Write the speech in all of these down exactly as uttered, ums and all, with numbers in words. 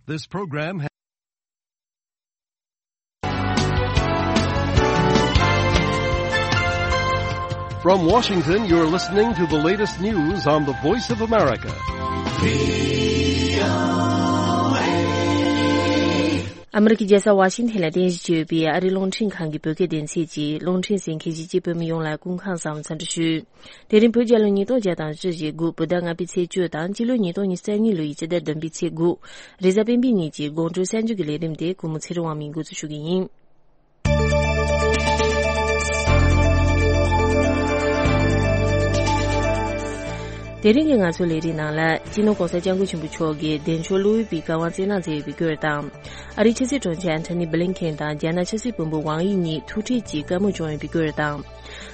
This program has From Washington, you're listening to the latest news on the Voice of America. ཨ་མི་རི་ཀའི་རྒྱལ་ས་ཝ་ཤིང་ཐན་ལ་རྟེན་གཞི་བྱས་ཡོད་པའི་ཨ་རིའི་རླུང་འཕྲིན་ཁང་གི་བོད་སྐད་སྡེ་ཚན་གྱི་རླུང་འཕྲིན་གསན་མཁན་གཞིས་བྱེས་བོད་མི་ཡོངས་ལ་སྐུ་ཁམས་བཟང་བའི་འཚམས་འདྲི་ཞུ། དེ་རིང་བོད་རྒྱལ་ལོ་ཉིས་སྟོང་བརྒྱ་དང་བཞི་བཅུ་ཞེ་དགུ་བོད་ཟླ་ལྔ་པའི་ཚེས་བཅུ་དང་སྤྱི་ལོ་ཉིས་སྟོང་ཉི་ཤུ་རྩ་གཉིས་ལོའི་སྤྱི་ཟླ་བདུན་པའི་ཚེས་དགུ། རེས་གཟའ་སྤེན་པའི་ཉིན་གྱི་དགོང་དྲོའི་གསར་འགྱུར་གྱི་ལས་རིམ་དེ་གུས་མོ་ཚེ་རིང་དབང་མོས་འགོ་འཛུགས་ཞུ་གི་ཡིན། དེ་རིང་གི་ང་ཚོའི་ལས་རིམ་ནང་ལ་སྤྱི་ནོར་གོང་ས་སྐྱབས་མགོན་ཆེན་པོ་མཆོག་གིས་བདེ་མཆོག་བློ་འོད་པའི་བཀའ་དབང་བསྩལ་གནང་མཛད་ཡོད་པའི་སྐོར་དང་། ཨ་རིའི་ཕྱི་སྲིད་དྲུང་ཆེ་ཨན་ཐོ་ནི་བྷི་ལིན་ཁེན་དང་རྒྱ་ནག་ཕྱི་སྲིད་བློན་པོ་ཝང་དབྱི་གཉིས་ཐུག་འཕྲད་ཀྱིས་བཀའ་མོལ་བྱུང་ཡོད་པའི་སྐོར་དང་།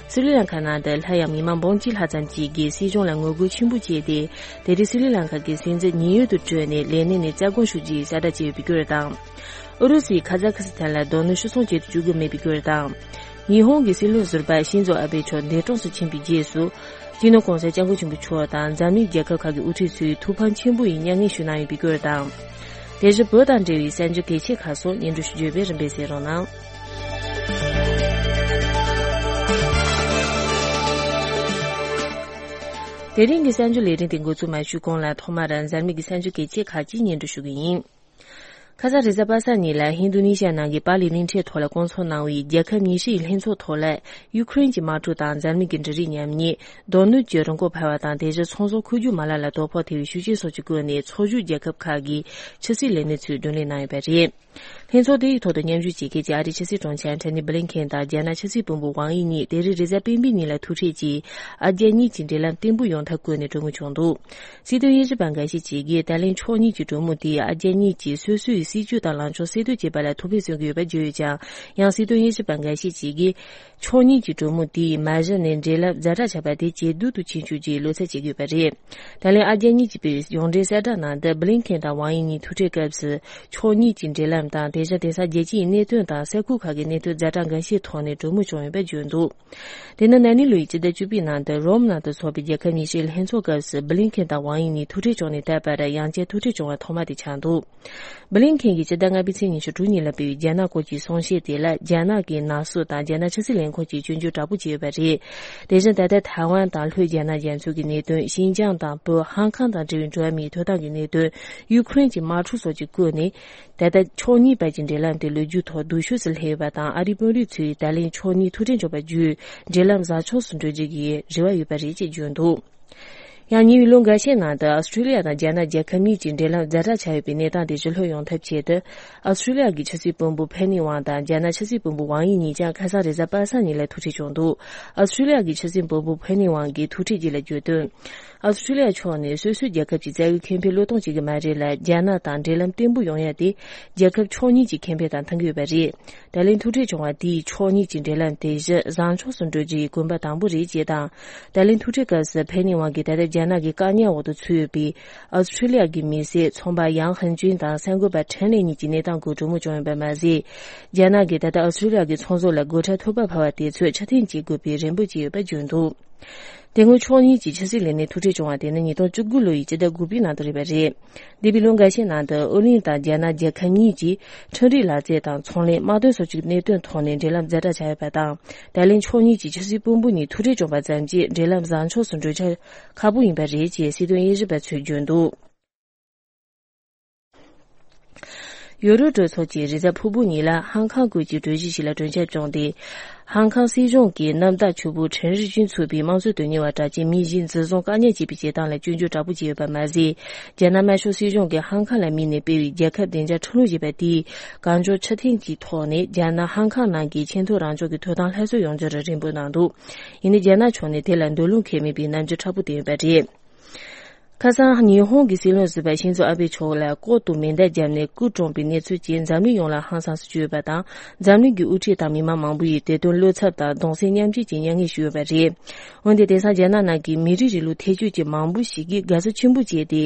སི་རི་ལང་ཀ་ནང་དུ་སླར་ཡང་མི་མང་འབུམ་གཅིག་ལྷག་ཙམ་ཞིག་གིས་སྲིད་གཞུང་ལ་ངོ་རྒོལ་ཆེན་པོ་བྱས་ཏེ། དེ་རིང་སི་རི་ལང་ཀ་གི་སྲིད་འཛིན་ཉེན་གཡོལ་དུ་བཀྲོལ་ནས་ལས་གནས་ནས་རྩ་དགོངས་ཞུ་རྒྱུའི་གསལ་བསྒྲགས་བྱས་ཡོད་པའི་སྐོར་དང་། ཨུ་རུ་སུས་ཁ་ཛ་ཁི་སི་ཐན་ལ་རྡོ་སྣུམ་ཤི་གསོན་བྱེད་དུ་བཅུག་གི་མེད་པའི་སྐོར་དང་། ཉི་ཧོང་གི་སྲིད་བློན་ཟུར་པ་ཤིན་ཛོ་ཨ་བྷེ་མཆོག་འདས་གྲོངས་སུ་ཕྱིན་པའི་རྗེས་སུ། སྤྱི་ནོར་གོང་ས་སྐྱབས་མགོན་ཆེན་པོ་མཆོག་དང་འཛམ་གླིང་རྒྱལ་ཁབ་ཁག་གི་དབུ་ཁྲིད་ཚོས་ཐུགས་ཕམ་ཆེན་པོ་ཡི་མྱ་ངན་ཞུ་གནང་ཡོད་པའི་སྐོར་དང་། དེ་བཞིན་བོད་དང་འབྲེལ་བའི་གསར་འགྱུར་གལ་ཆེ་ཁག་སོགས་སྙན་སྒྲོན་ཞུ་རྒྱུ་ཡོད་པས་རིམ་པས་གསན་རོགས་གནང་། དེ་རིང་གི་གསར་འགྱུར་ལས་རིམ་དེ་འགོ་འཛུགས་མ་ཞུས་གོང་ལ་ཐོག་མར་འཛམ་གླིང་གི་གསར་འགྱུར་གལ་ཆེ་ཁག་ཅིག་སྙན་སྒྲོན་ཞུ་གི་ཡིན། ཁ་སང་རེས་གཟའ་པ་སངས་ཉིན་ལ་ཧིན་རྡུ་ནི་ཤ་ནང་གི་པཱ་ལི་གླིང་ཕྲན་ཐོག་ལ་བསྐོང་ཚོགས་གནང་བའི་རྒྱལ་ཁབ་ཉི་ཤུ་ཡི་ལྷན་ཚོགས་ཐོག་ལ་ཡུ་ཁུ་རེན་གྱི་དམག་འཁྲུག་དང་འཛམ་གླིང་གི་འབྲུ་རིགས་ཉམས་ཉེས། རྡོ་སྣུམ་གྱི་རིན་གོང་འཕར་བ་དང་དེ་བཞིན་ཚོང་ཟོག་མཁོ་སྒྱུར་མ་ལག་ལ་དོ་ཕོག་ཐེབས་པའི་ཤུགས་རྐྱེན་སོགས་ཀྱི་སྐོར་ནས་ཚོགས་ཞུགས་རྒྱལ་ཁབ་ཁག་གི་ཕྱི་སྲིད་ལས་སྣེ་ཚོས་བགྲོ་གླེང་གནང་ཡོད་པ་རེད། ལྷན་ཚོགས་དེའི་ཐོག་ཏུ་མཉམ་ཞུགས་བྱེད་མཁན་གྱི་ཨ་རིའི་ཕྱི་སྲིད་དྲུང་ཆེ་ཨན་ཐོ་ནི་བྷི་ལིན་ཁེན་དང་རྒྱ་ནག་ཕྱི་སྲིད་བློན་པོ་ཝང་དབྱི་གཉིས་དེ་རིང་རེས་གཟའ་སྤེན་པའི་ཉིན་ལ་ཐུག་འཕྲད་ཀྱིས་ཨ་རྒྱ་གཉིས་ཀྱི་འབྲེལ་ལམ་བརྟན་པོ་ཡོང་ཐབས་སྐོར་ནས་གྲོས་མོལ་བྱུང་འདུག། སྲིད་དོན་དབྱེ་ཞིབ་པ་འགའ་ཤས་ཅིག་གིས་ད་ལན་ཕྱོགས་གཉིས་ཀྱི་གྲོས་མོལ་དེས་ཨ་རྒྱ་གཉིས་ཀྱིས་སོ་སོའི་སྲིད་ཇུས་དང་ལངས་ཕྱོགས་གསལ་སྟོན་བྱེད་པ་ལ་ཐུགས་ཕན་གསོས་ཀྱི་ཡོད་པ་བརྗོད་ཡོད་ཀྱང་། ཡང་སྲིད་དོན་དབྱེ་ཞིབ་པ་འགའ་ཤས་ཅིག་གིས། ཕྱོགས་གཉིས་ཀྱི་གྲོས་མོལ་དེས་མ་གཞི་ནས་འབྲེལ་ལམ་ཛ་དྲག་ཆགས་པ་དེ་ཇེ་སྡུག་ཏུ་ཕྱིན་བཅུག་རྒྱུའི་བློ་འཚབ་བྱེད་ཀྱི་ཡོད་པ་རེད། ད་ལན་ཨ་རྒྱ་གཉིས་ཀྱིས་སྤེལ་བའི་གཞུང་འབྲེལ་གསལ་བསྒྲགས་ནང་དུ་བྷི་ལིན་ཁེན་དང་ཝང་དབྱི་གཉིས་ཐུག་འཕྲད་སྐབས་སུ། ཕྱོགས་གཉིས་ཀྱི་འབྲེལ་ལམ་དང་དེ་བཞིན་དེང་སང་རྒྱལ་སྤྱིའི་གནད་དོན་དང་ས་ཁུལ་ཁག་གི་གནད་དོན་ཛ་དྲག་འགའ་ཤས་ཐོག་ནས་གྲོས་མོལ་བྱུང་ཡོད་པ་བརྗོད་འདུག། དེ་ནི་ན་ནིང་ལོའི་སྤྱི་ཟླ་བཅུ་པའི་ནང་དུ་རོམ་ནང་དུ་འཚོགས་པའི་རྒྱལ་ཁབ་ཉི་ཤུའི་ལྷན་ཚོགས་སྐབས་སུ་བྷི་ལིན་ཁེན་དང་ཝང་དབྱི་གཉིས་ཐུག་འཕྲད་བྱུང་ནས་ད་བར་ཡང་བསྐྱར་ཐུག་འཕྲད་བྱུང་བ་ཐོག་མ་དེ་ཆགས་འདུག། བྷི་ལིན་ཁེན་གྱིས་སྤྱི་ཟླ་ལྔ་པའི་ཚེས་ཉི་ཤུ་དྲུག་ཉིན་ལ་སྤེལ་བའི་རྒྱ་ནག་སྐོར་གྱི་གསུང་བཤད་དེ་ལ་རྒྱ་ནག་གི་ནག་གསུག་དང་རྒྱ་ནག་ཕྱི་སྲིད་ལས་ཁུངས་ཀྱིས་སྐྱོན་བརྗོད་དྲག་པོ་བྱས་ཡོད་པ་རེད། དེ་བཞིན་ད་ལྟ་ཐའེ་ཝན་དང་ལྷོའི་རྒྱ་ནག་རྒྱ་མཚོ་གི་གནད་དོན། ཤིན་ཅང་དང་བོད། ཧང་ཀང་དང་འབྲེལ་བའི་འགྲོ་བ་མིའི་ཐོབ་ཐང་གི་གནད་དོན། ཡུ་ཁུ་རེན་གྱི་དམག་འཁྲུག་སོགས་ཀྱི་སྐོར་ནས། ད་ལྟ་ཕྱོགས་གཉིས་བར་གྱི་འབྲེལ་ལམ་དེ་ལོ་རྒྱུས་ཐོག་སྡུག་ཤོས་སུ་སླེབས་ཡོད་པ་དང་། ཨ་རིའི་དཔོན་རིགས་ཚོས་ད་ལན་ཕྱོགས་གཉིས་ཐུག་འཕྲད་འབྱུང་བ་བརྒྱུད་འབྲེལ་ལམ་བཟང་ཕྱོགས་སུ་འགྲོ་རྒྱུ་གི་རེ་བ་ཡོད་པ་རེད་ཅེས་བརྗོད་འདུག། ཡང་ཉེ་བའི་ལོ་འགའ་ཤས་ནང་དུ་ཨ་སི་ཁྲུ་ལི་ཡ་དང་རྒྱ་ནག་རྒྱལ་ཁབ་གཉིས་ཀྱི་འབྲེལ་ལམ་ཛ་དྲག་ཆགས་ཡོད་པའི་གནས་སྟངས་དེ་ཞི་ལྷོད་ཡོང་ཐབས་ཆེད་དུ། ཨ་སི་ཁྲུ་ལི་ཡ་གི་ཕྱི་སྲིད་བློན་པོ་ཕེ་ནི་ཝང་དང་རྒྱ་ནག་ཕྱི་སྲིད་བློན་པོ་ཝང་དབྱི་གཉིས་ཀྱང་ཁ་སང་རེས་གཟའ་པ་སངས་ཉིན་ལ་ཐུག་འཕྲད་བྱུང་འདུག། ཨ་སི་ཁྲུ་ལི་ཡ་གི་ཕྱི་སྲིད་བློན་པོ་ཕེ་ནི་ཝང་གིས་ཐུག་འཕྲད་རྗེས་ལ་བརྗོད་དོན། ཨ་སི་ཁྲུ་ལི་ཡ་ཕྱོགས་ནས་སོ་སོའི་རྒྱལ་ཁབ་ཀྱི་རྩ་བའི་ཁེ་ཕན་བློས་གཏོང་བྱེད་ཀྱི་མ་རེད་ལ། རྒྱ་ནག་དང་འབྲེལ་ལམ་བརྟན་པོ་ཡོང་ཡ་དེ་རྒྱལ་ཁབ་ཕྱོགས་གཉིས་ཀྱི་ཁེ་ཕན་དང་མཐུན་གྱི་ཡོད་པ་རེད། ད་ལན་ཐུག་འཕྲད་བྱུང་བ་དེས་ཕྱོགས་གཉིས་ཀྱི་འབྲེལ་ལམ་དེ་བཞིན་བཟང་ཕྱོགས་སུ་འགྲོ་རྒྱུའི་གོམ་པ་དང་པོ་རེད་ཅེས་དང་། ད་ལན་ཐུག་འཕྲད་སྐབས་སུ་ཕེ་ནི་ཝང་གིས་ད་ལྟ་རྒྱ་ནག་གི་བཀག་ཉར་འོག་ཏུ་ཚུད་ཡོད་པའི་ཨ་སི་ཁྲུ་ལི་ཡ་གི་མི་སེར་ཚོང་པ་ཡང་ཧན་ཅུན་དང་གསར་འགོད་པ་ཁྲེན་ལེ་གཉིས་ཀྱི་གནས་སྟངས་སྐོར་གྲོས་མོལ་བྱུང་ཡོད་པ་མ་ཟད། རྒྱ་ནག་གིས་ད་ལྟ་ཨ་སི་ཁྲུ་ལི་ཡ་གི་ཚོང་ཟོག་ལ་སྒོ་ཁྲལ་ཐོབ་པ་ཕབ་པ་དེ་ཚོས་ཕྱིར་འཐེན་བྱེད་དགོས་པའི་རེ་འབོད་བྱས་ཡོད་པ་བརྗོད་འདུག། དེ་སྔོན་ཕྱོགས་གཉིས་ཀྱི་ཕྱི་སྲིད་ལས་སྣེ་ཐུག་འཕྲད་བྱུང་བ་དེ་ནི་ཉིས་སྟོང་བཅུ་དགུ་ལོ་ཡི་སྤྱི་ཟླ་དགུ་པའི་ནང་དུ་རེད་པ་རེད། འདས་པའི་ལོ་འགའ་ཤས་ནང་དུ་ཨོ་གླིང་དང་རྒྱ་ནག་རྒྱལ་ཁབ་གཉིས་ཀྱིས་ཁྲིམས་རིག་ལག་རྩལ་དང་ཚོང་ལས། དམག་དོན་སོགས་ཀྱི་གནད་དོན་ཐོག་ནས་འབྲེལ་ལམ་ཛ་དྲག་ཆགས་ཡོད་པ་དང་། ད་ལན་ཕྱོགས་གཉིས་ཀྱི་ཕྱི་སྲིད་བློན་པོ་གཉིས་ཐུག་འཕྲད་བྱུང་བ་ཙམ་གྱིས་འབྲེལ་ལམ་བཟང་ཕྱོགས་སུ་འགྲོ་རྒྱུ་ཁག་པོ་ཡིན་པ་རེད་ཅེས་སྲིད་དོན་དབྱེ་ཞིབ་པ་ཚོས་བརྗོད་འདུག། ཡུ་རོབ་གྲོས་ཚོགས་ཀྱིས་རེས་གཟའ་ཕུར་བུ་ཉིན་ལ་ཧང་ཀང་སྐོར་གྱི་གྲོས་གཞི་ཞིག་ལ་གྲོས་འཆར་བྱུང་སྟེ། ཧང་ཀང་སྲིད་གཞུང་གིས་གནམ་བདག་ཕྱུག་པོ་ཁྲེན་རི་ཅུན་ཚུད་པའི་དམངས་གཙོ་དོན་གཉེར་བ་གྲགས་ཅན་མི་བཞི་འཛིན་བཟུང་བཀག་ཉར་བྱས་པའི་བྱེད་སྟངས་ལ་སྐྱོན་བརྗོད་དྲག་པོ་བྱས་ཡོད་པ་མ་ཟད། རྒྱ་ནག་དམར་ཤོག་སྲིད་གཞུང་གིས་ཧང་ཀང་ལ་དམིགས་ནས་སྤེལ་བའི་རྒྱལ་ཁབ་བདེ་འཇགས་ཁྲིམས་ལུགས་ཞེས་པ་དེས་གང་མགྱོགས་ཕྱིར་འཐེན་གྱི་ཐོག་ནས་རྒྱ་ནག་ཧང་ཀང་ནང་གི་ཆེས་མཐོའི་རང་སྐྱོང་གི་ཐོབ་ཐང་སླར་གསོ་ཡོང་རྒྱུར་རེ་འབོད་གནང་འདུག། ཡིན་ནའི་རྒྱ་ནག་ཕྱོགས་ནས་དེ་ལ་འདོད་བློ་འཁེལ་མེད་པའི་རྣམ་འགྱུར་མཁྲེགས་པོ་བསྟན་ཡོད་པ་རེད། ཁ་སང་ཉི་ཧོང་གི་སྲིད་བློན་ཟུར་པ་ཤིན་ཛོ་ཨ་བྷེ་མཆོག་ལ་ལྐོག་ཏུ་མེ་མདའ་བརྒྱབ་ནས་སྐུ་གྲོངས་པའི་གནས་ཚུལ་གྱིས་འཛམ་གླིང་ཡོངས་ལ་ཧང་སངས་སུ་གྱུར་ཡོད་པ་དང་། འཛམ་གླིང་གི་དབུ་ཁྲིད་དང་མི་མང་མང་པོ་ཡིས་དེ་དོན་བློ་འཚབ་དང་གདུང་སེམས་མཉམ་སྐྱེད་ཀྱི་མྱ་ངན་ཞུས་ཡོད་པ་རེད། འོན་ཏེ་དེང་སང་རྒྱ་ནག་ནང་གི་མི་རིགས་རིང་ལུགས་ཐེ་བྱུས་ཀྱི་མང་པོ་ཞིག་གིས་དགའ་བསུ་ཆེན་པོ་བྱས་ཏེ།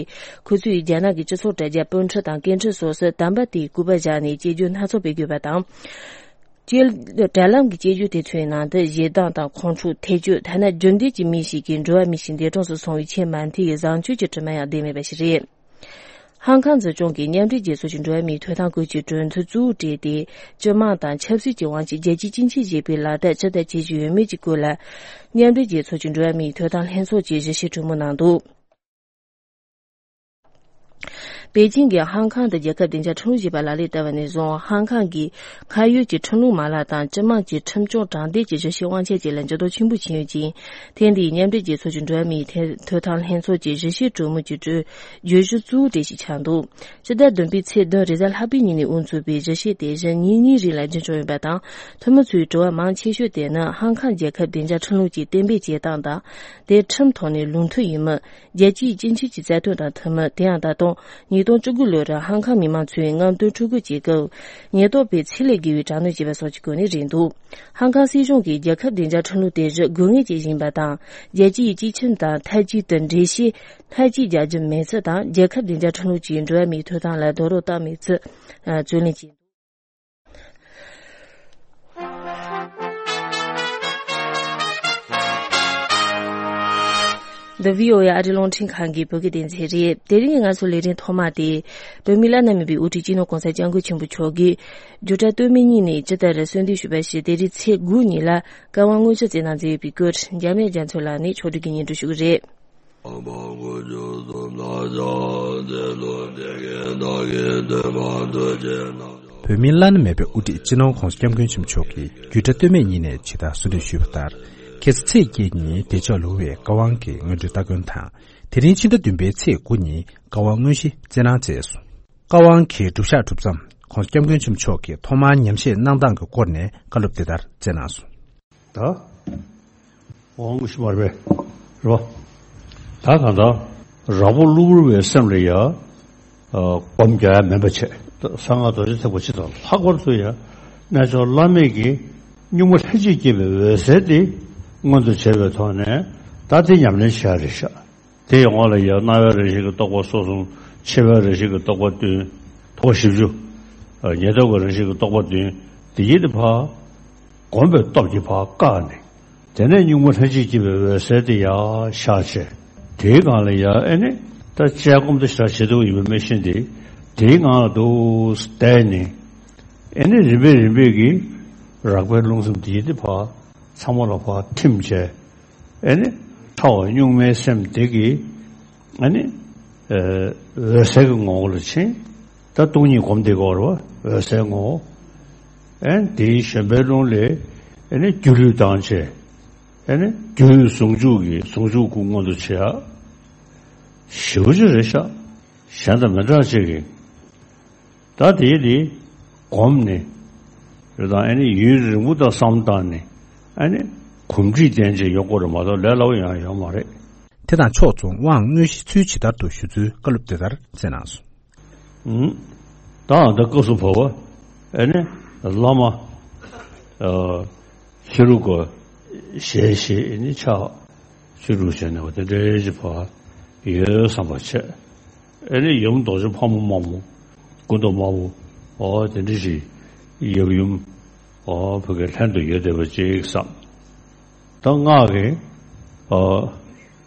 ཁོ་ཚོས་རྒྱ་ནག་གི་སྤྱི་ཚོགས་དྲ་རྒྱ་སྤོས་འཕྲུལ་དང་སྐད་འཕྲིན་སོགས་སུ་དམ་པ་དེའི་སྐུ་པར་བཞག་ནས་གཅེས་འཇོག་སྣ་ཚོགས་སྤེལ་དགོས་པ་དང་། དྲ་ལམ་གྱི་དཔྱད་བརྗོད་དེ་ཚོའི་ནང་དུ་ཞེ་སྡང་དང་ཁོང་ཁྲོ། ཐེ་བྱུས། ཐ་ན་རྒྱུ་འབྲས་ཀྱི་མི་ཞིག་གིས་འགྲོ་བ་མི་ཞིག་འདས་གྲོངས་སུ་སོང་བའི་ཆེས་མ་མཐའི་བཟང་སྤྱོད་ཀྱི་དྲི་མ་ཡང་བསྡད་མེད་པ་ཞིག་རེད། ཧང་ཁང་འཛིན་སྐྱོང་གིས་མཉམ་འབྲེལ་རྒྱལ་ཚོགས་ཀྱི་འགྲོ་བ་མིའི་ཐོབ་ཐང་སྐོར་གྱི་གྲོས་མཐུན་གཙོ་བོར་བཀྲལ་ཏེ། སྤྱི་དམངས་དང་ཆབ་སྲིད་ཀྱི་དབང་ཆ་རྒྱལ་སྤྱིའི་སྤྱི་ཆིངས་ཞེས་པའི་ལག་བསྟར་ཇི་ལྟར་བྱེད་རྒྱུ་ཡོད་མེད་ཀྱི་སྐོར་ལ། མཉམ་འབྲེལ་རྒྱལ་ཚོགས་ཀྱི་འགྲོ་བ་མིའི་ཐོབ་ཐང་ལྷན་ཚོགས་ཀྱིས་གཞི་བྱས་གྲོས་མོལ་གནང་འདུག་པེ་ཅིང་གིས་ཧང་ཁང་དུ་རྒྱལ་ཁབ་བདེ་འཇགས་ཁྲིམས་ལུགས་ཞེས་པ་ལག་ལེན་བསྟར་བ་ནས་བཟུང་། ཧང་ཁང་གིས་ཁ་ཡོད་ཀྱི་ཁྲིམས་ལུགས་མ་ལག་དང་སྤྱི་དམངས་ཀྱི་ཁྲིམས་སྐྱོང་དྲང་བདེན་གྱི་གཞི་བྱས་དབང་ཆ་བཅས་ལ་འགྱུར་ལྡོག་ཆེན་པོ་ཕྱིན་ཡོད་ཅིང་། ཐེངས་འདིའི་མཉམ་འབྲེལ་རྒྱལ་ཚོགས་ཀྱི་འགྲོ་བ་མིའི་ཐེ་ཐོབ་ཐང་ལྷན་ཚོགས་ཀྱི་གཞི་བྱས་གྲོས་མོལ་གྱི་གྲོས་བརྗོད་གཞི་གཙོ་བོ་དེ་ཞིག་ཆགས་འདུག་ཕྱི་ཟླ་བདུན་པའི་ཚེས་བདུན་རེས་གཟའ་ལྷག་པའི་ཉིན་ནས་དབུ་འཛུགས་པའི་གཞི་བྱས་དེ་གཞི་ཉིན་གཉིས་རིང་ལ་རྒྱུན་འཁྱོངས་ཡོད་པ་དང་། ཐུན་མོང་ཚོའི་དྲི་བ་མང་ཆེ་ཤོས་དེ་ནི་ཧང་ཁང་རྒྱལ་ཁབ་བདེ་འཇགས་ཁྲིམས་ལུགས་ཀྱིས་གཏན་འབེབས་བྱེད་སྟངས་དང་། དེ་ཁྲིམས་ཐོག་ནས་ལུགས་མཐུན་ཡིན་མིན། རྒྱལ་སྤྱིའི་སྤྱི་ཆིངས་ཀྱི་རྩ་དོན་དང་མཐུན་མིན། དེ་ཡང་ད་དུང་ཉིས་སྟོང་བཅུ་དགུ་ལོར་ཧང་ཁང་མི་མང་ཚོས་རྔམ་སྟོན་འཁྲུག་རྒོལ་བྱེད་སྐབས། ཉེན་རྟོག་པས་ཚད་ལས་བརྒལ་བའི་དྲག་གནོན་བྱས་པ་སོགས་ཀྱི་སྐོར་ནས་རེད་འདུག་ཧང་ཁང་སྲིད་གཞུང་གིས་རྒྱལ་ཁབ་བདེ་འཇགས་ཁྲིམས་ལུགས་དེ་བཞིན་དགོས་ངེས་ཅན་ཞིག་ཡིན་པ་དང་། རྒྱལ་སྤྱིའི་སྤྱི་ཁྱིམ་དང་མཐའ་དཀྱིལ་དུ་འགྲེལ་བཤད་མཐའ་དཀྱིལ་རྒྱག་རྒྱུ་མེད་ཚུལ་དང་། རྒྱལ་ཁབ་བདེ་འཇགས་ཁྲིམས་ལུགས་ཀྱིས་འགྲོ་བ་མིའི་ཐོབ་ཐང་ལ་རྡོག་རོལ་བཏང་མེད་ཚུལ་རྩོད་ལེན་བྱས། འདི་བྷི་ཨོ་ཨེ་ཨ་རིའི་རླུང་འཕྲིན་ཁང་གི་བོད་སྐད་སྡེ་ཚན་རེད། དེ་རིང་གི་ང་ཚོའི་ལས་རིམ་ཐོག་མ་དེ། བོད་མིའི་བླ་ན་མེད་པའི་དབུ་ཁྲིད་སྤྱི་ནོར་༸གོང་ས་༸སྐྱབས་མགོན་ཆེན་པོ་མཆོག་གིས། རྒྱུགས་དྲག་སྟོད་སྨད་གཉིས་ནས་ཇི་ལྟར་གསོལ་འདེབས་ཞུས་པ་ཞིག་དེ་རིང་ཚེས་དགུ་ཉིན་ལ་བཀའ་དབང་དངོས་གཞི་བསྩལ་གནང་མཛད་ཡོད་པའི་སྐོར། འཇམ་དབྱངས་རྒྱ་མཚོ་ལགས་ནས་ཕྱོགས་སྒྲིག་གིས་སྙན་སྒྲོན་ཞུ་གི་རེད། བོད་མིའི་བླ་ན་མེད་པའི་དབུ་ཁྲིད་སྤྱི་ནོར་༸གོང་ས་༸སྐྱབས་མགོན་ཆེན་པོ་མཆོག་གིས་རྒྱུགས་དྲག་སྟོད་སྨད་གཉིས་ནས་ཇི་ལྟར་གསོལ་འདེབས་ཞུས་པ་ལྟར། ཁ་སང་ཚེས་བརྒྱད་ཉིན་བདེ་མཆོག་ལུང་པའི་བཀའ་དབང་གི་སྔོན་འགྲོའི་སྟ་གོན་དང་། དེ་རིང་ཕྱི་ཟླ་བདུན་པའི་ཚེས་དགུ་ཉིན་བཀའ་དབང་དངོས་གཞི་བསྩལ་གནང་མཛད་སོང་། བཀའ་དབང་གི་སྒྲུབ་ཞག་གྲུབ་མཚམས། ༸གོང་ས་༸སྐྱབས་མགོན་ཆེན་པོ་མཆོག་གིས་ཐོག་མར་ཉམས་བཞེས་གནང་སྟངས་ཀྱི་སྐོར་ནས་བཀའ་སློབ་དེ་ལྟར་སྩལ་གནང་སོང་། ད། འོང་ཞིག་མ་རེད་པས། རེད་པ། ད་གང་ལྟར། རགས་པ་གློ་བུར་བའི་སེམས་ལ་ཡ། སྒོམ་རྒྱག་ཡ་མིན་པ་བྱས། གསང་སྔགས་རྡོ་རྗེ་ཐེག་པ་སྤྱི་དང་ལྷག་པར་དུ་ཡ། རྣལ་འབྱོར་བླ་མེད་ཀྱི་གཉུག་མ་ལྷན་ཅིག་སྐྱེས་པའི་འོད་གསལ་དེ་མངོན་དུ་བྱས་པའི་ཐོག་ནས་ད་དེ་ཉམས་ལེན་བྱ་རེད་ཤག་དེ་ཡི་འོག་ལ་ཡང་སྣང་བའི་རང་བཞིན་གྱི་རྟོག་པ་སོ་གསུམ། ཆེ་བའི་རང་བཞིན་གྱི་རྟོག་པ་བདུན། རྟོག་པ་བཞི་བཅུ། ཉེ་རྟོག་གི་རང་བཞིན་གྱི་རྟོག་པ་བདུན། དེ་ཡི་དེ་ཕར། བསྒོམས་པའི་སྟོབས་ཀྱིས་ཕར་བཀག་ནས། དེ་ནས་གཉུག་མ་ལྷན་ཅིག་སྐྱེས་པའི་འོད་གསལ་དེ་ཡར་ཤར་བྱས། དེའི་སྒང་ལ་ཡར་ཨེ་ནི། ད་དཔྱད་སྒོམ་དེ་ཞེ་དྲག་བྱེད་ཐུབ་ཡོད་པ་མེད་བཞིན་དེ། དེའི་ངང་ལ་འདུག་བསྡད་ནས། ཨེ་ནི་རིམ་པས་རིམ་པས་ཀྱིས། རགས་པའི་རླུང་སེམས་དེ་ཡི་དེ་ཕར། ཚང་མ་ལ་ཕར་ཐིམ་བྱས། ཨེ་ནི། ཕྲ་བ་གཉུག་མའི་སེམས་དེ་གིས། ཨེ་ནི། འོད་གསལ་གྱི་ངོ་བོ་ལ་ཕྱིན། ད་སྟོང་ཉིད་སྒོམ་དེ་གོ་ར་བ་འོད་གསལ་ངོ་བོ། ཨེ་ནི་དེའི་བཞོན་པའི་རླུང་ལས། ཨེ་ནི་སྒྱུ་ལུས་བཏང་བྱས། ཨེ་ནི་སྒྱུ་ལུས་ཟུང་འཇུག་གི་ཟུང་འཇུག་སྐུ་མངོན་དུ་བྱེད་ཡ། ཞེ་པོ་ཅིག་རེད་ཤག་གཞན་དང་མི་འདྲ་ཅིག་གི། ད་དེ་དེ་གོམས་ནས། རེད་དང་ཨ་ནི་ཡུན་རིང་པོ་དང་བསམ་བཏང་ནས། ཨ་ནི་གོམས་འདྲིས་ལྡན་ཅིག་ཡོང་དགོས་རེད་མ་གཏོགས་ལས་སླ་པོ་ཡང་ཡོང་མ་རེད། དེ་དང་ཕྱོགས་མཚུངས་དབང་དངོས་གཞི་ཚུལ་ཇི་ལྟར་དུ་ཞུ་ཚུལ་བཀའ་སློབ་དེ་ལྟར་སྩལ་གནང་སོང་། ད་ད་སྐབས་སུ་བབ་པ། ཨ་ནི་བླ་མ། ཤེས་རུ་གོ་ཞལ་ཞེས་ཨ་ནི་ཕྱག་ཤེས་རུ་བྱས་ནས་བ་དེ་འདྲའི་ཅིག་བ་ཡོད་བསམ་པ་བྱས། ཨེ་ནི་ཡུམ་རྡོ་རྗེ་ཕག་མོ་དམར་མོ། སྐུ་མདོག་དམར་པོ། འོ་དེ་འདྲ་ཞིག་ཡབ་ཡུམ། འོ་བོད་ཀྱི་ལྷན་དུ་ཡོད་བསྡད་པ་ཅིག་བསམ། ད་སྔགས་ཀྱི། འོ་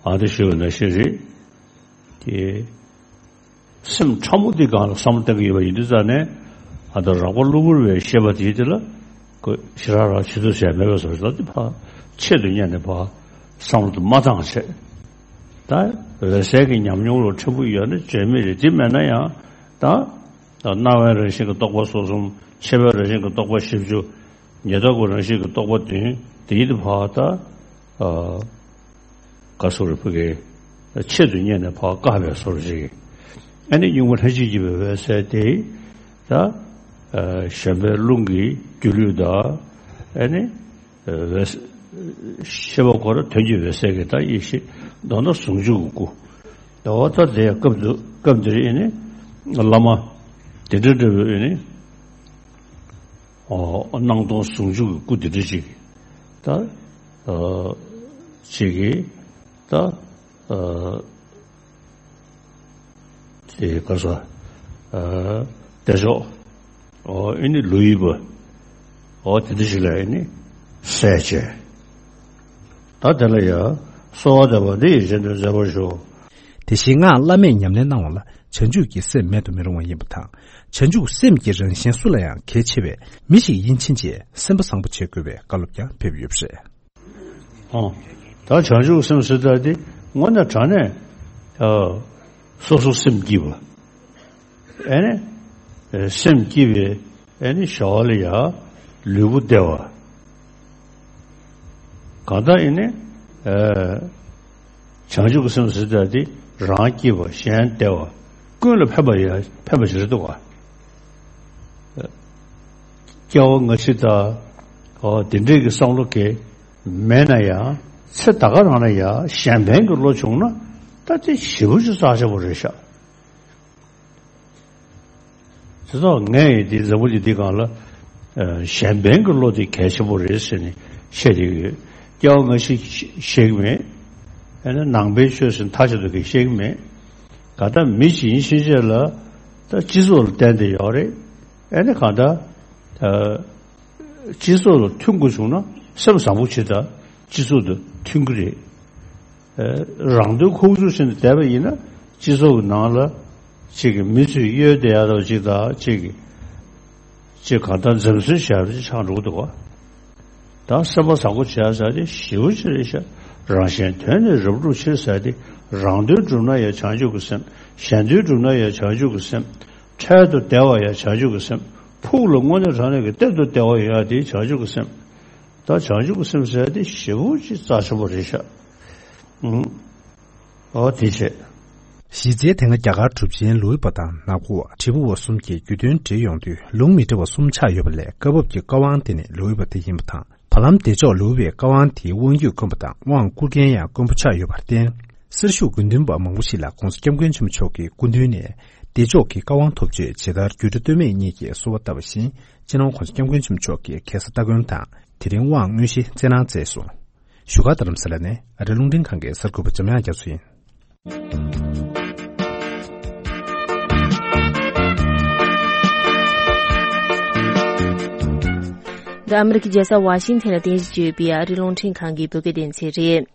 ཨ་འདི་ཞུ་བ་ནང་བཞིན་རེད། ཀྱེ། སེམས་ཕྲ་མོ་འདི་སྒང་ལ་བསམ་བློ་གཏང་གི་ཡོད་པ་ཡིན་དུས་ཙང་ནས། ཨ་ད་རགས་པ་གློ་བུར་བའི་ཤེས་པ་དེ་དེ་ལ། ཁོས་ཞེ་དྲག་རང་ཆེད་དུ་བྱས་མེད་པའི་བཟོ་ཞིག་ལ་དེ་ཕར་ཆེད་དུ་གཉེར་ནས་ཕར་བསམ་བློ་དུ་མ་བཏང་བྱས། ད་འོད་གསལ་གྱི་ཉམས་མྱོང་ལ་ཕྲན་བུ་ཡོད་ན་བརྗོད་མེད་རེད། དེ་མེད་ན་ཡང་ད་སྣང་བའི་རང་བཞིན་གྱི་རྟོག་པ་སོ་གསུམ། ཆེ་བའི་རང་བཞིན་གྱི་རྟོག་པ་བཞི་བཅུ། ཉེ་རྟོག་གི་རང་བཞིན་གྱི་རྟོག་པ་བདུན། དེ་ཡིན་དུ་ཕར་ད། ག་སོ་རེ་ཕུ་གེ། ཆེད་དུ་གཉེར་ནས་ཕར་བཀག་པའི་སོར་ཞིག་ཨ་ནི་གཉུག་མ་ལྷན་ཅིག་སྐྱེས་པའི་འོད་གསལ་དེ། ད། གཞོན་པའི་རླུང་གི་སྒྱུ་ལུས་དང་། ཨ་ནི། འོད་ཤེས་པ་ཁོ་ར་དོན་གྱི་འོད་གསལ་གྱི་ད་ཡེ་ཤེས། མདོར་ན་ཟུང་འཇུག་གི་སྐུ། ད་འོ་ད་དེ་སྐབས་འདི་སྐབས་འདིར་ཨེ་ནི། བླ་མ། དེ་འདྲ་འདྲ་བའི་ཨེ་ནི། སྣང་སྟོང་ཟུང་འཇུག་གི་སྐུ་དེ་འདྲ་ཅིག་ད། ཅིག་གིས་ད། ཅིག་ག་ས། བདེ་མཆོག་ཨེ་ནི་ལོ་ཡི་བ། འོ་དེ་འདྲ་ཅིག་ལ་ཨེ་ནི། གསལ་བྱས། ད་དེ་ལ་ཡང་གསོལ་བ་འདེབས་པ་འདི་ཡི་རྗེས་ཟློས་མཛད་པར་ཞུ། དེ་བཞིན་སྔགས་བླ་མེད་ཉམས་ལེན་གནང་བ་ལ་བྱང་ཆུབ་ཀྱི་སེམས་མེད་དུ་མི་རུང་བ་ཡིན་པ་དང་། བྱང་ཆུབ་སེམས་ཀྱི་རང་བཞིན་སུ་ལ་ཡང་གལ་ཆེ་བས། མི་ཞིག་ཡིན་ཕྱིན་ཆད་སེམས་པ་བཟང་པོ་བྱེད་དགོས་པའི་བཀའ་སློབ་ཀྱང་ཕེབས་ཡོད་པ་རེད། ཨོ། ད་བྱང་ཆུབ་སེམས་ཟེར་ད་དེ་དངོས་གནས་དྲང་གནས། ཨ། སོ་སོ་སེམས་སྐྱིད་པ། ཨེ་ནས། སེམས་སྐྱིད་པའི་ཨེ་ནས་བྱ་བ་ལ་ཡ་ལུས་པོ་བདེ་བ། གང་ལྟར་ཨེ་ནས། ཨ། བྱང་ཆུབ་ཀྱི་སེམས་ཟེར་ད་དེ་རང་སྐྱིད་པ་གཞན་བདེ་བ་ཀུན་ལ་ཕན་པ་ཡ་ཕན་པ་ཞིག་རེད་འདུག་ག། སྐྱེ་བ་སྔ་ཕྱི་དང་། ཨོ། དེ་འདྲས་ཀྱི་བསམ་བློ་གས་མེད་ན་ཡང་ཚེ་ད་ག་རང་ན་ཡང་གཞན་ཕན་གྱི་བློ་བྱུང་ན་ད་དེ་ཞེ་པོ་ཅིག་རྩ་ཆེན་པོ་རེད་ཤག། དེ་ཚོ་ངས་ཡིན་དེ་འཛམ་བུ་གླིང་འདི་སྒང་ལ་གཞན་ཕན་གྱི་བློ་དེ་གལ་ཆེན་པོ་རེད་ཟེར་ནས་བཤད་དེ་ཡོད། སྐྱེ་བ་སྔ་ཕྱི་ཤེས་ཀྱི་མེད། ཨ་ནི་ནང་པའི་ཆོས་ཟེར་མཐའ་གཅིག་ཏུ་གི་ཤེས་ཀྱི་མེད། ག་ད་མི་ཞིག་ཡིན་ཕྱིན་ཆད་ལ་ད་སྤྱི་ཚོགས་ལ་བརྟེན་ཏེ་ཡོད་རེད། ཨ་ནི་གང་ལྟར། ཨ། སྤྱི་ཚོགས་ལ་མཐུན་དགོས་བྱུང་ན་སེམས་བཟང་པོ་བྱེད་དང་སྤྱི་ཚོགས་དང་མཐུན་གྱི་རེད། ཨ། རང་དོན་ཁུག་ཀྱོག་བྱས་ནས་བསྡད་པ་ཡིན་ན་སྤྱི་ཚོགས་ཀྱི་ནང་ལ་གཅིག་གི་མི་ཚོས་གཡོལ་བསྡད་ཡག་འདྲ་བ་གཅིག་དང་གཅིག་གི་གཅིག་གང་ལྟར་འཛེམ་ཟོན་བྱས་པ་ཅིག་ཆགས་འགྲོ་གི་འདུག་ག། ད་སེམས་པ་བཟང་པོ་བྱས་ཟེར་དེ་ཞེ་པོ་ཅིག་རེད་ཤག། རང་གཞན་དོན་ནི་རབ་བསྒྲུབ་ཕྱིར་ཟེར་དེ་རང་དོན་བསྒྲུབ་ན་ཡང་བྱང་ཆུབ་ཀྱི་སེམས། གཞན་དོན་བསྒྲུབ་ན་ཡང་བྱང་ཆུབ་ཀྱི་སེམས། འཕྲལ་དུ་བདེ་བ་ཡང་བྱང་ཆུབ་ཀྱི་སེམས། ཕུགས་ལ་དངོས་གནས་དྲང་གནས་ཀྱི་གཏེར་དུ་བདེ་བ་ཡོང་ཡ་དེ་བྱང་ཆུབ་ཀྱི་སེམས། ད་བྱང་ཆུབ་ཀྱི་སེམས་ཟེར་དེ་ཞེ་པོ་ཅིག་རྩ་ཆེན་པོ་རེད་ཤག། ཨང་། ཨོ་དེ་བྱས། གཞི་རྩའི་དེ་སྔ་རྒྱ་གར་གྲུབ་ཆེན་ལོའི་པ་དང་ནག་པོ་བ་དྲིལ་བུ་བ་གསུམ་གྱིས་རྒྱུད་དོན་བྲིས་ཡོང་དུས་ལུང་མི་འདྲ་བ་གསུམ་ཆགས་ཡོད་པ་ལས་བཀའ་བབས་ཀྱི་བཀའ་དབང་དེ་ནི་ལོའི་པ་དེ་ཡིན་པ་དང་། བར་ལམ་བདེ་མཆོག་ལུའུ་པའི་བཀའ་དབང་དེའི་དབང་རྒྱུད་དཀོན་པ་དང་དབང་བསྐུར་མཁན་ཡང་དཀོན་པོ་ཆགས་ཡོད་པར་བརྟེན། གསེར་ཞུ་དགེ་འདུན་པ་མང་པོ་ཞིག་ལ་༸གོང་ས་༸སྐྱབས་མགོན་ཆེན་པོ་མཆོག་གི་སྐུ་མདུན་ནས་བདེ་མཆོག་གི་བཀའ་དབང་ཐོབ་ཆེད་ཇི་ལྟར་རྒྱུད་གྲྭ་སྟོད་སྨད་གཉིས་ཀྱིས་གསོལ་བ་བཏབ་པ་བཞིན་སྤྱི་ནོར་༸གོང་ས་༸སྐྱབས་མགོན་ཆེན་པོ་མཆོག་གིས་ཁ་སང་སྟ་གོན་དང་དེ་རིང་དབང་དངོས་གཞི་སྩལ་གནང་མཛད་སོང་། བཞུགས་སྒར་རྡ་རམ་ས་ལ་ནས་ཨ་རི་རླུང་འཕྲིན་ཁང་གི་གསར་འགོད་པ་འཇམ་དབྱངས་རྒྱ་མཚོ་ཡིན། འདི་ཨ་མི་རི་ཀའི་རྒྱལ་ས་ཝ་ཤིང་ཐན་ལ་རྟེན་གཞི་བྱས་ཡོད་པའི་ཨ་རིའི་རླུང་འཕྲིན་ཁང་གི་བོད་སྐད་སྡེ་ཚན་རེད།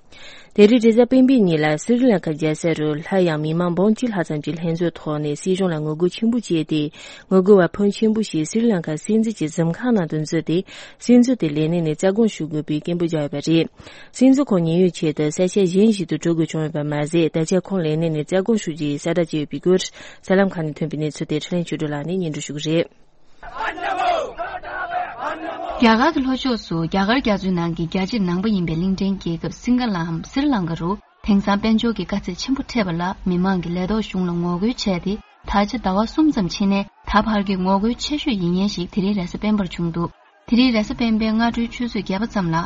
དེ་རིང་རེས་གཟའ་སྤེན་པའི་ཉིན་ལ་སི་རི་ལང་ཀ་རྒྱལ་ས་རུ་སླར་ཡང་མི་མང་འབུམ་གཅིག་ལྷག་ཙམ་གྱིས་ལྷན་འཛོམས་ཐོག་ནས་སྲིད་གཞུང་ལ་ངོ་རྒོལ་ཆེན་པོ་བྱས་ཏེ། ངོ་རྒོལ་བ་ཕོན་ཆེན་པོ་ཞིག་སི་རི་ལང་ཀ་སྲིད་འཛིན་གྱི་གཟིམ་ཁང་ནང་དུ་འཛུལ་ཏེ། སྲིད་འཛིན་དེ་ལས་གནས་ནས་རྩ་དགོངས་ཞུ་དགོས་པའི་སྐད་འབོད་བརྒྱབ་ཡོད་པ་རེད། སྲིད་འཛིན་ཁོང་ཉེན་གཡོལ་ཆེད་དུ་ས་ཆ་གཞན་ཞིག་ཏུ་འགྲོ་དགོས་བྱུང་ཡོད་པ་མ་ཟད། ད་ཆ་ཁོང་ལས་གནས་ནས་རྩ་དགོངས་ཞུ་རྒྱུའི་གསལ་བསྒྲགས་བྱས་ཡོད་པའི་སྐོར། གསར་ལམ་ཁག་ནས་ཐོན་པའི་གནས་ཚུལ་དེ་ཁྲི་ལན་ཆོས་སྒྲོན་ལགས་ནས་སྙན་སྒྲོན་ཞུ་གི་རེད། རྒྱ་གར་གྱི་ལྷོ་ཕྱོགས་སུ་རྒྱ་གར་རྒྱ་མཚོའི་ནང་གི་རྒྱལ་ཕྱིར་ནང་པ་ཡིན་པའི་གླིང་ཕྲན་རྒྱལ་ཁབ་སིང་ག་ལའམ་སི་རི་ལང་ཀ་རུ་དེང་སང་དཔལ་འབྱོར་གྱི་དཀའ་ཚེགས་ཆེན་པོ་འཕྲད་པ་ལ་མི་མང་གིས་ལས་ཐོག་གཞུང་ལ་ངོ་རྒོལ་བྱས་ཏེ། ད་ཆ་ཟླ་བ་གསུམ་ཙམ་ཕྱིན་ནས་ད་བར་གྱི་ངོ་རྒོལ་ཆེ་ཤོས་ཡིན་མཁན་ཞིག་དེ་རིང་རེས་གཟའ་སྤེན་པར་བྱུང་འདུག། དེ་རིང་རེས་གཟའ་སྤེན་པའི་སྔ་དྲོའི་ཆུ་ཚོད་བརྒྱད་པ་ཙམ་ལ།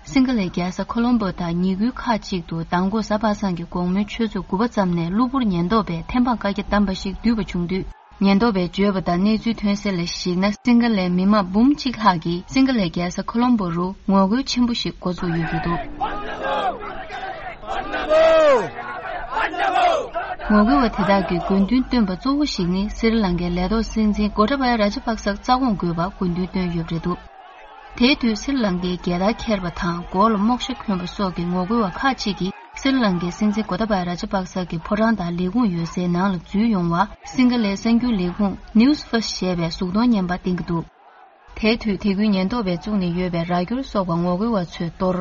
སིང་ག་ལའི་རྒྱལ་ས་ཁོ་ལོམ་པོ་དང་ཉེ་ཁུལ་ཁག་ཅིག་ཏུ་མདང་དགོང་གཟའ་པ་སངས་ཀྱི་དགོང་མོའི་ཆུ་ཚོད་དགུ་པ་ཙམ་ནས་གློ་བུར་ཉེན་རྟོག་པས་ཐེམ་སྤང་བཀའ་རྒྱ་བསྡམས་པ་ཞིག་བསྡུས་པ་བྱུང་དུས། ཉེན་རྟོག་པས་བརྗོད་པ་ལྟར་གནས་ཚུལ་ཐོན་གསལ་ལ་གཞིགས་ན། སིང་ག་ལའི་མི་མང་འབུམ་གཅིག་ལྷག་གིས་སིང་ག་ལའི་རྒྱལ་ས་ཁོ་ལོམ་པོ་རུ་ངོ་རྒོལ་ཆེན་པོ་ཞིག་འགོ་བཙུགས་ཡོད་ཀྱི་འདུག། ངོ་རྒོལ་བ་དེ་དག་གིས་དགོས་འདུན་བཏོན་པ་གཙོ་བོ་ཞིག་ནི་སི་རི་ལང་ཀའི་ལས་ཐོག་སྲིད་འཛིན་གོ་ཏ་བ་ཡ་ར་ཇ་པག་སར་རྩ་དགོངས་དགོས་པར་དགོས་འདུན་བཏོན་ཡོད་པ་རེད་འདུག། དེའི་དུས་སི་རི་ལང་ཀའི་རྒྱལ་དར་འཁྱེར་བ་དང་མགོ་ལ་རྨོག་ཞྭ་གོན་པ་སོགས་ཀྱི་ངོ་རྒོལ་བ་ཁག་ཅིག་གིས་སི་རི་ལང་ཀའི་སྲིད་འཛིན་གོ་ཏ་བ་ཡ་ར་ཇ་པག་ས་གི་ཕོ་བྲང་དང་ལས་ཁུངས་ཡོད་སའི་ནང་ལ་འཛུལ་ཡོང་བར་སིང་ག་ལའི་གསར་འགྱུར་ལས་ཁུངས་News First ཞེས་པས་གཟུགས་མཐོང་བརྙན་པར་བསྟན་གྱི་འདུག། དེའི་དུས་དེ་ཁུལ་ཉེན་རྟོག་པས་བཙུགས་ནས་ཡོད་པའི་ར་སྐྱོར་སོགས་པ་ངོ་རྒོལ་བ་ཚོས་གཏོར།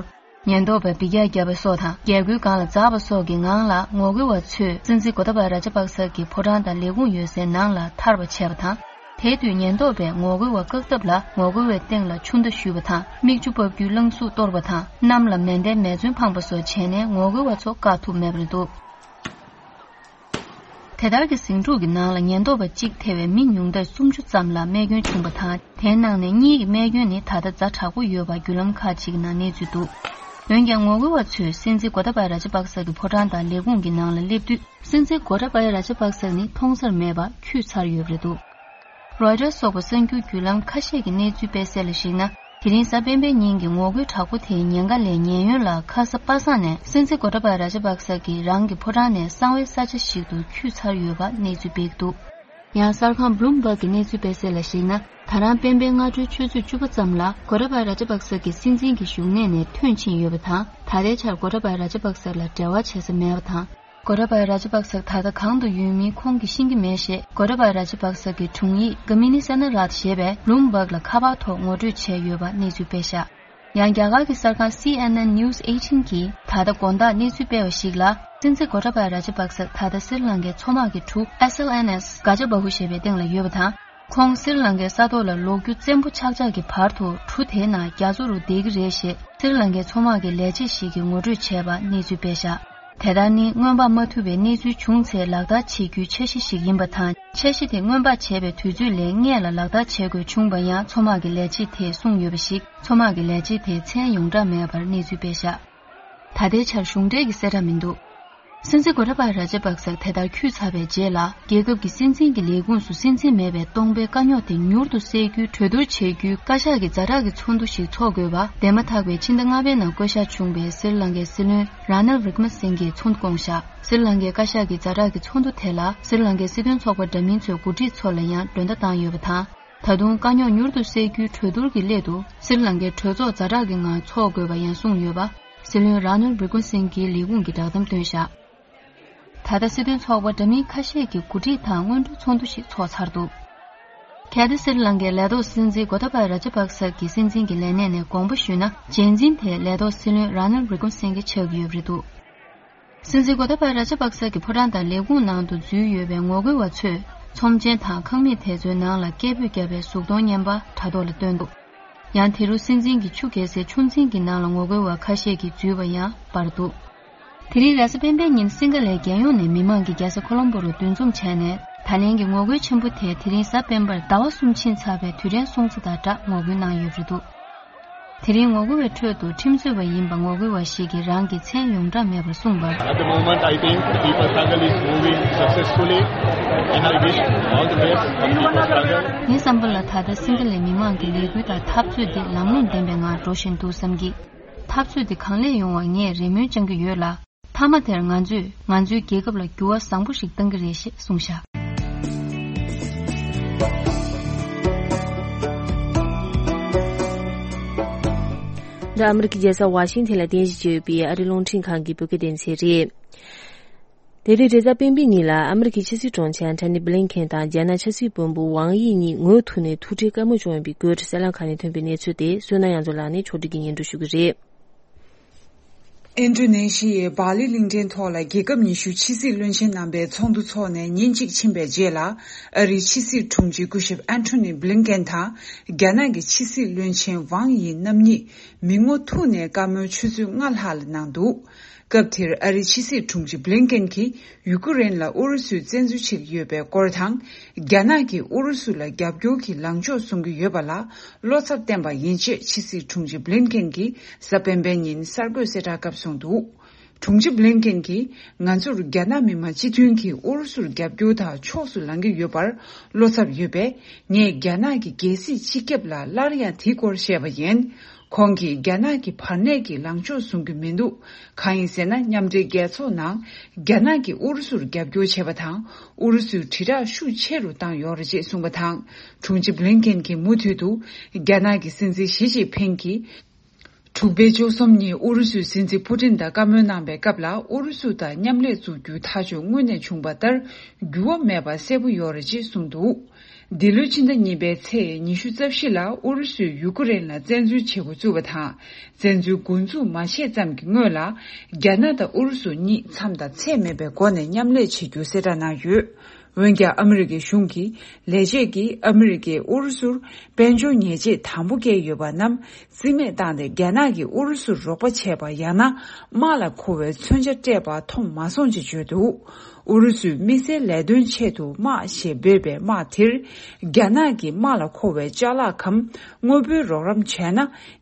ཉེན་རྟོག་པས་འབུད་རྒྱག་བརྒྱབ་པ་སོགས་དང་རྒྱལ་སྒོའི་སྒང་ལ་འཛེགས་པ་སོགས་ཀྱི་ངང་ལ་ངོ་རྒོལ་བ་ཚོས་སྲིད་འཛིན་གོ་ཏ་བ་ར་ཇ་པག་ས་གི་ཕོ་བྲང་དང་ལས་ཁུངས་ཡོད་སའི་ནང་ལ་ཐར་བ་བྱས་པ་དང་། དེའི་དུས་ཉེན་རྟོག་པས་ངོ་རྒོལ་བ་བཀག་ཐབས་ལ་ངོ་རྒོལ་བའི་སྟེང་ལ་ཆུ་མདའ་གཞུས་པ་དང་མིག་ཆུ་ཕབ་རྒྱུའི་རླངས་གཟུགས་གཏོར་བ་དང་གནམ་ལ་མེ་མདའི་མེ་མཚོན་འཕངས་པ་སོགས་བྱས་ནས་ངོ་རྒོལ་བ་ཚོ་བཀག་ཐུབ་མེད་པ་རེད་འདུག། དེ་ལྟར་གྱི་ཟིང་འཁྲུག་གི་ནང་ལ་ཉེན་རྟོག་པ་གཅིག་ཐེ་བའི་མི་ཉུང་མཐར་སུམ་ཅུ་ཙམ་ལ་རྨས་སྐྱོན་བྱུང་བ་དང་། དེའི་ནང་ནས་གཉིས་ཀྱི་རྨས་སྐྱོན་ནི་ད་ལྟ་ཛ་དྲག་པོ་ཡོད་པ་བརྒྱུད་ལམ་ཁག་ཅིག་གི་ནང་གནས་ཚུལ་འདུག། འོན་ཀྱང་ངོ་རྒོལ་བ་ཚོས་སྲིད་འཛིན་གོ་ཏ་བ་ར་ཇ་པག་ས་གི་ཕོ་བྲང་དང་ལས་ཁུངས་ཀྱི་ནང་ལ་སླེབས་དུས་སྲིད་འཛིན་གོ་ཏ་བ་ར་ཇ་པག་ས་ནི་མཐོང་སར་མེད་པར་འཁྱུད་ཚར་ཡོད་པ་རེད་འདུག། རོའི་ཊར་སོགས་པ་གསར་འགྱུར་བརྒྱུད་ལམ་ཁ་ཤས་ཀྱིས་གནས་ཚུལ་སྤེལ་གསལ་ལ་གཞིགས་ན། དེ་རིང་གཟའ་སྤེན་པའི་ཉིན་གྱི་ངོ་རྒོལ་དྲག་པོ་དེའི་ཉེན་ཁ་ལས་ཉེན་གཡོལ་ལ་ཁ་ས་པ་སངས་ནས་སྲིད་འཛིན་གོ་ཏ་བ་ར་ཇ་པག་ས་གིས་རང་གི་ཕོ་བྲང་ནས་གསང་བའི་ས་ཆ་ཞིག་ཏུ་འཁྱུད་ཚར་ཡོད་པ་གནས་ཚུལ་སྤེལ་འདུག། ཡང་གསར་ཁང་Bloomberg གི་གནས་ཚུལ་སྤེལ་གསལ་ལ་གཞིགས་ན། ད་རང་སྤེན་པའི་སྔ་དྲོའི་ཆུ་ཚོད་བཅུ་པ་ཙམ་ལ་གོ་ཏ་བ་ར་ཇ་པག་ས་གི་སྲིད་འཛིན་གྱི་བཞུགས་གནས་ནས་ཐོན་ཕྱིན་ཡོད་པ་དང་། ད་ལྟའི་ཆར་གོ་ཏ་བ་ར་ཇ་པག་ས་ལ་འབྲེལ་བ་བྱེད་ས་མེད་པ་དང་། གོ་ཏཱ་བཱ་ཡ་རཱ་ཇ་པག་སག་ད་ལྟ་གང་དུ་ཡོད་མིན་ཁོང་གིས་ཤེས་ཀྱི་མེད་ཞེས་གོ་ཏཱ་བཱ་ཡ་རཱ་ཇ་པག་སག་གི་དྲུང་ཡིག་ག་མི་ནི་སེ་ན་རཱཐ་ཞེས་པས་བླུམ་བྷག་ལ་ཁ་པར་ཐོག་ངོ་སྤྲོད་བྱས་ཡོད་པ་གནས་ཚུལ་སྤེལ་བཞག་ཡང་རྒྱ་གར་གྱི་གསར་ཁང་སི་ཨེན་ཨེན་News eighteen གིས་ད་ལྟ་དགོང་དག་གནས་ཚུལ་སྤེལ་བ་ཞིག་ལ། སྲིད་འཛིན་གོ་ཏཱ་བཱ་ཡ་རཱ་ཇ་པག་སག་ད་ལྟ་སི་རི་ལང་ཀའི་མཚོ་དམག་གི་གྲུ་S L N S Gajabahū ཞེས་པའི་སྟེང་ལ་ཡོད་པ་དང་། ཁོང་སི་རི་ལང་ཀའི་ས་ཐོག་ལ་ལོག་རྒྱུ་བཙན་པོ་ཆགས་ཆགས་ཀྱི་བར་དུ་གྲུ་དེའི་ནང་རྒྱ་མཚོ་རུ་བསྡད་ཀྱི་རེད་ཞེས་སི་རི་ལང་ཀའི་མཚོ་དམག་གི་ལས་བྱེད་ཞིག་གིས་ངོ་སྤྲོད་བྱས་པ་གནས་ཚུལ་སྤེལ་བཞག་དེ་ལྟར་ནི་སྔོན་དཔག་མ་ཐུབ་པའི་གནས་ཚུལ་བྱུང་ཚེ་ལག་བསྟར་བྱེད་རྒྱུའི་འཆར་གཞི་ཞིག་ཡིན་པ་དང་། འཆར་གཞི་དེ་སྔོན་དཔག་བྱས་པའི་དུས་ཚོད་ལས་སྔས་ལ་ལག་བསྟར་བྱེད་དགོས་བྱུང་བ་ཡང་མཚོ་དམག་གི་ལས་བྱེད་དེས་གསུངས་ཡོད་པ་ཞིག་མཚོ་དམག་གི་ལས་བྱེད་དེས་མཚན་ཡོངས་གྲགས་མེད་པར་གནས་ཚུལ་སྤེལ་བཞག་ད་ལྟའི་ཆར་གཞུང་འབྲེལ་གྱི་གསལ་བསྒྲགས་མི་འདུག་སྲིད་འཛིན་གོ་ཏཱ་བཱ་ཡ་རཱ་ཇ་པག་སག་དེ་ལྟར་འཁྱུད་ཚར་བའི་རྗེས་ལ། རྒྱལ་ཁབ་ཀྱི་སྲིད་འཛིན་གྱི་ལས་ཁུངས་སུ་སྲིད་འཛིན་མེད་པའི་སྟོང་པའི་དཀའ་རྙོག་དེ་མྱུར་དུ་སེལ་རྒྱུའི་གྲོས་བསྡུར་བྱེད་རྒྱུའི་བཀའ་ཤག་གི་ཛ་དྲག་གི་ཚོགས་འདུ་ཞིག་འཚོགས་དགོས་པ། འདས་མ་ཐག་པའི་ཕྱི་ཟླ་ལྔ་པའི་ནང་བསྐོ་གཞག་བྱུང་བའི་སི་རི་ལང་ཀའི་སྲིད་བློན་ར་ནིལ་ཝི་ཀྲ་མ་སིང་གིས་ཚོགས་འདུ་བསྐོངས་བཞག་སི་རི་ལང་ཀའི་བཀའ་ཤག་གི་ཛ་དྲག་གི་ཚོགས་འདུ་དེ་ལ་སི་རི་ལང་ཀའི་སྲིད་དོན་ཚོགས་པ་འདྲ་མིན་ཚོས་འགོ་ཁྲིད་ཚོ་ལ་ཡང་མགྲོན་བརྡ་བཏང་ཡོད་པ་དང་། ད་དུང་དཀའ་རྙོག་མྱུར་དུ་སེལ་རྒྱུའི་གྲོས་བསྡུར་གྱི་སླད་དུ། སི་རི་ལང་ཀའི་གྲོས་ཚོགས་ཛ་དྲག་གི་ངང་འཚོགས་དགོས་པ་ཡང་གསུངས་ཡོད་པ། སྲིད་བློན་ར་ནིལ་ཝི་ཀྲ་མ་སིང་གིས་ལས་ཁུངས་ཀྱི་བསྒྲགས་གཏམ་བཏོན་བཞག་ད་ལྟ་སྲིད་དོན་ཚོགས་པ་འདྲ་མིན་ཁ་ཤས་ཀྱི་འགོ་ཁྲིད་དང་སྔོན་འགྲོའི་ཚོགས་འདུ་ཞིག་འཚོགས་ཚར་འདུག་གལ་ཏེ་སི་རི་ལང་ཀའི་ལས་ཐོག་སྲིད་འཛིན་གོ་ཏཱ་བཱ་ཡ་རཱ་ཇ་པག་སག་གི་སྲིད་འཛིན་གྱི་ལས་གནས་ནས་དགོངས་པ་ཞུས་ན། རྗེས་འཛིན་དེ་ལས་ཐོག་སྲིད་བློན་ར་ནིལ་ཝི་ཀྲ་མ་སིང་གི་ཆགས་ཀྱི་ཡོད་པ་རེད་འདུག་སྲིད་འཛིན་གོ་ཏཱ་བཱ་ཡ་རཱ་ཇ་པག་ས་གི་ཕོ་བྲང་དང་ལས་ཁུངས་ནང་དུ་འཛུལ་ཡོད་པའི་ངོ་རྒོལ་བ་ཚོས་ཚོམས་ཆེན་དང་ཁང་མིག་དེ་ཚོའི་ནང་ལ་སྐད་འབོད་བརྒྱབ་པའི་གཟུགས་མཐོང་བརྙན་པར་དྲ་ཐོག་ལ་བཏོན་འདུག་ཡང་དེ་རུ་སྲིད་འཛིན་གྱི་ཆུ་རྒྱལ་སའི་ཆུ་འཛིན་གྱི་ནང་ལ་ངོ་རྒོལ་བ་ཁ་ཤས་ཀྱིས་འཛུལ་བ་ཡང་འབར་འདུག་དེ་རིང་རེས་གཟའ་སྤེན་པའི་ཉིན་སིང་ག་ལའི་རྒྱལ་ཡོངས་ནས་མི་མང་གིས་རྒྱལ་ས་ཁོ་ལོམ་པོ་རུ་འདུ་འཛོམས་བྱས་ནས། ད་ལན་གྱི་ངོ་རྒོལ་ཆེན་པོ་དེ་དེ་རིང་གཟའ་སྤེན་པར་ཟླ་བ་གསུམ་ཕྱིན་ཚར་བའི་དུས་དྲན་སྲུང་བརྩི་དང་སྦྲགས་ངོ་རྒོལ་གནང་ཡོད་པ་རེད་འདུག་དེ་རིང་ངོ་རྒོལ་བའི་ཁྲོད་དུ་ཁྲིམས་རྩོད་པ་ཡིན་པ་ངོ་རྒོལ་བ་ཞིག་གིས་རང་གི་མཚན་ཡོངས་གྲགས་མེད་པར་གསུངས་པར། At the moment, I think the people struggle is moving successfully, and I wish all the best for the people struggle. ངའི་བསམ་པ་ལ་ད་ལྟ་སིང་ག་ལའི་མི་མང་གི་ལས་འགུལ་དང་འཐབ་རྩོད་འདི་ལམ་ལྷོང་ལྡན་པའི་ངང་འགྲོ་བཞིན་འདུག་བསམ་གྱི། འཐབ་རྩོད་འདི་གང་ལེགས་ཡོང་བར་ངས་རེ་སྨོན་བཅང་གི་ཡོད་ལ། མཐའ་མ་དེར་ང་ཚོས་ང་ཚོའི་རྒྱལ་ཁབ་ལ་འགྱུར་བ་བཟང་པོ་ཞིག་གཏང་གི་རེད་ཞེས་གསུངས་བཞག་འདི་ཨ་མི་རི་ཀའི་རྒྱལ་ས་ཝ་ཤིང་ཐན་ལ་རྟེན་གཞི་བྱས་ཡོད་པའི་ཨ་རིའི་རླུང་འཕྲིན་ཁང་གི་བོད་སྐད་སྡེ་ཚན་རེད། དེ་རིང་རེས་གཟའ་སྤེན་པའི་ཉིན་ལ་ཨ་མི་རི་ཀའི་ཕྱི་སྲིད་དྲུང་ཆེ་ཨན་ཐོ་ནི་བྷི་ལིན་ཁེན་དང་རྒྱ་ནག་ཕྱི་སྲིད་བློན་པོ་ཝང་དབྱི་གཉིས་ངོ་ཐུག་ནས་ཐུག་འཕྲད་བཀའ་མོལ་བྱུང་ཡོད་པའི་སྐོར་གསར་ལམ་ཁག་ནས་ཐོན་པའི་གནས་ཚུལ་དེ་བསོད་ནམས་དབྱངས་མཚོ་ལགས་ནས་ཕྱོགས་སྒྲིག་གིས་སྙན་སྒྲོན་ཞུ་གི་རེད། ཨིན་ཌོ་ནེ་ཤི་ཡའི་སྦ་ལི་གླིང་ཕྲན་ཐོག་ལ་རྒྱལ་ཁབ་ཉི་ཤུའི་ཕྱི་སྲིད་བློན་ཆེན་རྣམ་པའི་ཚོགས་འདུ་འཚོགས་ནས་ཉིན་གཅིག་ཕྱིན་པའི་རྗེས་ལ། ཨ་རིའི་ཕྱི་སྲིད་དྲུང་ཆེ་སྐུ་ཞབས་ཨན་ཐོ་ནི་བྷི་ལིན་ཀེན་དང་རྒྱ་ནག་གི་ཕྱི་སྲིད་བློན་ཆེན་ཝང་དབྱི་རྣམ་གཉིས་མི་ངོ་ཐུག་ནས་བཀའ་མོལ་ཆུ་ཚོད་ལྔ་ལྷག་ལ་གནང་འདུག་སྐབས་དེར་ཨ་རིའི་ཕྱི་སྲིད་དྲུང་ཆེ་བྷི་ལིན་ཀེན་གྱིས་ཡུ་ཀེ་རེན་ལ་ཨུ་རུ་སུས་བཙན་འཛུལ་བྱེད་ཀྱི་ཡོད་པའི་སྐོར་དང་། རྒྱ་ནག་གིས་ཨུ་རུ་སུ་ལ་རྒྱབ་སྐྱོར་གྱི་ལངས་ཕྱོགས་བཟུང་གི་ཡོད་པ་ལ་བློ་འཚབ་བསྟན་པ་ཡིན་ཅེས་ཕྱི་སྲིད་དྲུང་ཆེ་བྷི་ལིན་ཀེན་གྱིས་གཟའ་སྤེན་པའི་ཉིན་གསར་འགོད་གསལ་བསྒྲགས་སྐབས་གསུངས་འདུག་དྲུང་ཆེ་བྷི་ལིན་ཀེན་གྱིས། ང་ཚོར་རྒྱ་ནག་མི་དམངས་སྤྱི་མཐུན་གྱིས་ཨུ་རུ་སུར་རྒྱབ་སྐྱོར་དང་ཕྱོགས་སུ་ལངས་ཀྱི་ཡོད་པར་བློ་འཚབ་ཡོད་པས། ངས་རྒྱ་ནག་གི་རྒྱལ་སྲིད་སྤྱི་ཁྱབ་ལ་སླར་ཡང་དེའི་སྐོར་བཤད་པ་ཡིན། ཁོང་གིས་རྒྱ་ནག་གི་བར་གནས་ཀྱི་ལངས་ཕྱོགས་བཟུང་གི་མི་འདུག་གང་ཡིན་ཟེར་ན། མཉམ་འབྲེལ་རྒྱལ་ཚོགས་ནང་རྒྱ་ནག་གིས་ཨུ་རུ་སུར་རྒྱབ་སྐྱོར་བྱས་པ་དང་། ཨུ་རུ་སུའི་དྲིལ་བསྒྲགས་ཤུགས་ཆེ་རུ་བཏང་ཡོད་རེད་ཅེས་གསུངས་པ་དང་། དྲུང་ཆེ་བྷི་ལིན་ཀེན་གྱིས་མུ་མཐུད་དུ། རྒྱ་ནག་གི་སྲིད་འཛིན་ཞི་ཅིན་ཕིང་གིས། དྲུག་པའི་བཅུ་གསུམ་ཉིན་ཨུ་རུ་སུའི་སྲིད་འཛིན་ཕུ་ཏིན་དང་བཀའ་མོལ་གནང་བའི་སྐབས་ལ། ཨུ་རུ་སུ་དང་མཉམ་ལས་འཛུགས་རྒྱུའི་ཐག་གཅོད་སྔོན་ནས་བྱུང་བ་ལྟར་འགྱུར་བ་མེད་པ་གསལ་པོ་ཡོད་རེད་ཅེས་གསུངས་འདུག་འདི་ལོའི་ཕྱི་ཟླ་གཉིས་པའི་ཚེས་ཉི་ཤུ་རྩ་བཞི་ལ་ཨུ་རུ་སུས་ཡུ་ཀེ་རེན་ལ་བཙན་འཛུལ་བྱེད་འགོ་བཙུགས་པ་དང་། བཙན་འཛུལ་འགོ་འཛུགས་མ་བྱས་ཙམ་གྱི་སྔོན་ལ། རྒྱ་ནག་དང་ཨུ་རུ་སུ་གཉིས་མཚམས་དང་ཚད་མེད་པའི་སྒོ་ནས་མཉམ་ལས་བྱེད་རྒྱུ་གསལ་བསྒྲགས་གནང་ཡོད། འོན་ཀྱང་ཨ་མི་རི་ཀའི་གཞུང་གི་ལས་བྱེད་ཀྱིས་ཨ་མི་རི་ཀས་ཨུ་རུ་སུར་དཔལ་འབྱོར་ཉེས་ཆད་དང་པོ་བཀལ་ཡོད་པ་རྣམས་རྩིས་མེད་བཏང་སྟེ། རྒྱ་ནག་གིས་ཨུ་རུ་སུར་རོགས་པ་བྱས་པ་ཡང་ན་དམག་ལ་མཁོ་བའི་མཚོན་ཆ་སྤྲད་པ་མཐོང་མ་སོང་ཅེས་བརྗོད་འདུག་ཨུ་རུ་སུས་དམིགས་བསལ་ལས་དོན་ཆེད་དུ་དམག་ཞེས་འབོད་པའི་དམག་དེར་རྒྱ་ནག་གིས་དམག་ལ་མཁོ་བའི་ཅ་ལག་གམ་དངོས་པོའི་རོགས་རམ་བྱས་ན་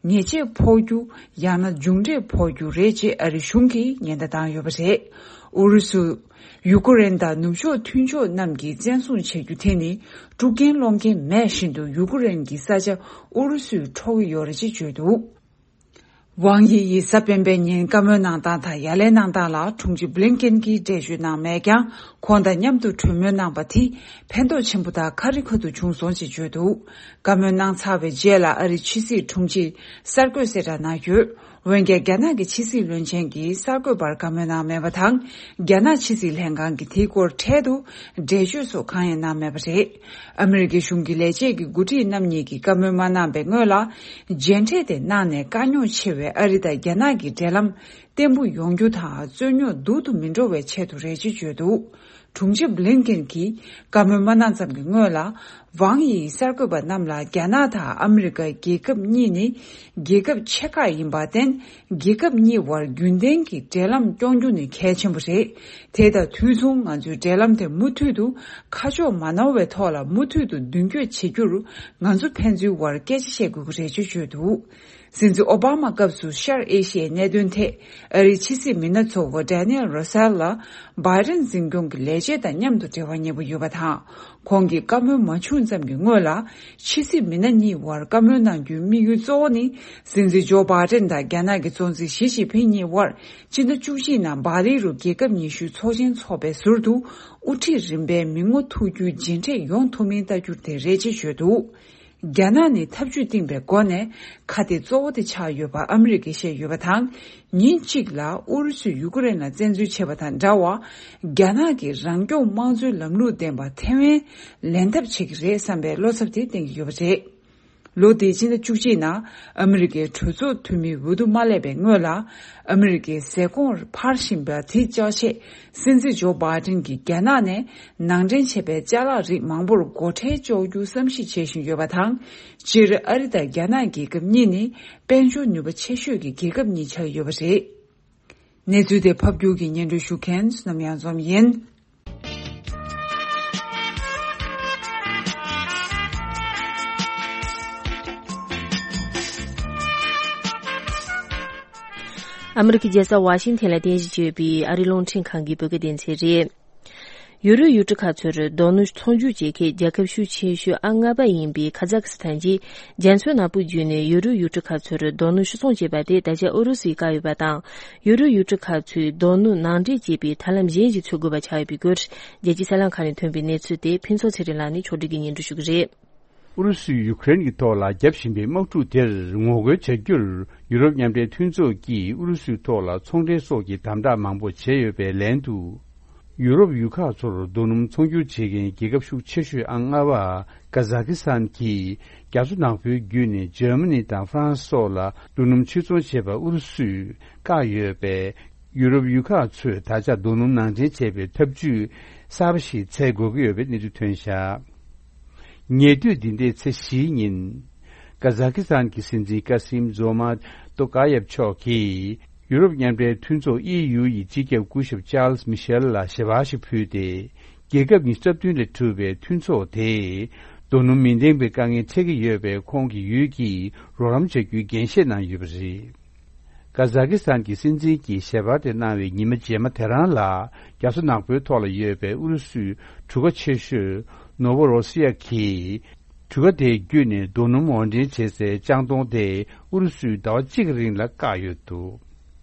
ཉེས་ཆད་ཕོག་རྒྱུ་ཡང་ན་མཇུག་འབྲས་ཕོག་རྒྱུ་རེད་ཅེས་ཨ་རི་གཞུང་གིས་ཉེན་བརྡ་བཏང་ཡོད་པ་རེད། ཨུ་རུ་སུ། ཡུ་ཀེ་རེན་དང་ནུབ་ཕྱོགས་མཐུན་ཕྱོགས་རྣམས་ཀྱིས་བཙན་བཟུང་བྱ་རྒྱུ་དེ་ནི་དཀྲུག་རྐྱེན་སློང་མཁན་མེད་བཞིན་དུ་ཡུ་ཀེ་རེན་གྱི་ས་ཆ་ཨུ་རུ་སུས་འཕྲོག་གི་ཡོད་རེད་ཅེས་བརྗོད་འདུག་ཝང་དབྱི་ཡིས་གཟའ་སྤེན་པའི་ཉིན་བཀའ་མོལ་གནང་སྟངས་དང་ཡ་ལན་གནང་སྟངས་ལ་དྲུང་ཆེ་བྷི་ལིན་ཀེན་གྱིས་འགྲེལ་བརྗོད་གནང་མེད་ཀྱང་། ཁོང་དང་མཉམ་དུ་གྲོས་མོལ་གནང་པ་དེ་ཕན་ཐོགས་ཆེན་པོ་དང་ཁ་རི་ཁ་ཐུག་བྱུང་སོང་ཅེས་བརྗོད་འདུག་བཀའ་མོལ་གནང་ཚར་བའི་རྗེས་ལ་ཨ་རིའི་ཕྱི་སྲིད་དྲུང་ཆེས་གསར་འགོད་གསལ་བསྒྲགས་གནང་ཡོད། འོན་ཀྱང་རྒྱ་ནག་གི་ཕྱི་སྲིད་བློན་ཆེན་གྱིས་གསར་འགོད་པར་བཀའ་མོལ་གནང་མེད་པ་དང་། རྒྱ་ནག་ཕྱི་སྲིད་ལྷན་ཁང་གིས་དེའི་སྐོར་འཕྲལ་དུ་འགྲེལ་བརྗོད་སོགས་གང་ཡང་གནང་མེད་པ་རེད། ཨ་མི་རི་ཀའི་གཞུང་གི་ལས་བྱེད་ཀྱི་འགོ་ཁྲིད་རྣམ་གཉིས་ཀྱིས་བཀའ་མོལ་མ་གནང་པའི་སྔོན་ལ། མཇལ་འཕྲད་དེ་གནང་ནས་དཀའ་རྙོག་ཆེ་བའི་ཨ་རི་དང་རྒྱ་ནག་གི་འབྲེལ་ལམ་བརྟན་པོ་ཡོང་རྒྱུ་དང་རྩོད་རྙོག་སྡུག་ཏུ་མི་འགྲོ་བའི་ཆེད་དུ་རེད་ཅེས་བརྗོད་འདུག་དྲུང་ཆེ་བྷི་ལིན་ཀེན་གྱིས་བཀའ་མོལ་མ་གནང་ཙམ་གྱི་སྔོན་ལ། ཝང་ཡིས་གསར་འགོད་པ་རྣམས་ལ་རྒྱ་ནག་དང་ཨ་མི་རི་ཀ་རྒྱལ་ཁབ་གཉིས་ནི་རྒྱལ་ཁབ་ཆེ་ཁག་ཡིན་པར་བརྟེན། རྒྱལ་ཁབ་གཉིས་བར་རྒྱུན་ལྡན་གྱི་འབྲེལ་ལམ་སྐྱོང་རྒྱུ་ནི་གལ་ཆེན་པོ་རེད། དེ་དང་དུས་མཚུངས་ང་ཚོའི་འབྲེལ་ལམ་དེ་མུ་མཐུད་དུ་ཁ་ཕྱོགས་མ་ནོར་བའི་ཐོག་ལ་མུ་མཐུད་དུ་མདུན་སྐྱོད་བྱེད་རྒྱུར་ང་ཚོ་ཕན་ཚུན་བར་སྐད་ཆ་བཤད་དགོས་ཀྱི་རེད་ཅེས་བརྗོད་འདུག་སྲིད་འཛིན་ཨོ་བྷ་མ་སྐབས་སུ་ཤར་ཨེ་ཤི་ཡའི་གནད་དོན་ཐད་ཨ་རིའི་ཕྱི་སྲིད་མི་སྣ་ཚོ་བོ་ཌེ་ནི་ཨེལ་རོ་སེལ་ལ་བྷའི་ཌེན་འཛིན་སྐྱོང་གི་ལས་བྱེད་དང་མཉམ་དུ་འབྲེལ་བ་ཉེ་པོ་ཡོད་པ་དང་། ཁོང་གིས་བཀའ་མོལ་མ་བྱུང་ཙམ་གྱི་སྔོན་ལ། ཕྱི་སྲིད་མི་སྣ་གཉིས་བར་བཀའ་མོལ་གནང་རྒྱུའི་དམིགས་ཡུལ་གཙོ་བོ་ནི། སྲིད་འཛིན་ཇོ་བྷའི་ཌེན་དང་རྒྱ་ནག་གི་གཙོ་འཛིན་ཞི་ཅིན་ཕིང་གཉིས་བར་སྤྱི་ཟླ་བཅུ་གཅིག་ནང་སྦ་ལི་རུ་རྒྱལ་ཁབ་ཉི་ཤུའི་ཚོགས་ཆེན་འཚོགས་པའི་ཟུར་དུ། དབུ་ཁྲིད་རིམ་པའི་མི་ངོ་ཐུག་རྒྱུའི་མཇལ་འཕྲད་ཡོང་ཐུབ་མིན་ལྟ་རྒྱུ་དེ་རེད་ཅེས་བརྗོད་འདུག་རྒྱ་ནག་ནི་འཐབ་ཇུས་བཏིང་པའི་སྒོ་ནས་ཁ་གཏད་གཙོ་བོ་དེ་ཆགས་ཡོད་པ་ཨ་མི་རི་ཀས་བཤད་ཡོད་པ་དང་། ཉིན་གཅིག་ལ་ཨུ་རུ་སུས་ཡུ་ཀེ་རེན་ལ་བཙན་འཛུལ་བྱས་པ་དང་འདྲ་བར། རྒྱ་ནག་གིས་རང་སྐྱོང་དམངས་གཙོའི་ལམ་ལུགས་ལྡན་པ་ཐེ་ཝན་ལེན་ཐབས་བྱེད་ཀྱི་རེད་བསམ་པའི་བློ་འཚབ་དེ་བསྟན་གྱི་ཡོད་པ་རེད། ལོ་འདིའི་ཕྱི་ཟླ་བཅུ་གཅིག་ནང་ཨ་མི་རི་ཀའི་གྲོས་ཚོགས་འཐུས་མི་འོས་བསྡུ་མ་སླེབས་པའི་སྔོན་ལ། ཨ་མི་རི་ཀའི་ཟས་གོང་འཕར་བཞིན་པ་དེ་བཅག་ཆེད། སྲིད་འཛིན་ཇོ་བྷའི་ཌེན་གྱིས་རྒྱ་ནག་ནས་ནང་འདྲེན་བྱས་པའི་ཅ་ལག་རིགས་མང་པོར་སྒོ་ཁྲལ་གཅོག་རྒྱུ་བསམ་གཞིག་བྱེད་བཞིན་ཡོད་པ་དང་། སྤྱིར་ཨ་རི་དང་རྒྱ་ནག་རྒྱལ་ཁབ་གཉིས་ནི་དཔལ་འབྱོར་ནུས་པ་ཆེ་ཤོས་ཀྱི་རྒྱལ་ཁབ་གཉིས་ཆགས་ཡོད་པ་རེད། གནས་ཚུལ་དེ་ཕབ་སྒྱུར་གྱིས་སྙན་སྒྲོན་ཞུ་མཁན་བསོད་ནམས་གཡང་འཛོམས་ཡིན། ཨ་མི་རི་ཀའི་རྒྱལ་ས་ཝ་ཤིང་ཐན་ལ་རྟེན་གཞི་བྱས་ཡོད་པའི་ཨ་རིའི་རླུང་འཕྲིན་ཁང་གི་བོད་སྐད་སྡེ་ཚན་རེད། ཡུ་རོབ་ཡུལ་གྲུ་ཁག་ཚོར་རྡོ་སྣུམ་ཚོང་སྒྱུར་བྱེད་མཁན་རྒྱལ་ཁབ་ཤུགས་ཆེ་ཤོས་ཨང་ལྔ་པ་ཡིན་པའི་ཁ་ཛ་ཁི་སི་ཐན་གྱིས་རྒྱ་མཚོ་ནག་པོ་བརྒྱུད་ནས་ཡུ་རོབ་ཡུལ་གྲུ་ཁག་ཚོར་རྡོ་སྣུམ་ཕྱིར་ཚོང་བྱེད་པ་དེ་ད་ཆ་ཨུ་རུ་སུས་བཀག་ཡོད་པ་དང་། ཡུ་རོབ་ཡུལ་གྲུ་ཁག་ཚོས་རྡོ་སྣུམ་ནང་འདྲེན་བྱེད་པའི་ཐབས་ལམ་གཞན་ཞིག་འཚོལ་དགོས་པ་ཆགས་ཡོད་པའི་སྐོར། རྒྱལ་སྤྱིའི་གསར་ལམ་ཁག་ནས་ཐོན་པའི་གནས་ཚུལ་དེ་ཕུན་ཚོགས་ཚེ་རིང་ལགས་ནས་ཕྱོགས་སྒྲིག་གིས་སྙན་སྒྲོན་ཞུ་གི་རེད། ཨུ་རུ་སུས་ཡུ་ཀེ་རེན་གྱི་ཐོག་ལ་རྒྱབ་བཞིན་པའི་དམག་འཁྲུག་དེར་ངོ་རྒོལ་བྱ་རྒྱུར་ཡུ་རོབ་མཉམ་འབྲེལ་མཐུན་ཚོགས་ཀྱིས་ཨུ་རུ་སུའི་ཐོག་ལ་ཚོང་འབྲེལ་སོགས་ཀྱི་དམ་དྲག་མང་པོ་བྱས་ཡོད་པའི་ལན་དུ། ཡུ་རོབ་ཡུལ་ཁག་ཚོར་རྡོ་སྣུམ་ཚོང་སྒྱུར་བྱེད་མཁན་རྒྱལ་ཁབ་ཤུགས་ཆེ་ཤོས་ཨང་ལྔ་པ་ཀ་ཛ་ཁི་སི་ཐན་གྱིས་རྒྱ་མཚོ་ནག་པོའི་བརྒྱུད་ནས་འཇར་མ་ནི་དང་ཧྥ་རན་སི་སོགས་ལ་རྡོ་སྣུམ་ཕྱིར་ཚོང་བྱེད་པ་ཨུ་རུ་སུས་བཀག་ཡོད་པས། ཡུ་རོབ་ཡུལ་ཁག་ཚོས་ད་ཆ་རྡོ་སྣུམ་ནང་འདྲེན་བྱེད་པའི་ཐབས་ཇུས་གསར་པ་ཞིག་འཚོལ་དགོས་ཀྱི་ཡོད་པའི་གནས་ཚུལ་ཐོན་བཞག་ཉེ་དུས་འདི་ཟླའི་ཚེས་བཞིའི་ཉིན། ཀ་ཛ་ཁི་སི་ཐན་གྱི་སྲིད་འཛིན་ཀ་སིམ་ཛོ་མ་ཏོ་ཀ་ཡེབ་མཆོག་གིས་ཡུ་རོབ་མཉམ་འབྲེལ་མཐུན་ཚོགས་ཨི་ཡུ་ཡི་སྤྱི་ཁྱབ་སྐུ་ཞབས་ཅཱལ་སི་མི་ཤེལ་ལ་ཞལ་པར་ཞིག་ཕུལ་ཏེ། རྒྱལ་ཁབ་ཉི་ཤུ་རྩ་བདུན་ལས་གྲུབ་པའི་མཐུན་ཚོགས་དེས་རྡོ་སྣུམ་མི་ལྡན་པའི་དཀའ་ངལ་འཕྲད་ཀྱི་ཡོད་པས། ཁོང་གི་ཡུལ་གྱིས་རོགས་རམ་བྱ་རྒྱུའི་འགན་བཞེས་གནང་ཡོད་པ་རེད། ཀ་ཛ་ཁི་སི་ཐན་གྱི་སྲིད་འཛིན་གྱིས་ཞལ་པར་དེ་གནང་བའི་ཉི་མ་རྗེས་མ་དེ་རང་ལ། རྒྱ་མཚོ་ནག་པོའི་ཐོག་ལ་ཡོད་པའི་ཨུ་རུ་སུའི་གྲུ་ཁ་ཆེ་ཤོས་ནོ་ཝོ་རོ་སི་ཡ་གིས། གྲུ་ཁ་དེའི་བརྒྱུད་ནས་རྡོ་སྣུམ་དབོར་འདྲེན་བྱེད་སའི་ལྕང་སྡོང་དེ་ཨུ་རུ་སུས་ཟླ་བ་གཅིག་གི་རིང་ལ་བཀག་ཡོད་འདུག་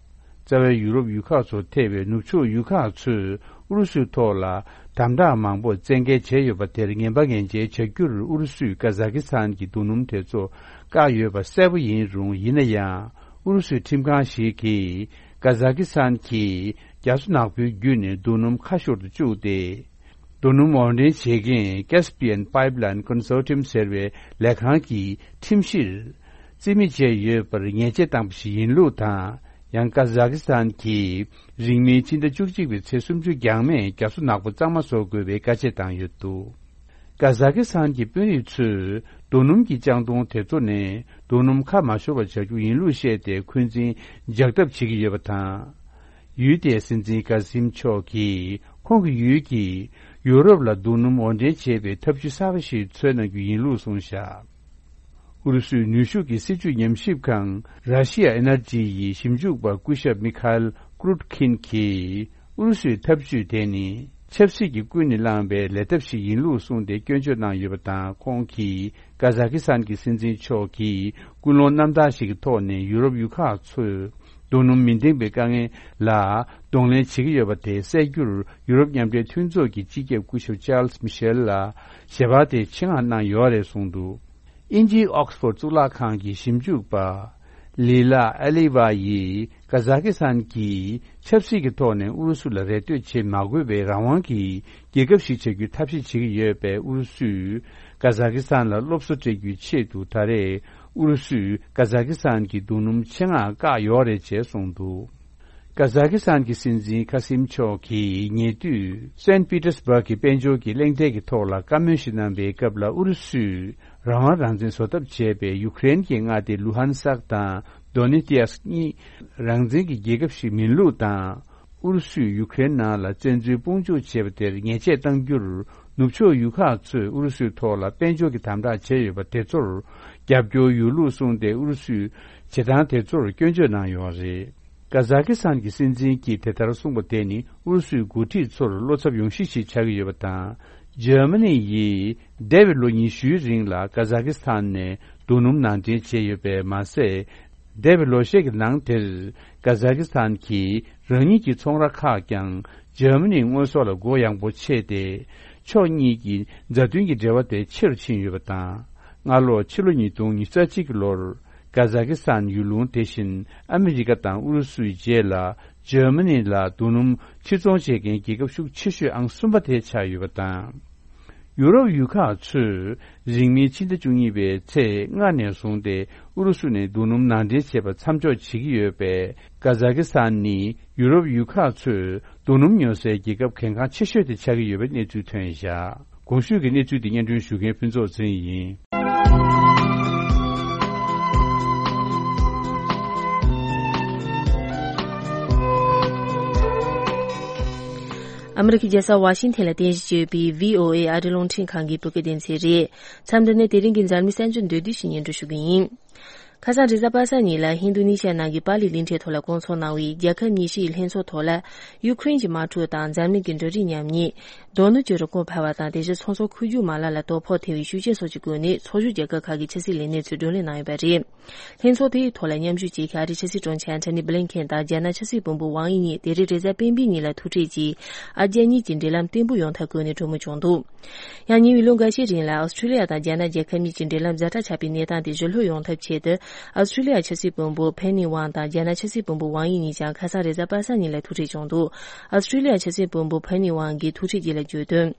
རྩ་བའི་ཡུ་རོབ་ཡུལ་ཁག་ཚོ་ཐེ་བའི་ནུབ་ཕྱོགས་ཡུལ་ཁག་ཚོས་ཨུ་རུ་སུའི་ཐོག་ལ་དམ་དྲག་མང་པོ་བཙན་འགེལ་བྱས་ཡོད་པ་དེར་ངན་པ་ངན་འཇལ་བྱ་རྒྱུར་ཨུ་རུ་སུས་ཀ་ཛ་ཁི་སི་ཐན་གྱི་རྡོ་སྣུམ་དེ་ཚོ་བཀག་ཡོད་པ་གསལ་པོ་ཡིན་རུང་། ཡིན་ན་ཡང་ཨུ་རུ་སུའི་ཁྲིམས་ཁང་ཞིག་གིས་ཀ་ཛ་ཁི་སི་ཐན་གྱིས་རྒྱ་མཚོ་ནག་པོའི་བརྒྱུད་ནས་རྡོ་སྣུམ་ཁ་ཤོར་དུ་བཅུག་སྟེ། རྡོ་སྣུམ་དབོར་འདྲེན་བྱེད་མཁན་Caspian Pipeline Consortium ཟེར་བའི་ལས་ཁང་གི་ཁྲིམས་གཞིར་རྩིས་མེད་བྱས་ཡོད་པར་ཉེས་ཆད་བཏང་པ་ཞིག་ཡིན་ལུགས་དང་། ཡང་ཀ་ཛ་ཁི་སི་ཐན་གྱིས་རིང་མིན་ཕྱི་ཟླ་བཅུ་གཅིག་པའི་ཚེས་སུམ་ཅུ་འགྱངས་མེད་རྒྱ་མཚོ་ནག་པོ་གཙང་མ་བཟོ་དགོས་པའི་བཀའ་ཆད་བཏང་ཡོད་འདུག་ཀ་ཛ་ཁི་སི་ཐན་གྱི་དཔོན་རིགས་ཚོས་རྡོ་སྣུམ་གྱི་ལྕང་སྡོང་དེ་ཚོ་ནས་རྡོ་སྣུམ་ཁ་མ་ཤོར་བ་བྱ་རྒྱུ་ཡིན་ལུགས་བཤད་དེ་འཁོན་འཛིན་འཇགས་ཐབས་བྱེད་ཀྱི་ཡོད་པ་དང་། ཡུལ་དེའི་སྲིད་འཛིན་ཀ་སིམ་མཆོག་གིས་ཁོང་གི་ཡུལ་གྱིས་ཡུ་རོབ་ལ་རྡོ་སྣུམ་དབོར་འདྲེན་བྱེད་པའི་ཐབས་ཇུས་གསར་པ་ཞིག་འཚོལ་གནང་རྒྱུ་ཡིན་ལུགས་གསུངས་བཞག་ཨུ་རུ་སུའི་ནུས་ཤུགས་ཀྱི་སྲིད་བྱུས་ཉམས་ཞིབ་ཁང་Russia Energy ཡི་ཞིབ་འཇུག་པ་སྐུ་ཞབས་མི་ཁ་ཨེལ་ཀྲུད་ཁིན་གྱིས་ཨུ་རུ་སུའི་ཐབས་ཇུས་དེ་ནི་ཆབ་སྲིད་ཀྱིས་ཀུན་ནས་བསླངས་པའི་ལས་ཐབས་ཤིག་ཡིན་ལུགས་གསུངས་ཏེ་སྐྱོན་བརྗོད་གནང་ཡོད་པ་དང་། ཁོང་གིས་ཀ་ཛ་ཁི་སི་ཐན་གྱི་སྲིད་འཛིན་མཆོག་གིས་ཀུན་སློང་རྣམ་དག་ཞིག་གི་ཐོག་ནས་ཡུ་རོབ་ཡུལ་ཁག་ཚོས་རྡོ་སྣུམ་མི་ལྡན་པའི་དཀའ་ངལ་ལ་གདོང་ལེན་བྱེད་ཀྱི་ཡོད་པ་དེ་སེལ་རྒྱུར་ཡུ་རོབ་མཉམ་འབྲེལ་མཐུན་ཚོགས་ཀྱི་སྤྱི་ཁྱབ་སྐུ་ཞབས་ཅཱལ་སི་མི་ཤེལ་ལ་ཞལ་པར་དེ་ཆེད་མངགས་གནང་ཡོད་རེད་གསུངས་འདུག་དབྱིན་ཇིའི་ཨོག་སི་ཕོར་གཙུག་ལག་ཁང་གི་ཞིབ་འཇུག་པ་ ལི་ལ་ཨ་ལི་ཝ་ཡིས་ཀ་ཛ་ཀི་སི་ཐན་གྱིས་ཆབ་སྲིད་ཀྱི་ཐོག་ནས་ཨུ་རུ་སུ་ལ་རེ་ལྟོས་བྱེད་མ་དགོས་པའི་རང་དབང་གི་རྒྱལ་ཁབ་ཞིག་བྱ་རྒྱུའི་ཐབས་ཤེས་བྱེད་ཀྱི་ཡོད་པས། ཨུ་རུ་སུས་ཀ་ཛ་ཀི་སི་ཐན་ལ་སློབ་གསོ་སྤྲད་རྒྱུའི་ཆེད་དུ། ད་རེས་ཨུ་རུ་སུས་ཀ་ཛ་ཀི་སི་ཐན་གྱི་རྡོ་སྣུམ་ཆེད་མངགས་བཀག་ཡོད་རེད་ཅེས་གསུངས་འདུག། ཀ་ཛ་ཀི་སི་ཐན་གྱི་སྲིད་འཛིན་ཁ་སིམ་མཆོག་གིས་ཉེ་དུས་སན་པི་ཏེར་སྦུག་གི་དཔལ་འབྱོར་གྱི་གླེང་སྟེགས་ཀྱི་ཐོག་ལ་བཀའ་མོལ་ཞིག་གནང་བའི་སྐབས་ལ། ཨུ་རུ་སུས་རང་དབང་རང་བཙན་བཟོ་ཐབས་བྱས་པའི་ཡུ་ཀེ་རེན་གྱི་མངའ་སྡེ་ལུ་ཧན་སཀ་དང་དོ་ནེ་ཏི་ཨེ་སི་གཉིས་རང་བཙན་གྱི་རྒྱལ་ཁབ་ཞིག་མིན་ལུགས་དང་། ཨུ་རུ་སུས་ཡུ་ཀེ་རེན་ནང་ལ་བཙན་འཛུལ་དཔུང་འཇུག་བྱས་པ་དེར་ཉེས་ཆད་གཏང་རྒྱུར། ནུབ་ཕྱོགས་ཡུལ་ཁག་ཚོས་ཨུ་རུ་སུའི་ཐོག་ལ་དཔལ་འབྱོར་གྱི་དམ་དྲག་བྱས་ཡོད་པ་དེ་ཚོར་རྒྱབ་སྐྱོར་ཡོད་ལུགས་གསུངས་ཏེ། ཨུ་རུ་སུས་བྱེད་སྟངས་དེ་ཚོར་སྐྱོན་བརྗོད་གནང་ཡོད་རེད། ཀ་ཛ་ཀི་སི་ཐན་གྱི་སྲིད་འཛིན་གྱིས་དེ་ལྟར་གསུངས་པ་དེ་ནི་ཨུ་རུ་སུའི་འགོ་ཁྲིད་ཚོར་བློ་འཚབ་ཡོང་གཞི་ཞིག་ཆགས་ཀྱི་ཡོད་པ་དང་། འཇར་མ་ནི་ཡིས་འདས་པའི་ལོ་ཉི་ཤུའི་རིང་ལ་ཀ་ཛ་ཀི་སི་ཐན་ནས་རྡོ་སྣུམ་ནང་འདྲེན་བྱས་ཡོད་པས་མ་ཟད། འདས་པའི་ལོ་ཤས་ཀྱི་ནང་དེར་ཀ་ཛ་ཀི་སི་ཐན་གྱིས་རང་ཉིད་ཀྱི་ཚོང་ར་ཁག་ཀྱང་འཇར་མ་ནིའི་དངོས་ཟོག་ལ་སྒོ་ཡངས་པོ་ཕྱེས་ཏེ། ཕྱོགས་གཉིས་ཀྱི་མཛའ་མཐུན་གྱི་འབྲེལ་བ་དེ་ཆེ་རུ་ཕྱིན་ཡོད་པ་དང་། སྔ་ལོ་ཕྱི་ལོ་ཉིས་སྟོང་ཉི་ཤུ་རྩ་གཅིག་གི་ལོར་ཀ་ཛ་ཀི་སི་ཐན་ཡུལ་ལུང་དེ་བཞིན་ཨ་མི་རི་ཀ་དང་ཨུ་རུ་སུའི་རྗེས་ལ་འཇར་མ་ནི་ལ་རྡོ་སྣུམ་ཕྱིར་ཚོང་བྱེད་མཁན་རྒྱལ་ཁབ་ཤུགས་ཆེ་ཤོས་ཨང་གསུམ་པ་དེ་ཆགས་ཡོད་པ་དང་། ཡུ་རོབ་ཡུལ་ཁག་ཚོས་རིང་མིན་ཕྱི་ཟླ་བཅུ་གཉིས་པའི་ཚེས་ལྔ་ནས་བཟུང་སྟེ་ཨུ་རུ་སུ་ནས་རྡོ་སྣུམ་ནང་འདྲེན་བྱེད་པ་མཚམས་འཇོག་བྱེད་ཀྱི་ཡོད་པས། ཀ་ཛ་ཀི་སི་ཐན་ནི་ཡུ་རོབ་ཡུལ་ཁག་ཚོས་རྡོ་སྣུམ་ཉོ་སའི་རྒྱལ་ཁབ་གལ་འགངས་ཆེ་ཤོས་དེ་ཆགས་ཀྱི་ཡོད་པའི་གནས་ཚུལ་ཐོན་བཞག། གོང་ཞུས་ཀྱི་གནས་ཚུལ་དེ་སྙན་སྒྲོན་ཞུ་མཁན་ཕུན་ཚོགས་ཚེ་རིང་ཡིན། ཨ་མི་རི་ཀའི་རྒྱལ་ས་ཝ་ཤིང་ཐན་ལ་རྟེན་གཞི་བྱས་པའི་བྷི་ཨོ་ཨེ་ཨ་རིའི་རླུང་འཕྲིན་ཁང་གི་བོད་སྐད་སྡེ་ཚན་རེད། མཚམས་འདི་ནས་དེ་རིང་གི་འཛམ་གླིང་གསར་འགྱུར་མདོར་བསྡུས་ཤིག་སྙན་སྒྲོན་ཞུ་གི་ཡིན། ཁ་སང་རེས་གཟའ་པ་སངས་ཉིན་ལ་ཧིན་རྡུ་ནི་ཤ་ནང་གི་པ་ལི་གླིང་ཕྲན་ཐོག་ལ་བསྐོང་ཚོགས་གནང་བའི་རྒྱལ་ཁབ་ཉི་ཤུ་ཡི་ལྷན་ཚོགས་ཐོག་ལ། ཡུ་ཁུ་རེན་གྱི་དམག་འཁྲུག་དང་འཛམ་གླིང་གི་འབྲུ་རིགས་ཉམས་ཉེས། རྡོ་སྣུམ་གྱི་རིན་གོང་འཕར་བ་དང་དེ་བཞིན་ཚོང་ཟོག་མཁོ་སྒྱུར་མ་ལག་ལ་དོ་ཕོག་ཐེབས་པའི་ཤུགས་རྐྱེན་སོགས་ཀྱི་སྒོ་ནས་ཚོགས་ཞུགས་རྒྱལ་ཁབ་ཁག་གི་ཕྱི་སྲིད་ལས་སྣེ་ཚོས་བགྲོ་གླེང་གནང་ཡོད་པ་རེད། ལྷན་ཚོགས་དེའི་ཐོག་ལ་མཉམ་ཞུགས་བྱེད་མཁན་ཨ་རིའི་ཕྱི་སྲིད་དྲུང་ཆེ་ཨན་ཐོ་ནི་བྷི་ལིན་ཁེན་དང་རྒྱ་ནག་ཕྱི་སྲིད་བློན་པོ་ཝང་དབྱི་གཉིས་དེ་རིང་རེས་གཟའ་སྤེན་པའི་ཉིན་ལ་ཐུག་འཕྲད་ཀྱིས། ཨ་རྒྱ་གཉིས་ཀྱི་འབྲེལ་ལམ་བརྟན་པོ་ཡོང་ཐབས་སྐོར་ནས་གྲོས་མོལ་བྱུང་འདུག། ཡང་ཉེ་བའི་ལོ་འགའ་ཤས་རིང་ལ་ཨོ་སི་ཁྲུ་ལི་ཡ་དང་རྒྱ་ནག་རྒྱལ་ཁབ་གཉིས་ཀྱི་འབྲེལ་ལམ་ཛ་དྲག་ཆགས་པའི་གནས་སྟངས་དེ་ཞི་ལྷོད་ཡོང་ཐབས་ཆེད་དུ། ཨོ་སི་ཁྲུ་ལི་ཡ་ཕྱི་སྲིད་བློན་པོ་ཕེ་ནི་ཝང་དང་རྒྱ་ནག་ཕྱི་སྲིད་བློན་པོ་ཝང་དབྱི་གཉིས་ཀྱང་ཁ་སང་རེས་གཟའ་པ་སངས་ཉིན་ལ་ཐུག་འཕྲད་བྱུང་འདུག། ཨོ་སི་ཁྲུ་ལི་ཡ་ཕྱི་སྲིད་བློན་པོ་ཕེ་ནི་ཝང་གིས་ཐུག་འཕྲད་རྗེས་ལ་བརྗོད་དོན།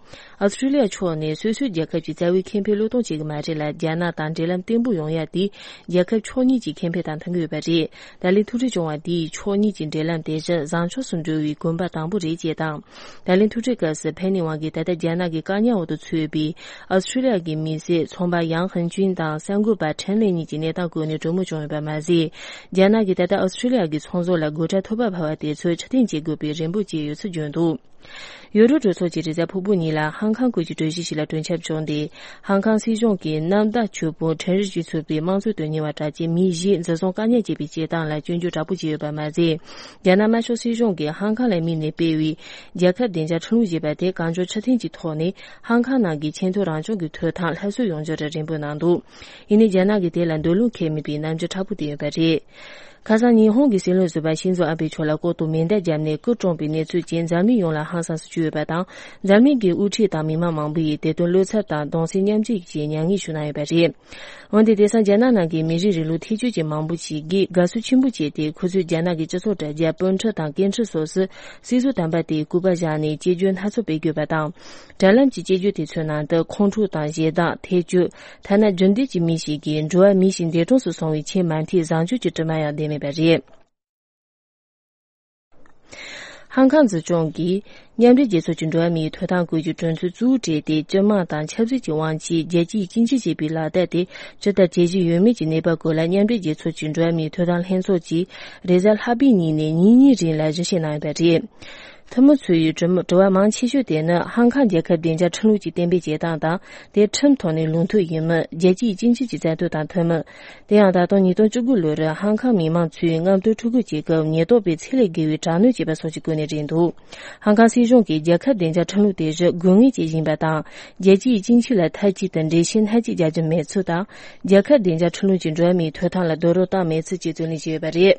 ཨོ་སི་ཁྲུ་ལི་ཡ་ཕྱོགས་ནས་སོ་སོའི་རྒྱལ་ཁབ་ཀྱི་རྩ་བའི་ཁེ་ཕན་བློས་གཏོང་བྱེད་ཀྱི་མ་རེད་ལ། རྒྱ་ནག་དང་འབྲེལ་ལམ་བརྟན་པོ་ཡོང་ཡ་དེ་རྒྱལ་ཁབ་ཕྱོགས་གཉིས་ཀྱི་ཁེ་ཕན་དང་མཐུན་གྱི་ཡོད་པ་རེད། ད་ལན་ཐུག་འཕྲད་བྱུང་བ་འདིས་ཕྱོགས་གཉིས་ཀྱི་འབྲེལ་ལམ་དེ་བཞིན་བཟང་ཕྱོགས་སུ་འགྲོ་བའི་གོམ་པ་དང་པོ་རེད་ཅེས་དང་། ད་ལན་ཐུག་འཕྲད་སྐབས་སུ་ཕེ་ནི་ཝང་གིས་ད་ལྟ་རྒྱ་ནག་གི་བཀག་ཉར་འོག་ཏུ་ཚུད་པའི་ཨོ་སི་ཁྲུ་ལི་ཡ་གི་མི་སེར་ཚོང་པ་ཡང་ཧན་ཅུན་དང་གསར་འགོད་པ་ཁྲེན་ལེ་གཉིས་ཀྱི་གནས་སྟངས་སྐོར་ནས་གྲོས་མོལ་བྱུང་ཡོད་པ་མ་ཟད། རྒྱ་ནག་གིས་ད་ལྟ་ཨོ་སི་ཁྲུ་ལི་ཡ་གི་ཚོང་ཟོག་ལ་སྒོ་ཁྲལ་ཐོབ་པ་འཕར་བ་དེ་ཚོ་ཕྱིར་འཐེན་བྱེད་དགོས་པའི་རེ་འབོད་བྱས་ཡོད་ཚུལ་བརྗོད་འདུག། ཡུ་རོབ་གྲོས་ཚོགས་ཀྱིས་རེས་གཟའ་ཕུར་བུ་ཉིན་ལ་ཧང་ཀང་སྐོར་གྱི་གྲོས་གཞི་ཞིག་ལ་གྲོས་འཆར་བྱུང་སྟེ། ཧང་ཀང་སྲིད་གཞུང་གིས་གནམ་བདག་ཆོས་དཔོན་ཁྲེན་རི་ཅི་གཙོས་པའི་དམངས་གཙོའི་དོན་གཉེར་བ་གྲགས་ཅན་མི་བཞི་འཛིན་བཟུང་བཀག་ཉར་བྱས་པའི་བྱེད་སྟངས་ལ་སྐྱོན་བརྗོད་དྲག་པོ་བྱས་ཡོད་པ་མ་ཟད། རྒྱ་ནག་དམར་ཤོག་སྲིད་གཞུང་གིས་ཧང་ཀང་ལ་དམིགས་ནས་སྤེལ་བའི་རྒྱལ་ཁབ་བདེ་འཇགས་ཁྲིམས་ལུགས་ཞེས་པ་དེ་གང་མགྱོགས་ཕྱིར་འཐེན་གྱི་ཐོག་ནས་ཧང་ཀང་ནང་གི་ཆེས་མཐོའི་རང་སྐྱོང་གི་ཐོབ་ཐང་སླར་གསོ་ཡོང་རྒྱུར་རེ་འབོད་གནང་འདུག། ཡིན་ནའི་རྒྱ་ནག་གིས་དེ་ལ་འདོད་བློ་འཁེལ་མེད་པའི་རྣམ་འགྱུར་མཁྲེགས་པོ་བསྟན་ཡོད་པ་རེད། ཁ་སང་ཉི་ཧོང་གི་སྲིད་བློན་ཟུར་པ་ཤིན་ཛོ་ཨ་བྷེ་མཆོག་ལ་ལྐོག་ཏུ་མེ་མདའ་བརྒྱབ་ནས་སྐུ་གྲོངས་པའི་གནས་ཚུལ་རྐྱེན་འཛམ་གླིང་ཡོངས་ལ་ཧང་སངས་སུ་གྱུར་ཡོད་པ་དང་། འཛམ་གླིང་གི་དབུ་ཁྲིད་དང་མི་མང་མང་པོ་ཡིས་དེ་དོན་བློ་འཚབ་དང་གདུང་སེམས་མཉམ་སྐྱེད་ཀྱི་མྱ་ངན་ཞུ་གནང་ཡོད་པ་རེད། འོན་ཏེ་དེང་སང་རྒྱ་ནག་ནང་གི་མི་རིགས་རིང་ལུགས་ཐེ་བྱུས་ཀྱི་མང་པོ་ཞིག་གིས་དགའ་བསུ་ཆེན་པོ་བྱས་ཏེ། ཁོ་ཚོས་རྒྱ་ནག་གི་སྤྱི་ཚོགས་དྲ་རྒྱ་སྤོ་འཁྲུག་དང་སྐད་འཕྲིན་སོགས་སུ་སྲིད་ཟུར་དམ་པ་དེའི་སྐུ་པར་བཞག་ནས་གཅེས་འཇོན་སྣ་ཚོགས་སྤེལ་དགོས་པ་དང་། དྲ་ལམ་གྱི་གཅེས་འཇོན་དེ་ཚོའི་ནང་དུ་ཁོང་ཁྲོ་དང་ཞེ་སྡང་། ཐེ་བྱུས། ཐ་ན་རྒྱུ་འབྲས་ཀྱི་མི་ཞིག་གིས་འགྲོ་བ་མི་ཞིག་འདས་གྲོངས་སུ་སོང་བའི་ཆེས་མ་མཐའི་བཟང་སྤྱོད་ཀྱི་དྲི་མ་ཡང་བསྡད་མེད་པ་རེད། ཧང་ཀང་འཛིན་སྐྱོང་གིས་མཉམ་འབྲེལ་རྒྱལ་ཚོགས་ཀྱི་འགྲོ་བ་མིའི་ཐོབ་ཐང་སྐོར་གྱི་གྲོས་ཚོགས་གཙོ་བོ་གྲས་དེ་སྤྱི་དམངས་དང་ཆབ་སྲིད་ཀྱི་དབང་ཆས་རྒྱལ་སྤྱིའི་སྤྱི་ཆིངས་ཞེས་པའི་ལག་བསྟར་དེ་ཇི་ལྟར་བྱེད་བཞིན་ཡོད་མེད་ཀྱི་གནས་བབ་སྐོར་ལ་མཉམ་འབྲེལ་རྒྱལ་ཚོགས་ཀྱི་འགྲོ་བ་མིའི་ཐོབ་ཐང་ལྷན་ཚོགས་ཀྱིས་རེས་གཟའ་ལྷག་པའི་ཉིན་ནས་ཉིན་གཉིས་རིང་ལ་ཞིབ་བཤེར་གནང་ཡོད་པ་རེད། འཐུས་མི་ཚོའི་དྲི་དྲི་བ་མང་ཆེ་ཤོས་དེ་ནི་ཧང་ཀང་རྒྱལ་ཁབ་བདེ་འཇགས་ཁྲིམས་ལུགས་ཀྱི་གཏན་འབེབས་བྱེད་སྟངས་དང་། དེ་ཁྲིམས་ཐོག་ནས་ལུགས་མཐུན་ཡིན་མིན། རྒྱལ་སྤྱིའི་སྤྱི་ཆིངས་ཀྱི་མཛད་དོན་དང་མཐུན་མིན། དེ་ཡང་ད་དུང་ཉིས་སྟོང་བཅུ་དགུ་ལོར་ཧང་ཀང་མི་མང་ཚོས་རྔམ་སྟོན་ཕྲུ་གུ་བྱེད་སྐབས་ཉེན་རྟོག་པས་ཚད་ལས་བརྒལ་བའི་དྲག་གནོན་བྱས་པ་སོགས་ཀྱི་སྐོར་ནས་རེད་འདུག། ཧང་ཀང་སྲིད་གཞུང་གིས་རྒྱལ་ཁབ་བདེ་འཇགས་ཁྲིམས་ལུགས་དེ་བཞིན་དགོས་ངེས་ཅན་ཡིན་པ་དང་། རྒྱལ་སྤྱིའི་སྤྱི་ཆིངས་ལ་མཐའ་གཅིག་ཏུ་འགྲེལ་བཤད་སྣ་གཅིག་རྒྱག་རྒྱུ་མེད་ཚུལ་དང་། རྒྱལ་ཁབ་བདེ་འཇགས་ཁྲིམས་ལུགས་ཀྱི་འགྲོ་བ་མིའི་ཐོབ་ཐང་ལ་རྡོག་རོལ་བཏང་མེད་ཚུལ་བཅས་བརྩོན་ལེན་བྱས་ཡོད་པ་རེད།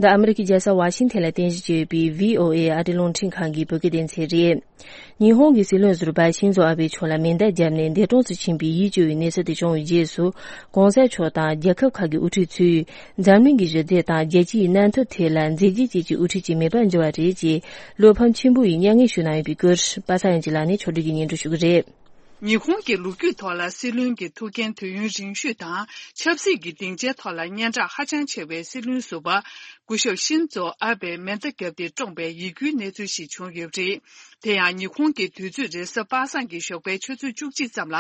འདི་ཨ་མི་རི་ཀའི་རྒྱལ་ས་ཝ་ཤིང་ཐན་ལ་རྟེན་གཞི་བྱས་ཡོད་པའི་བྷི་ཨོ་ཨེ་ཨ་རིའི་རླུང་འཕྲིན་ཁང་གི་བོད་སྐད་སྡེ་ཚན་རེད། ཉི་ཧོང་གི་སྲིད་བློན་ཟུར་པ་ཤིན་ཛོ་ཨ་བྷེ་མཆོག་ལ་མེ་མདའ་བརྒྱབ་ནས་འདས་གྲོངས་སུ་ཕྱིན་པའི་ཡིད་སྐྱོ་བའི་གནས་ཚུལ་དེ་བྱུང་བའི་རྗེས་སུ། གོང་ས་མཆོག་དང་རྒྱལ་ཁབ་ཁག་གི་དབུ་ཁྲིད་ཚོས་འཛམ་གླིང་གི་ཞི་བདེ་དང་རྒྱལ་སྤྱིའི་གནས་བབ་ཐད་ལ་མཛད་རྗེས་ཅན་གྱི་དབུ་ཁྲིད་ཅིག་མེད་པར་འགྱུར་བ་རེད་ཅེས་བློ་ཕམ་ཆེན་པོ་ཡི་མྱ་ངན་ཞུ་གནང་ཡོད་པའི་སྐོར། པ་སངས་དབྱངས་སྐྱིད་ལགས་ནས་ཕྱོགས་སྒྲིག་གིས་སྙན་སྒྲོན་ཞུ་གི་རེད། ཉི་ཧོང་གི་ལོ་རྒྱུས་ཐོག་ལ་སྲིད་བློན་གྱི་ཐུགས་འགན་དུས་ཡུན་རིང་ཤོས་དང་ཆབ་སྲིད་ཀྱི་སྡིངས་ཆའི་ཐོག་ལ་སྙན་གྲགས་ཧ་ཅང་ཆེ་བའི་སྲིད་བློན་ཟུར་པ་སྐུ་ཞབས་ཤིན་ཛོ་ཨ་བྷེ་མེ་མདའ་བརྒྱབ་སྟེ་བཀྲོངས་པའི་ཡིད་སྐྱོའི་གནས་ཚུལ་ཞིག་བྱུང་ཡོད་པ་རེད། དེ་ཡང་ཉི་ཧོང་གི་དུས་ཚོད་རེས་གཟའ་པ་སངས་ཀྱི་ཞོགས་པའི་ཆུ་ཚོད་བཅུ་གཅིག་ཙམ་ལ་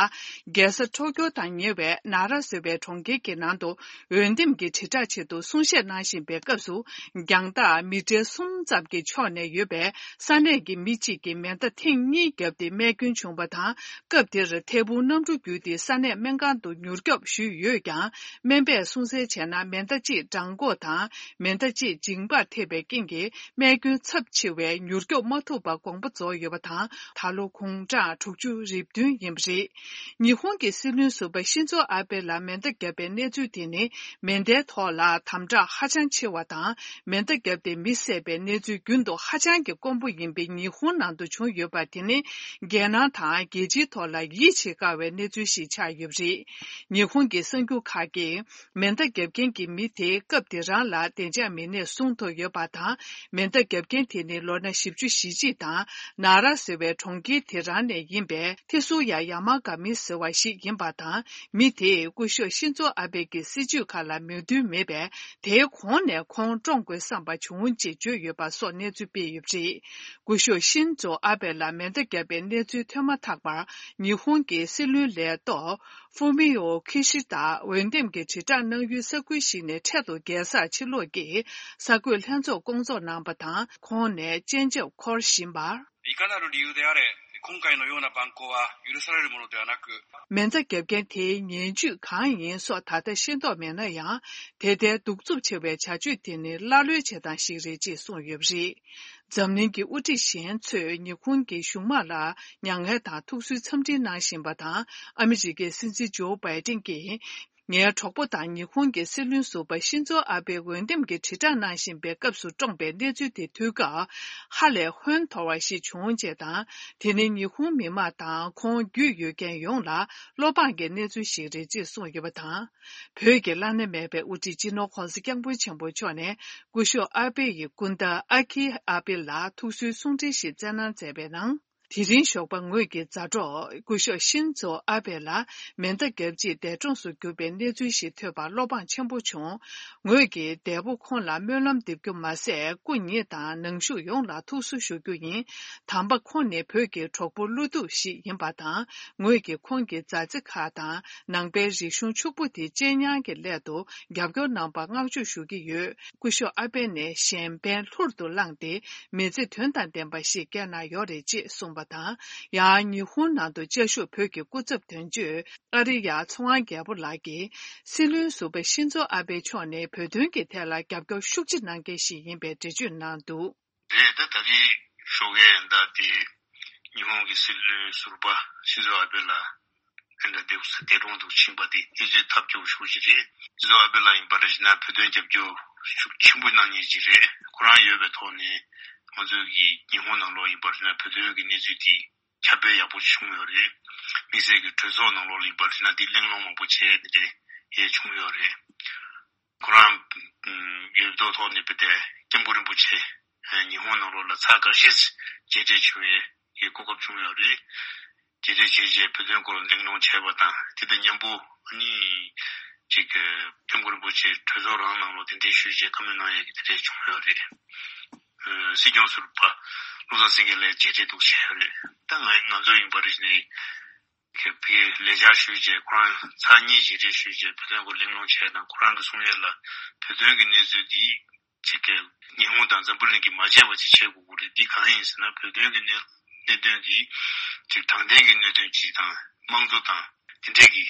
རྒྱལ་ས་ཊོ་ཀྱོ་དང་ཉེ་བའི་ན་ར་ཟེར་བའི་གྲོང་ཁྱེར་གྱི་ནང་དུ་འོས་འདེམས་ཀྱི་དྲིལ་བསྒྲགས་ཆེད་དུ་གསུང་བཤད་གནང་བཞིན་པའི་སྐབས་སུ། རྒྱང་ཐག་མི་ཊར་གསུམ་ཙམ་གྱི་ཕྱོགས་ནས་ཡོད་པའི་ས་གནས་ཀྱི་མི་གཅིག་གིས་མེ་མདའ་ཐེངས་གཉིས་བརྒྱབ་སྟེ་རྨས་སྐྱོན་བྱུང་བ་དང་། སྐབས་དེར་ཐལ་འབུ་གནམ་གྲུ་བརྒྱུད་དེ་ས་གནས་སྨན་ཁང་དུ་མྱུར་སྐྱོབ་ཞུས་ཡོད་ཀྱང་། སྨན་པས་གསུང་གསལ་བྱས་ན། མེ་མདའ་གཅིག་བྲང་ཁོག་དང་མེ་མདའ་གཅིག་མཇིང་པར་ཐེབས་པའི་རྐྱེན་གྱིས། རྨས་སྐྱོན་ཚབས་ཆེ་བས་མྱུར་སྐྱོབ་མ་ཐུབ་པར་དགོངས་པ་རྫོགས་ཡོད་པ་དང་། ད་ལོ་དགུང་གྲངས་དྲུག་ཅུ་རེ་བདུན་ཡིན་པ་རེད། ཉི་ཧོང་གི་སྲིད་བློན་ཟུར་པ་ཤིན་ཛོ་ཨ་བྷེ་ལ་མེ་མདའ་བརྒྱབ་པའི་གནས་ཚུལ་དེ་ནི། མེ་མདའི་ཐོག་ལ་དམ་དྲག་ཧ་ཅང་ཆེ་བ་དང་། མེ་མདའ་བརྒྱབ་སྟེ་མི་བསད་པའི་གནས་ཚུལ་རྒྱུན་དུ་ཧ་ཅང་གི་དཀོན་པོ་ཡིན་པའི་ཉི་ཧོང་ནང་དུ་བྱུང་ཡོད་པ་དེ་ནི། རྒྱལ་ནང་དང་རྒྱལ་སྤྱིའི་ཐོག་ལ་ཡིད་ཆེས་དཀའ་བའི་གནས་ཚུལ་ཞིག་ཆགས་ཡོད་པ་རེད། ཉི་ཧོང་གི་གསར་འགྱུར་ཁག་གིས། མེ་མདའ་བརྒྱབ་མཁན་གྱི་མི་དེ་སྐབས་དེ་རང་ལ་བདེ་འཇགས་མི་སྣས་བཟུང་ཐུབ་ཡོད་པ་དང་། མེ་མདའ་བརྒྱབ་མཁན་དེ་ནི་ལོ་ན་བཞི་བཅུ་ཞེ་གཅིག་དང་། ན་ར་ཟེར་བའི་གྲོང་ཁྱེར་དེ་རང་ནས་ཡིན་པའི་ཐེ་སུ་ཡ་ཡ་མ་ག་མི་ཟེར་བ་ཞིག་ཡིན་པ་དང་། མི་དེས་སྐུ་ཞབས་ཤིན་ཛོ་ཨ་བྷེ་གི་སྲིད་བྱུས་ཁག་ལ་མོས་མཐུན་མེད་པས། དེའི་གོང་ནས་ཁོང་བཀྲོངས་དགོས་བསམ་པ་བྱུང་ཅེས་བརྗོད་ཡོད་པ་སོགས་གནས་ཚུལ་སྤེལ་ཡོད་པ་རེད། སྐུ་ཞབས་ཤིན་ཛོ་ཨ་བྷེ་ལ་མེ་མདའ་བརྒྱབ་པའི་གནས་ཚུལ་ཐོན་མ་ཐག་པར། ཉི་ཧོང་གི་སྲིད་བློན་ལས་ཐོག་ཧྥུ་མི་ཡོ་ཁི་ཤི་ད་འོས་འདེམས་ཀྱི་དྲིལ་བསྒྲགས་གནང་ཡུལ་ས་ཁུལ་ཞིག་ནས་འཕྲལ་དུ་རྒྱལ་སར་ཕྱིར་ལོག་གིས་གསར་འགོད་ལྷན་ཚོགས་བསྐོང་ཚོགས་གནང་བ་དང་། ཁོང་ནས་སྤྱན་ཆབ་འཁོར་བཞིན་པར། いかなる理由であれ、今回のような蛮行は許されるものではなく、 མེ་མདའ་བརྒྱབ་མཁན་དེའི་ངན་ཇུས་གང་ཡིན་སོགས་ད་ལྟ་ཤེས་རྟོགས་མེད་ན་ཡང་། དེ་ལྟའི་གདུག་རྩུབ་ཆེ་བའི་བྱ་སྤྱོད་དེ་ནི་ཀླ་ཀློའི་བྱེད་སྟངས་ཤིག་རེད་ཅེས་གསུངས་ཡོད་པ་རེད། འཛམ་གླིང་གི་དབུ་ཁྲིད་གཞན་ཚོས་ཉི་ཧོང་གི་གཞུང་དམག་ལ་མྱ་ངན་དང་ཐུགས་གསོའི་འཚམས་འདྲི་གནང་བཞིན་པ་དང་། ཨ་མི་རི་ཀའི་སྲིད་འཛིན་ཇོ་བྷའི་ཏིན་གྱིས། ངའི་གྲོགས་པོ་དང་ཉི་ཧོང་གི་སྲིད་བློན་ཟུར་པ་ཤིན་ཛོ་ཨ་བྷེ་འོས་འདེམས་ཀྱི་དྲིལ་བསྒྲགས་གནང་བཞིན་པའི་སྐབས་སུ་བཀྲོངས་པའི་གནས་ཚུལ་དེ་ཐོས་སྐབས། ཧ་ལས་ཧོན་འཐོར་བ་ཞིག་བྱུང་ཅེས་དང་། དེ་ནི་ཉི་ཧོང་མི་དམངས་དང་ཁོང་རྒྱུས་ཡོད་མཁན་ཡོངས་ལ་བློ་ཕངས་ཀྱི་གནས་ཚུལ་ཞིག་རེད་ཅེས་གསུངས་ཡོད་པ་དང་། བོད་ཀྱི་བླ་ན་མེད་པའི་དབུ་ཁྲིད་སྤྱི་ནོར་༧གོང་ས་༧སྐྱབས་མགོན་ཆེན་པོ་མཆོག་ནས་སྐུ་ཞབས་ཨ་བྷེ་ཡི་སྐུ་ཟླ་ཨ་ཁི་ཨ་བྷེ་ལ་ཐུགས་གསོའི་གསུང་འཕྲིན་ཞིག་བསྩལ་གནང་མཛད་པའི་ནང་། དེ་རིང་ཞོགས་པ་ངོས་ཀྱི་མཛའ་གྲོགས་སྐུ་ཞབས་ཤིན་ཛོ་ཨ་བྷེ་ལ་མེ་མདའ་བརྒྱབ་རྗེས་འདས་གྲོངས་སུ་གྱུར་པའི་གནས་ཚུལ་ཞིག་ཐོས་པར་བློ་ཕངས་ཆེན་པོ་བྱུང་། ངོས་ཀྱིས་འདས་པོ་ཁོང་ལ་སྨོན་ལམ་འདེབས་རྒྱུ་མ་ཟད། སྐུ་ཉིད་དང་ནང་བཞུགས་ཡོངས་ལ་ཐུགས་གསོ་ཞུ་རྒྱུ་ཡིན། དམ་པ་ཁོང་ནི་བོད་ཀྱི་གྲོགས་པོ་བློ་སྟོབས་ཤིག་ཡིན་པ་དང་། ངོས་ཀྱིས་ཁོང་གི་མཛའ་བརྩེ་ཁག་དང་། ནང་པའི་རིག་གཞུང་ཕྱུག་པོ་དེ་གཅེས་ཉར་གྱི་སླད་དུ་རྒྱབ་སྐྱོར་གནང་བར་བསྔགས་བརྗོད་ཞུ་གི་ཡོད། སྐུ་ཞབས་ཨ་བྷེ་ནས་གཞན་ཕན་ལྷུར་དུ་བླངས་ཏེ། མི་ཚེ་དོན་དང་ལྡན་པ་ཞིག་བསྐྱལ་གནང་ཡོད་རེད་ཅེས་གསུངས་པ་དང་། ཡང་ཉི་ཧོང་ནང་དུ་བཅའ་བཞུགས་བོད་ཀྱི་སྐུ་ཚབ་དོན་གཅོད་ཨ་རི་ཡ་ཚེ་དབང་རྒྱལ་པོ་ལགས་ཀྱིས། སྲིད་བློན་ཟུར་པ་ཤིན་ཛོ་ཨ་བྷེ་མཆོག་ནི་བོད་དོན་གྱི་ཐད་ལ་རྒྱབ་སྐྱོར་ཤུགས་ཆེ་གནང་མཁན་ཞིག་ཡིན་པའི་འགྲེལ་བརྗོད་གནང་འདུག། རེད། ད་ད་རེས་ཞོགས་ཀའི་ཟླ་དེ་ཉི་ཧོང་གི་སྲིད་བློན་ཟུར་པ་ཤིན་ཛོ་ཨ་བྷེ་ལགས་ཨེ་འདྲ་འདས་འདས་གྲོངས་འདུག་ཕྱིན་པ་དེ་ཨེ་ཙི་ཐབས་སྐྱོ་ཤོས་ཅིག་རེད། ཤིན་ཛོ་ཨ་བྷེ་ལགས་ཡིན་པར་བྱས་ན་བོད་དོན་རྒྱབ་སྐྱོར་ཤུགས་ཆེན་པོ་གནང་མཁན་ཅིག་རེད། ཁོ་རང་ཡོད་པའི་ཐོག་ནས་ང་ཚོ་གི་ཉི་ཧོང་ནང་ལོགས་ཡིན་པར་བྱས་ན་བོད་དོན་གྱི་གནས་ཚུལ་དེ་ཁྱབ་སྤེལ་ཡག་པོ་བྱུང་ཡོད་རེད། དམིགས་བསལ་གྱི་གྲོས་ཚོགས་ནང་ལོགས་ལ་ཡིན་པར་བྱས་ན་དེ་གླེང་སློང་མང་པོ་བྱས་ནས་དེ་ཡས་བྱུང་ཡོད་རེད། ཁོ་རང་ཡོད་ཐོག་ཐོག་ནས་བོད་དེ་སྐྱབས་མགོན་རིན་པོ་ཆེ་ཉི་ཧོང་ནང་ལོགས་ལ་ཚར་འགའ་ཤས་མཇལ་འཕྲད་བྱུང་བའི་གོ་སྐབས་བྱུང་ཡོད་རེད། མཇལ་འཕྲད་བྱས་རྗེས་བོད་དོན་སྐོར་གླེང་སློང་བྱས་པ་དང་དེ་དང་མཉམ་པོ་ཨ་ནི་ཅིག་སྐྱབས་མགོན་རིན་པོ་ཆེ་གྲོས་ཚོགས་རང་ནང་ལོགས་གདན་འདྲེན་ཞུས་རྗེས་བཀའ་མོལ་གནང་ཡས་ཀྱི་དེ་འདྲས་བྱུང་ཡོད་རེད། སྲིད་སྐྱོང་ཟུར་པ་བློ་བཟང་སེང་གེ་ལགས་མཇལ་འཕྲད་འདུག་བྱས་ཡོད་རེད། ད་ང་ང་ཚོ་ཡིན་པ་རེད་ནས། ཕ་གིར་ལས་བཅར་ཞུས་རྗེས་ཁོ་རང་ཚར་གཉིས་མཇལ་འཕྲད་ཞུས་རྗེས་བོད་དོན་སྐོར་གླེང་སློང་བྱས་དང་ཁོ་རང་གིས་གསུང་ཡས་ལ་བོད་དོན་གྱི་གནས་ཚུལ་འདི་ཅིག་གི་ཉི་ཧོང་དང་འཛམ་བུ་གླིང་གིས་མ་བརྗེད་པ་ཅིག་བྱེད་དགོས་ཀྱི་རེད། འདི་གང་ཡིན་ཟེར་ན་བོད་དོན་གྱི་གནད་གནད་དོན་འདི་ཅིག་དྲང་བདེན་གྱི་གནད་དོན་ཅིག་དང་དམངས་གཙོ་དང་དེ་འདྲས་ཀྱི་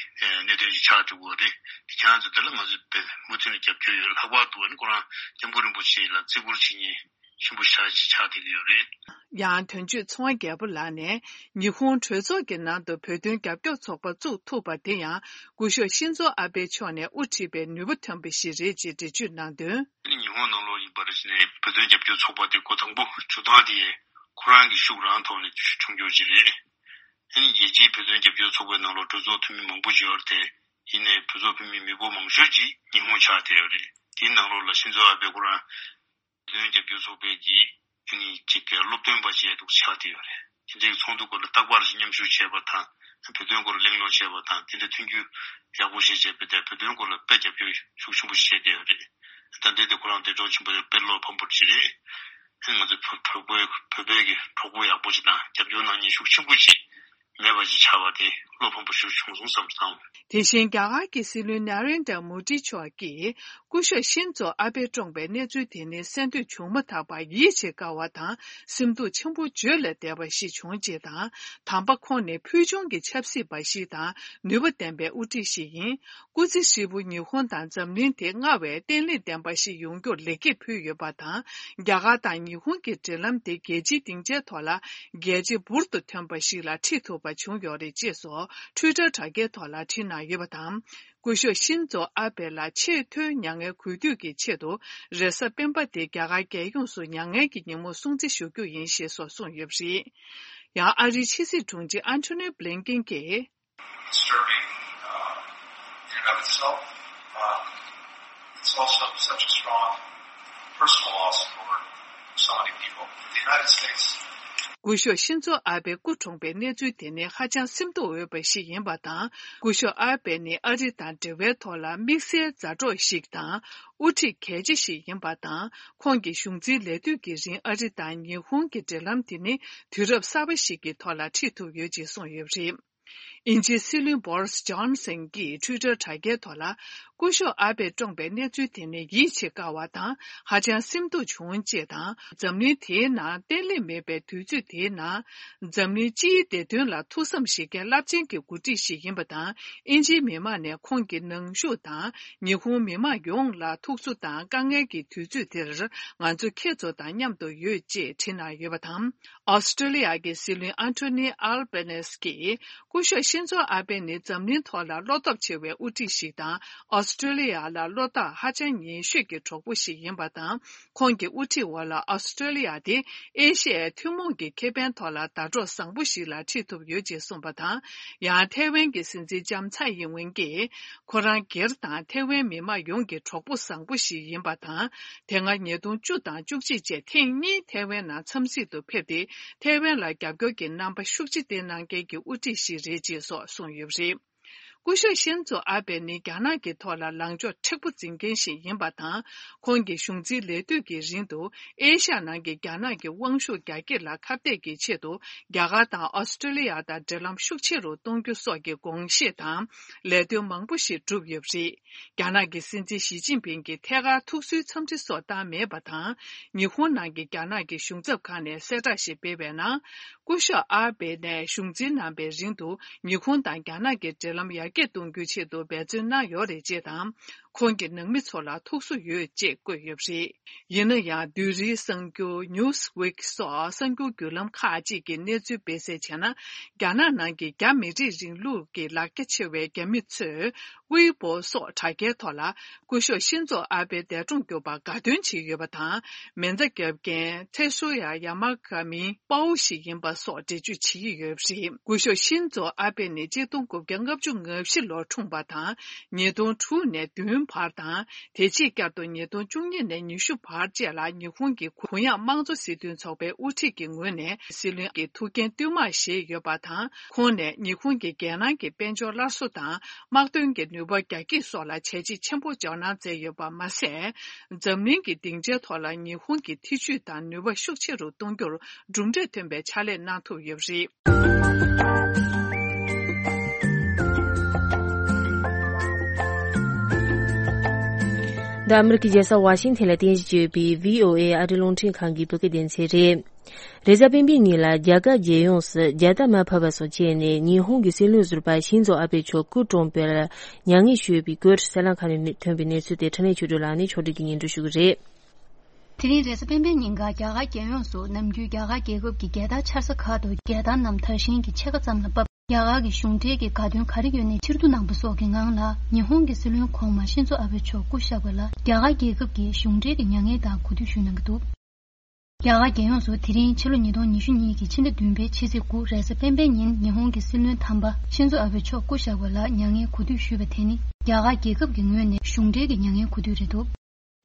གནད་དོན་ཅིག་ཆགས་འགྲོ་གི་རེད། ཁྱེད་རང་ཚོ་འདི་ལ་ང་ཚོས་མུ་མཐུད་ནས་རྒྱབ་སྐྱོར་ཡོད། ལྷག་པར་དུ་ཨ་ནི་ཁོ་རང་སྐྱབས་མགོན་རིན་པོ་ཆེ་ལ་བརྩི་བཀུར་བྱེད་མཁན་ཆེན་པོ་ཞེ་དྲག་ཅིག་ཆགས་བསྡད་ཀྱི་ཡོད་རེད། ཡང་དོན་གཅོད་ཚེ་དབང་རྒྱལ་པོ་ལགས་ནས་ཉི་ཧོང་གྲོས་ཚོགས་ཀྱི་ནང་དུ་བོད་དོན་རྒྱབ་སྐྱོར་ཚོགས་པ་བཙུགས་ཐུབ་པ་དེ་ཡང་སྐུ་ཞབས་ཤིན་ཛོ་ཨ་བྷེ་མཆོག་ནས་དབུ་ཁྲིད་པའི་ནུས་པ་ཐོན་པ་ཞིག་རེད་ཅེས་འགྲེལ་བརྗོད་གནང་དོན། ཉི་ཧོང་ནང་ལོགས་ཡིན་ བར་ནས་བོད་དོན་རྒྱབ་སྐྱོར་ཚོགས་པ་དེ་འགོ་དང་པོ་བྱུང་སྟངས་དེ་ཁོ་རང་གི་ཤུགས་རང་ཐོག་ནས་བྱུང་ཡོད་ཀྱི་རེད། ཨ་ནི་རྒྱལ་སྤྱིའི་བོད་དོན་རྒྱབ་སྐྱོར་ཚོགས་པའི་ནང་ལ་གྲོས་ཚོགས་འཐུས་མི་མང་པོ་ཡོད་དེ། ཡིན་ནའི་བོད་ཚོགས་འཐུས་མི་མི་འབོར་མང་ཤོས་ཀྱིས་ཉི་ཧོང་ཆགས་བསྡད་ཡོད་རེད། དེའི་ནང་ལོགས་ལ་ཤིན་ཛོ་ཨ་བྷེ་ཁོ་རང་བོད་དོན་རྒྱབ་སྐྱོར་ཚོགས་པའི་གི་ཨ་ནི་གཅིག་གི་སློབ་སྟོན་པ་བྱས་འདུག་ཆགས་བསྡད་ཡོད་རེད། དེ་འདྲའི་ཚོགས་འདུ་སྐོར་ལ་རྟག་པར་མཉམ་ཞུགས་བྱས་པ་དང་། བོད་དོན་སྐོར་ལ་གླེང་སློང་བྱས་པ་དང་། དེ་འདྲ་མཐུན་འགྱུར་ཡག་པོ་ཞིག་བྱས་པ་དེ་བོད་དོན་སྐོར་ལ་དཔེ་རྒྱབ་སྐྱོར་ཤུགས་ཆེན་པོ་ཞིག་བྱས་བསྡད་ཡོད་རེད། ད་ལྟའི་དེ་ཁོ་རང་འདས་གྲོངས་ཕྱིན་པ་དེ་དཔེ་བློ་ཕམ་པོ་ཞིག་རེད། ང་ཚོ་བོད་བོད་བོད་བོད་པའི་གི་གྲོགས་པོ་ཡག་པོ་ཞིག་དང་རྒྱབ་སྐྱོར་གནང་མཁན་ཤུགས་ཆེན་པོ་ཞིག་མེད་པ་ཞིག་ཆགས་པ་དེ་བློ་ཕམ་པོ་ཞིག་བྱུང་སོང་བསམ་སོང་། དེ་བཞིན་རྒྱ་གར་གྱི་སྲིད་བློན་ན་རེན་དྲ་མོ་ཌི་མཆོག་གིས་སྐུ་ཞབས་ཤིན་ཛོ་ཨ་བྷེ་བཀྲོངས་པའི་གནས་ཚུལ་དེ་ནི་གསན་ཐོས་བྱུང་མ་ཐག་པར་ཡིད་ཆེས་དཀའ་བ་དང་སེམས་སྡུག་ཆེན་པོ་བརྗོད་ལས་འདས་པ་ཞིག་བྱུང་ཅེས་དང་། དམ་པ་ཁོང་ནི་ཕུལ་བྱུང་གི་ཆབ་སྲིད་པ་ཞིག་དང་ནུས་པ་ལྡན་པའི་དབུ་ཁྲིད་ཞིག་ཡིན། སྐུ་ཚེ་ཧྲིལ་པོ་ཉི་ཧོང་དང་འཛམ་གླིང་དེ་སྔར་བས་བརྟན་ལྷིང་ལྡན་པ་ཞིག་ཡོང་རྒྱུར་ལེགས་སྐྱེས་ཕུལ་ཡོད་པ་དང་། རྒྱ་གར་དང་ཉི་ཧོང་གི་འབྲེལ་ལམ་དེ་རྒྱལ་སྤྱིའི་སྡིངས་ཆའི་ཐོག་ལ་གལ་ཆེ་འབུར་དུ་ཐོན་པ་ཞིག་ལ་ཁྲིད་ཐུབ་པ་བྱུང་ཡོད་རེད་ཅེས་སོགས་ཊུའི་ཊར་དྲ་རྒྱའི་ཐོག་ལ་བྲིས་གནང་ཡོད་པ་དང་། སྐུ་ཞབས་ཤིན་ཛོ་ཨ་བྷེ་ལ་ཆེས་མཐོའི་མྱ་ངན་གུས་འདུད་ཀྱི་ཆེད་དུ་རེས་གཟའ་སྤེན་པ་དེ་རྒྱ་གར་རྒྱལ་ཡོངས་སུ་མྱ་ངན་གྱི་ཉིན་མོ་སྲུང་བརྩི་ཞུ་རྒྱུ་ཡིན་ཞེས་སོགས་གསུངས་ཡོད་པ་རེད། ཡང་ཨ་རིའི་ཕྱི་སྲིད་དྲུང་ཆེ་ཨན་ཐོ་ནི་བྷི་ལིན་ཀེན་གྱིས། Disturbing, uh, in and of itself. Um, it's also such a strong personal loss for so many people. The United States. སྐུ་ཞབས་ཤིན་ཛོ་ཨ་བྷེ་སྐུ་གྲོངས་པའི་གནས་ཚུལ་དེ་ནི་ཧ་ཅང་སེམས་སྡུག་འོས་པ་ཞིག་ཡིན་པ་དང་། སྐུ་ཞབས་ཨ་བྷེ་ནི་ཨ་རི་དང་འབྲེལ་བའི་ཐོག་ལ་དམིགས་བསལ་མཛའ་གྲོགས་ཤིག་དང་། དབུ་ཁྲིད་གལ་ཆེ་ཞིག་ཡིན་པ་དང་། ཁོང་གི་གཞུང་འཛིན་ལས་དུས་ཀྱི་རིང་ཨ་རི་དང་ཉི་ཧོང་གི་འབྲེལ་ལམ་དེ་ནི་དུས་རབས་གསར་པ་ཞིག་གི་ཐོག་ལ་ཁྲིད་ཐུབ་ཡོད་ཅེས་གསུངས་ཡོད་པ་རེད། དབྱིན་ཇིའི་སྲིད་བློན་བོ་རིས་ཇོན་སན་གྱིས་ཊུའི་ཊར་དྲ་རྒྱའི་ཐོག་ལ། སྐུ་ཞབས་ཨ་བྷེ་བཀྲོངས་པའི་གནས་ཚུལ་དེ་ནི་ཡིད་ཆེས་དཀའ་བ་དང་ཧ་ཅང་སེམས་སྡུག་བྱུང་ཅེས་དང་། འཛམ་གླིང་དེའི་ནང་བརྟན་ལྷིང་མེད་པའི་དུས་ཚོད་དེའི་ནང་། འཛམ་གླིང་སྤྱིའི་བདེ་དོན་ལ་ཐུགས་བསམ་བཞེས་མཁན་རླབས་ཆེན་གྱི་འགོ་ཁྲིད་ཞིག་ཡིན་པ་དང་། དབྱིན་ཇིའི་མི་མང་ནས་ཁོང་གི་ནང་བཞུགས་དང་། ཉི་ཧོང་མི་མང་ཡོངས་ལ་ཐུགས་གསོ་དང་དཀའ་ངལ་གྱི་དུས་ཚོད་དེར་ང་ཚོ་ཁྱེད་ཚོ་དང་མཉམ་དུ་ཡོད་ཅེས་བྲིས་གནང་ཡོད་པ་དང་། ཨོ་སི་ཀྲི་ལི་ཡ་གི་སྲིད་བློན་ཨན་ཐོ་ནི་ཨལ་བྷེ་ནེས་ཀྱིས། སྐུ་ཞབས་ཤིན་ཛོ་ཨ་བྷེ་ནི་འཛམ་གླིང་ཐོག་ལ་བློ་སྟོབས་ཆེ་བའི་དབུ་ཁྲིད་ཞིག་དང་། ཨོ་སི་ཀྲི་ལི་ཡ་ལ་བློ་ཐག་ཧ་ཅང་ཉེ་ཤོས་ཀྱི་གྲོགས་པོ་ཞིག་ཡིན་པ་དང་། ཁོང་གི་དབུ་ཁྲིད་འོག་ལ་ཨོ་སི་ཀྲི་ལི་ཡ་དེ་ཨེ་ཤི་ཡའི་ཐུན་མོང་གི་ཁེ་ཕན་ཐོག་ལ་ཟླ་གྲོགས་བཟང་པོ་ཞིག་ལ་ཁྲིད་ཐུབ་ཡོད་ཅེས་གསུངས་པ་དང་། ཡང་ཐའེ་ཝན་གྱི་སྲིད་འཛིན་ལྕམ་ཚའེ་ཡིན་ཝེན་གྱིས། ཁོ་རང་སྒེར་དང་ཐའེ་ཝན་མི་མང་ཡོངས་ཀྱི་གྲོགས་པོ་བཟང་པོ་ཞིག་ཡིན་པ་དང་། དེ་སྔ་ཉིས་སྟོང་བཅུ་དང་བཅུ་གཅིག་བཅས་ཐེངས་གཉིས་ཐའེ་ཝན་ནང་འཚམས་གཟིགས་དུ་ཕེབས་ཏེ། ཐའེ་ཝན་ལ་རྒྱབ་སྐྱོར་གྱི་རྣམ་པ་ཤུགས་ཆེ་བསྟན་གནང་མཁན་གྱི་དབུ་ཁྲིད་ཞིག་རེད་ཅེས་སོགས་གསུངས་ཡོད་པ་རེད། སྐུ་ཞབས་ཤིན་ཛོ་ཨ་བྷེ་ནི་རྒྱ་ནག་གི་ཐོག་ལ་ལངས་ཕྱོགས་མཁྲེགས་པོ་འཛིན་མཁན་ཞིག་ཡིན་པ་དང་། ཁོང་གི་གཞུང་འཛིན་ལས་དུས་ཀྱི་རིང་དུ་ཨེ་ཤ་ཡ་ནང་གི་རྒྱ་ནག་གི་དབང་ཤུགས་རྒྱ་སྐྱེད་ལ་ཁ་གཏད་ཀྱི་ཆེད་དུ་རྒྱ་གར་དང་ཨོ་སི་ཀྲི་ལི་ཡ་དང་འབྲེལ་ལམ་ཤུགས་ཆེ་རུ་གཏོང་རྒྱུ་སོགས་ཀྱི་དགོངས་བཞེས་དང་ལས་དོན་མང་པོ་ཞིག་བསྒྲུབས་ཡོད་པ་རེད། རྒྱ་ནག་གི་སྲིད་འཛིན་ཞི་ཅིན་ཕིང་གིས་ཐད་ཀར་ཐུགས་གསོའི་འཚམས་འདྲི་སོགས་བཏང་མེད་པ་དང་། ཉི་ཧོང་ནང་གི་རྒྱ་ནག་གི་གཞུང་ཚབ་ཁང་ནས་གསལ་བསྒྲགས་ཤིག་སྤེལ་བའི་ནང་། སྐུ་ཞབས་ཨ་བྷེ་ནས་གཞུང་འཛིན་གནང་པའི་རིང་དུ་ཉི་ཧོང་དང་རྒྱ་ནག་གི་འབྲེལ་ལམ་ཡར་རྒྱས་གཏོང་རྒྱུའི་ཆེད་དུ་འབད་བརྩོན་གནང་ཡོད་རེད་ཅེས་དང་། ཁོང་གི་ནང་མི་ཚོ་ལ་ཐུགས་གསོ་ཡོད་ཅེས་བཀོད་ཡོད་པ་རེད། ཡིན་ན་ཡང་། བདུད་རིའི་གསར་འགྱུར་Newsweek་སོགས་གསར་འགྱུར་བརྒྱུད་ལམ་ཁག་ཅིག་གིས་གནས་ཚུལ་སྤེལ་གསལ་བྱས་ན། རྒྱ་ནག་ནང་གི་རྒྱ་མི་རིགས་རིང་ལུགས་ཀྱི་ལག་རྒྱ་ཆེ་བའི་རྒྱ་མི་ཚོས་ཝེ་པོ་སོགས་དྲ་རྒྱའི་ཐོག་ལ། སྐུ་ཞབས་ཤིན་ཛོ་ཨ་བྷེ་འདས་གྲོངས་གྱུར་པར་དགའ་སྟོན་བྱས་ཡོད་པ་དང་། མེ་མདའ་བརྒྱབ་མཁན་ཚེ་ཤོར་ཡ་ཡ་མ་ག་མིའི་དཔའ་བོ་ཞིག་ཡིན་པ་སོགས་འགྲེལ་བརྗོད་བྱེད་ཀྱི་ཡོད་པ་རེད། སྐུ་ཞབས་ཤིན་ཛོ་ཨ་བྷེ་ནི་ཆིག་སྟོང་དགུ་བརྒྱ་ལྔ་བཅུ་ང་བཞི་ལོར་འཁྲུངས་པ་དང་། ཉིས་སྟོང་དྲུག་ནས་བདུན་བར་དང་། དེ་རྗེས་བསྐྱར་དུ་ཉིས་སྟོང་བཅུ་གཉིས་ནས་ཉི་ཤུ་བར་བཅས་ལ་ཉི་ཧོང་གི་གུ་ཡངས་དམངས་གཙོ་སྲིད་དོན་ཚོགས་པའི་དབུ་ཁྲིད་ཀྱི་ངོས་ནས་སྲིད་བློན་གྱི་ཐུགས་འགན་བསྟུད་མར་བཞེས་ཡོད་པ་དང་། ཁོང་ནས་ཉི་ཧོང་གི་རྒྱལ་ནང་གི་དཔལ་འབྱོར་སླར་གསོ་དང་། དམག་དོན་གྱི་ནུས་པ་རྒྱ་སྐྱེད་སོགས་ལ་བྱས་རྗེས་ཆེན་པོ་འཇོག་གནང་མཛད་ཡོད་པ་མ་ཟད། འཛམ་གླིང་གི་སྡིངས་ཆའི་ཐོག་ལ་ཉི་ཧོང་གི་ཐེ་ཇུས་དང་ནུས་པ་ཤུགས་ཆེ་རུ་གཏོང་རྒྱུར་གྲུབ་འབྲས་ཐོན་པའི་ཕྱག་ལས་གནང་ཐུབ་ཡོད་པ་རེད། འདི་ཨ་མི་རི་ཀའི་རྒྱལ་ས་ཝ་ཤིང་ཐན་ལ་རྟེན་གཞི་བྱས་ཡོད་པའི་བྷི་ཨོ་ཨེ་ཨ་རིའི་རླུང་འཕྲིན་ཁང་གི་བོད་སྐད་སྡེ་ཚན་རེད། རེས་གཟའ་སྤེན་པའི་ཉིན་ལ་རྒྱ་གར་རྒྱལ་ཡོངས་སུ་རྒྱལ་དར་མར་ཕབ་པ་སོགས་བྱས་ནས་ཉི་ཧོང་གི་སྲིད་བློན་ཟུར་པ་ཤིན་ཛོ་ཨ་བྷེ་མཆོག་སྐུ་གྲོངས་པར་མྱ་ངན་ཞུས་པའི་སྐོར་གསར་ལམ་ཁག་ནས་ཐོན་པའི་གནས་ཚུལ་དེ་འཕྲིན་ལས་ཆོས་སྒྲོན་ལགས་ནས་ཕྱོགས་སྒྲིག་གིས་སྙན་སྒྲོན་ཞུ་གི་རེད། དེ་རིང་རེས་གཟའ་སྤེན་པའི་ཉིན་ཀ་རྒྱ་གར་རྒྱལ་ཡོངས་སུ་ནམ་རྒྱུན་རྒྱ་གར་རྒྱལ་ཁབ་ཀྱི་རྒྱལ་དར་འཕྱར་ས་ཁག་ཏུ་རྒྱལ་དར་རྣམས་དར་ཤིང་གི་ཕྱེད་ཀ་ཙམ་ལ་ཕབ། རྒྱ་གར་གྱི་གཞུང་འབྲེལ་གྱི་དགའ་སྟོན་ག་རེ་ཡོད་ནའི་ཕྱིར་བསྡུ་གནང་པ་སོགས་ཀྱི་ངང་ལ་ཉི་ཧོང་གི་སྲིད་བློན་གོང་མ་ཤིན་ཛོ་ཨ་བྷེ་མཆོག་སྐུ་གཤེགས་པ་ལ་རྒྱ་གར་རྒྱལ་ཁབ་ཀྱི་གཞུང་འབྲེལ་གྱི་མྱ་ངན་དང་གུས་འདུད་ཞུས་གནང་གི་འདུག་རྒྱ་གར་རྒྱལ་ཡོངས་སུ་དེ་རིང་ཕྱི་ལོ་ཉིས་སྟོང་ཉི་ཤུ་གཉིས་ཀྱི་ཕྱི་ཟླ་བདུན་པའི་ཕྱི་ཚེས་དགུ་རེས་གཟའ་སྤེན་པའི་ཉིན་ཉི་ཧོང་གི་སྲིད་བློན་དམ་པ་ཤིན་ཛོ་ཨ་བྷེ་མཆོག་སྐུ་གཤེགས་པ་ལ་མྱ་ངན་གུས་འདུད་ཞུས་པ་དེ་ནི་རྒྱ་གར་རྒྱལ་ཁབ་ཀྱི་ངོས་ནས་གཞུང་འབྲེལ་གྱི་མྱ་ངན་གུས་འདུད་རེད་འདུག་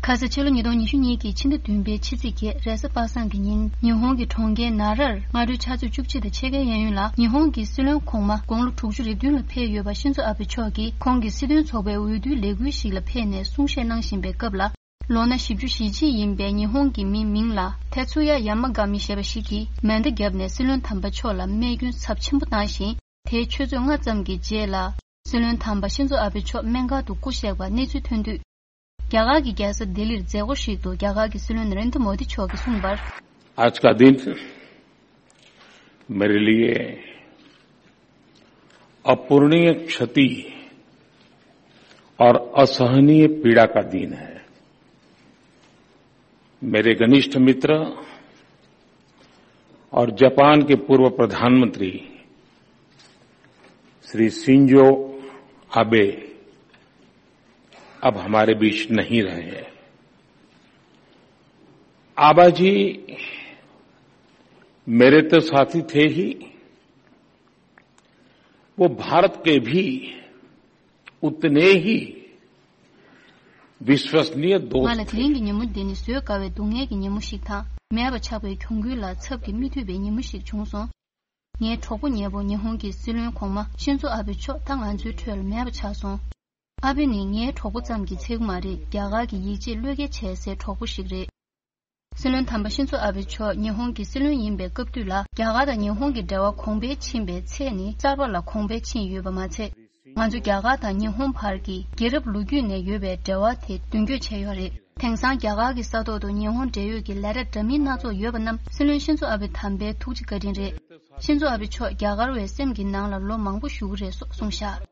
ཁ་ས་ཕྱི་ལོ་ཉིས་སྟོང་ཉི་ཤུ་གཉིས་ཀྱི་ཕྱི་ཟླ་བདུན་པའི་ཕྱི་ཚེས་བརྒྱད་རེས་གཟའ་པ་སངས་ཀྱི་ཉིན་ཉི་ཧོང་གི་གྲོང་ཁྱེར་ནཱ་རར་སྔ་དྲོའི་ཕྱག་ཚོད་བཅུ་གཅིག་དང་ཕྱེད་ཀའི་གཡས་གཡོན་ལ་ཉི་ཧོང་གི་སྲིད་བློན་གོང་མ་དགུང་ལོ་དྲུག་ཅུ་རེ་བདུན་ལ་ཕེབས་ཡོད་པ་ཤིན་ཛོ་ཨ་བྷེ་མཆོག་གིས་ཁོང་གི་སྲིད་དོན་ཚོགས་པའི་འོས་བསྡུའི་ལས་འགུལ་ཞིག་ལ་ཕེབས་ནས་གསུང་བཤད་གནང་བཞིན་པའི་སྐབས་ལ། ལོ་ན་བཞི་བཅུ་ཞེ་གཅིག་ཡིན་པའི་ཉི་ཧོང་གི་མི་མིང་ལ་ཐེ་ཚུ་ཡ་ཡ་མ་ག་མི་ཞེས་པ་ཞིག་གིས་མེ་མདའ་བརྒྱབ་ནས་སྲིད་བློན་དམ་པ་མཆོག་ལ་རྨས་སྐྱོན་ཚབས་ཆེན་པོ་བཏང་ཞིང་། དེའི་ཆུ་ཚོད་ལྔ་ཙམ་གྱི་རྗེས་ལ་སྲིད་བློན་དམ་པ་ཤིན་ཛོ་ཨ་བྷེ་མཆོག་སྨན་ཁང་དུ་སྐུ་གཤེགས་པ་གནས་ཚུལ་ཐོན་དུས། རྒྱ་གར་གྱི་རྒྱལ་ས་ལྡི་ལིར་མཛད་སྒོ་ཞིག་ཏུ་རྒྱ་གར་གྱི་སྲིད་བློན་ན་རེན་དྲ་མོ་དི་མཆོག་གིས་གསུངས་པར། आज का दिन मेरे लिए अपूरणीय क्षति और असहनीय पीड़ा का दिन है। मेरे घनिष्ठ मित्र और जापान के पूर्व प्रधानमंत्री श्री शिंजो आबे अब हमारे बीच नहीं रहे। आबा जी मेरे तो साथी थे ही, वो भारत के भी उतने ही विश्वसनीय दोस्त ང་ལ་དེ་थे। རིང་གི་ཉིན་མོ་འདི་ནི་བཟོད་དཀའ་བའི་སྡུག་བསྔལ་གྱི་ཉིན་མོ་ཞིག་དང་། མེད་པ་ཆགས་པའི་གྱོང་གུན་ལ་ཚབ་ཀྱིས་མི་ཐུབ་པའི་ཉིན་མོ་ཞིག་བྱུང་སོང་། ངའི་གྲོགས་པོ་ཉེ་བོ་ཉི་ཧོང་གི་སྲིད་བློན་གོང་མ་ཤིན་ཛོ་ཨ་བྷེ་མཆོག་ད་ང་ཚོའི་ཁྲོད་ལ་མེད་པ་ཆགས་སོང་། ཨ་བྷེ་ནི་ངའི་གྲོགས་པོ་ཙམ་གྱིས་ཚད་ཀྱི་མ་རེད། རྒྱ་གར་གྱི་ཡིད་ཆེས་བློས་འགེལ་བྱས་སའི་གྲོགས་པོ་ཞིག་རེད། སྲིད་བློན་དམ་པ་ཤིན་ཛོ་ཨ་བྷེ་མཆོག་ཉི་ཧོང་གི་སྲིད་བློན་ཡིན་པའི་སྐབས་དུས་ལ་རྒྱ་གར་དང་ཉི་ཧོང་གི་འབྲེལ་བ་གོང་འཕེལ་ཕྱིན་པའི་ཚད་ནི་གསར་པ་ལ་གོང་འཕེལ་ཕྱིན་ཡོད་པ་མ་ཚད། ང་ཚོ་རྒྱ་གར་དང་ཉི་ཧོང་བར་གྱི་རྒྱལ་རབས་ལོ་རྒྱུས་ནས་ཡོད་པའི་འབྲེལ་བ་དེ་མདུན་སྐྱོད་བྱས་ཡོད་རེད། དེང་སང་རྒྱ་གར་གྱི་ས་ཐོག་ཏུ་ཉི་ཧོང་འབྲེལ་ཡོད་ཀྱི་ལས་གྲྭ་འདྲ་མིན་སྣ་ཚོགས་ཡོད་པ་རྣམས་སྲིད་བློན་ཤིན་ཛོ་ཨ་བྷེ་དམ་པའི་ཐུགས་རྗེ་བཀའ་དྲིན་རེད། ཤིན་ཛོ་ཨ་བྷེ་མཆོག་རྒྱ་གར་བའི་སེམས་ཀྱི་ནང་ལ་ལོ་མང་པོ་བཞུགས་ཀྱི་རེད་སོགས་གསུངས་བཞག་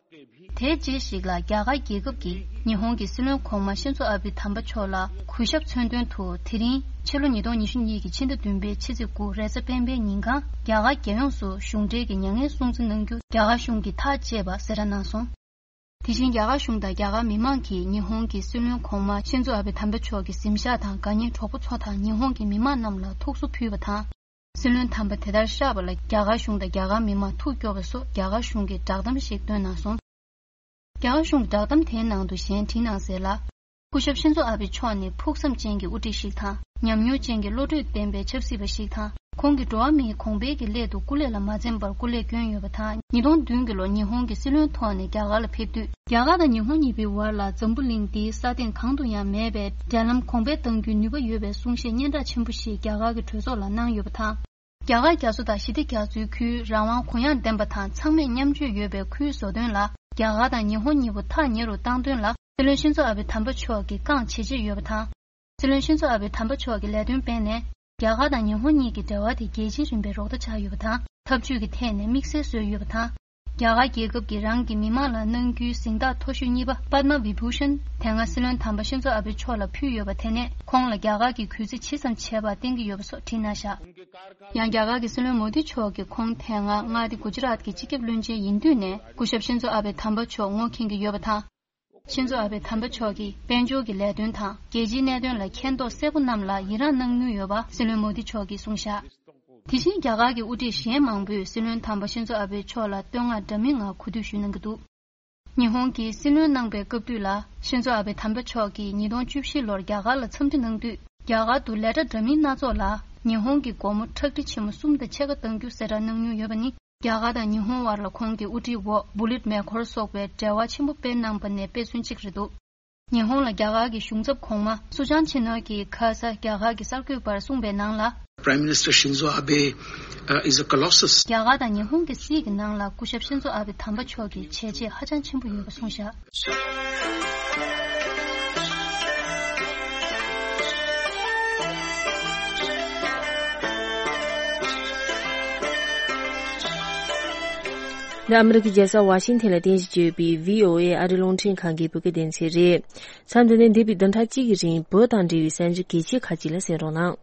དེའི་རྗེས་ཤིག་ལ་རྒྱ་གར་རྒྱལ་ཁབ་ཀྱིས་ཉི་ཧོང་གི་སྲིད་བློན་གོང་མ་ཤིན་ཛོ་ཨ་བྷེ་དམ་པ་མཆོག་ལ་གུས་ཞབས་མཚོན་དོན་དུ་དེ་རིང་ཕྱི་ལོ་ཉིས་སྟོང་ཉི་ཤུ་གཉིས་ཀྱི་ཕྱི་ཟླ་བདུན་པའི་ཕྱི་ཚེས་དགུ་རེས་གཟའ་སྤེན་པའི་ཉིན་གང་རྒྱ་གར་རྒྱལ་ཡོངས་སུ་གཞུང་འབྲེལ་གྱི་མྱ་ངན་སྲུང་བརྩི་གནང་རྒྱུ་རྒྱ་གར་གཞུང་གིས་ཐག་བཅད་པ་གསལ་བསྒྲགས་གནང་སོང་། དེ་བཞིན་རྒྱ་གར་གཞུང་དང་རྒྱ་གར་མི་མང་གིས་ཉི་ཧོང་གི་སྲིད་བློན་གོང་མ་ཤིན་ཛོ་ཨ་བྷེ་དམ་པ་མཆོག་གི་གཟིམ་ཤག་དང་དགའ་ཉེ་གྲོགས་པོ་ཚོ་དང་ཉི་ཧོང་གི་མི་མང་རྣམས་ལ་ཐུགས་གསོ་ཕུལ་བ་དང་། སྲིད་བློན་དམ་པ་དེ་ལྟར་གཤེགས་པ་ལ་རྒྱ་གར་གཞུང་དང་རྒྱ་གར་མི་མང་ཐུགས་སྐྱོ་བ་སོགས་རྒྱ་གར་གཞུང་གིས་བསྒྲགས་གཏམ་ཞིག་བཏོན་གནང་སོང་། རྒྱ་གར་གཞུང་གི་བསྒྲགས་གཏམ་དེའི་ནང་དུ་གཞན་བྲིས་གནང་གསལ་ལ། སྐུ་ཞབས་ཤིན་ཛོ་ཨ་བྷེ་མཆོག་ནི་ཕུགས་བསམ་ཅན་གྱི་དབུ་ཁྲིད་ཞིག་དང་། ཉམས་མྱོང་ཅན་གྱི་བློ་གྲོས་ལྡན་པའི་ཆབ་སྲིད་པ་ཞིག་དང་། ཁོང་གིས་འགྲོ་བ་མིའི་གོང་འཕེལ་གྱི་སླད་དུ་སྐུ་ལས་ལ་མ་འཛེམས་པར་སྐུ་ལས་བསྐྱོན་ཡོད་པ་དང་། ཉིས་སྟོང་བདུན་གྱི་ལོར་ཉི་ཧོང་གི་སྲིད་བློན་ཐོག་ནས་རྒྱ་གར་ལ་ཕེབས་དུས། རྒྱ་གར་དང་ཉི་ཧོང་གཉིས་པོའི་བར་ལ་འཛམ་བུ་གླིང་འདིའི་ས་སྟེང་གང་དུ་ཡང་མེད་པའི་འབྲེལ་ལམ་གོང་འཕེལ་གཏང་རྒྱུའི་ནུས་པ་ཡོད་པའི་གསུང་བཤད་སྙན་གྲགས་ཆེན་པོ་ཞིག་རྒྱ་གར་གྱི་གྲོས་ཚོགས་ལ་གནང་ཡོད་པ་དང་། རྒྱ་གར་རྒྱ་མཚོ་དང་ཞི་བདེ་རྒྱ་མཚོའི་ཁུལ་རང་དབང་གུ་ཡངས་ལྡན་པ་དང་ཚང་མས་མཉམ་སྤྱོད་ཡོད་པའི་ཁུལ་བཟོ་དོན་ལ་རྒྱ་གར་དང་ཉི་ཧོང་གཉིས་པོ་ཐག་ཉེ་རུ་བཏང་དོན་ལ་སྲིད་བློན་ཤིན་ཛོ་ཨ་བྷེ་དམ་པ་མཆོག་གིས་རྐང་བྱེད་ཀྱི་ཡོད་པ་དང་། སྲིད་བློན་ཤིན་ཛོ་ཨ་བྷེ་དམ་པ་མཆོག་གིས་ལས་དོན་སྤེལ་ནས་རྒྱ་གར་དང་ཉི་ཧོང་གཉིས་ཀྱི་འབྲེལ་བ་དེ་རྒྱལ་སྤྱིའི་རིམ་པའི་རོགས་ཟླ་ཆགས་ཡོད་པ་དང་། འཐབ་ཇུས་ཀྱི་ཐད་ནས་དམིགས་བསལ་བཟོས་ཡོད་པ་དང་། རྒྱ་གར་རྒྱལ་ཁབ་ཀྱིས་རང་གི་མི་མང་ལ་གནང་རྒྱུའི་གཟེངས་རྟགས་མཐོ་ཤོས་གཉིས་པ་པདྨ་བི་བྷུ་ཤན་དེ་སྔ་སྲིད་བློན་དམ་པ་ཤིན་ཛོ་ཨ་བྷེ་མཆོག་ལ་ཕུལ་ཡོད་པ་དེ་ནས་ཁོང་ལ་རྒྱ་གར་གྱིས་གུས་བརྩི་ཇི་ཙམ་བྱས་པ་བསྟན་གྱི་ཡོད་པ་སོགས་བྲིས་གནང་བཞག་ཡང་རྒྱ་གར་གྱི་སྲིད་བློན་མོ་དི་མཆོག་གིས་ཁོང་དེ་སྔ་མངའ་སྡེ་གུ་ཇི་རཱཏ་གྱི་སྤྱི་ཁྱབ་བློན་ཆེན་ཡིན་དུས་ནས་སྐུ་ཞབས་ཤིན་ཛོ་ཨ་བྷེ་དམ་པ་མཆོག་ངོ་མཁྱེན་གྱི་ཡོད་པ་དང་། ཤིན་ཛོ་ཨ་བྷེ་དམ་པ་མཆོག་གིས་དཔལ་འབྱོར་གྱི་ལས་དོན་དང་རྒྱལ་སྤྱིའི་གནད་དོན་ལ་མཁྱེན་རྟོགས་གསལ་པོ་རྣམས་ལ་ཡི་རངས་གནང་མྱོང་ཡོད་པ་སྲིད་བློན་མོ་དི་མཆོག་གིས་གསུངས་བཞག་དེ་བཞིན་རྒྱ་གར་གྱི་དབུ་ཁྲིད་གཞན་མང་པོས་སྲིད་བློན་དམ་པ་ཤིན་ཛོ་ཨ་བྷེ་མཆོག་ལ་བསྟོད་བསྔགས་འདྲ་མིན་ངང་གུས་འདུད་ཞུས་གནང་གི་འདུག་ཉི་ཧོང་གིས་སྲིད་བློན་གནང་པའི་སྐབས་དུས་ལ་ཤིན་ཛོ་ཨ་བྷེ་དམ་པ་མཆོག་གིས་ཉིས་སྟོང་བཅུ་བཞི་ལོར་རྒྱ་གར་ལ་འཚམས་འདྲི་གནང་དུས། རྒྱ་གར་དུ་ལས་གྲྭ་འདྲ་མིན་སྣ་ཚོགས་ལ་ཉི་ཧོང་གི་སྒོ་མོ་ཁྲག་ཁྲིག་ཆེན་མོ་གསུམ་དང་ཕྱེད་ཀ་གཏང་རྒྱུ་གསལ་བསྒྲགས་གནང་མྱོང་ཡོད་པ་ནི། རྒྱ་གར་དང་ཉི་ཧོང་དབར་ལ་ཁོང་གི་དབུ་ཁྲིད་འོག་བུ་ལིད་མེ་འཁོར་སོགས་པའི་འབྲེལ་བ་ཆེན་པོ་སྤེལ་གནང་པ་ནས་སྤེལ་ཚུན་གཅིག་རེད་འདུག་ཉི་ཧོང་ལ་རྒྱ་གར་གྱི་གཞུང་ཚབ་གོང་མ་སུ་ཅང་ཆི་ནོ་གིས་ཁ་ས་རྒྱ་གར་གྱི་གསར་འགོད་པར་གསུངས་པའི་ནང་ལ། Prime Minister Shinzo Abe, uh, is a colossus. རྒྱ་གར་དང་ཉི་ཧོང་གི་སྲིད་ཀྱི་ནང་ལ་སྐུ་ཞབས་ཤིན་ཛོ་ཨ་བྷེ་དམ་པ་མཆོག་གི་བྱས་རྗེས་ཧ་ཅང་ཆེན་པོ་ཡོད་པ་གསུངས་བཞག་འདི་ཨ་མི་རི་ཀའི་རྒྱལ་ས་ཝ་ཤིང་ཐན་ལ་རྟེན་གཞི་བྱས་ཡོད་པའི་བྷི་ཨོ་ཨེ་ཨ་རིའི་རླུང་འཕྲིན་ཁང་གི་བོད་སྐད་སྡེ་ཚན་རེད། མཚམས་འདི་ནས་འདས་པའི་བདུན་ཕྲག་གཅིག་གི་རིང་བོད་དང་འབྲེལ་བའི་གསར་འགྱུར་གལ་ཆེ་ཁག་ཅིག་ལ་གསན་རོགས་གནང་།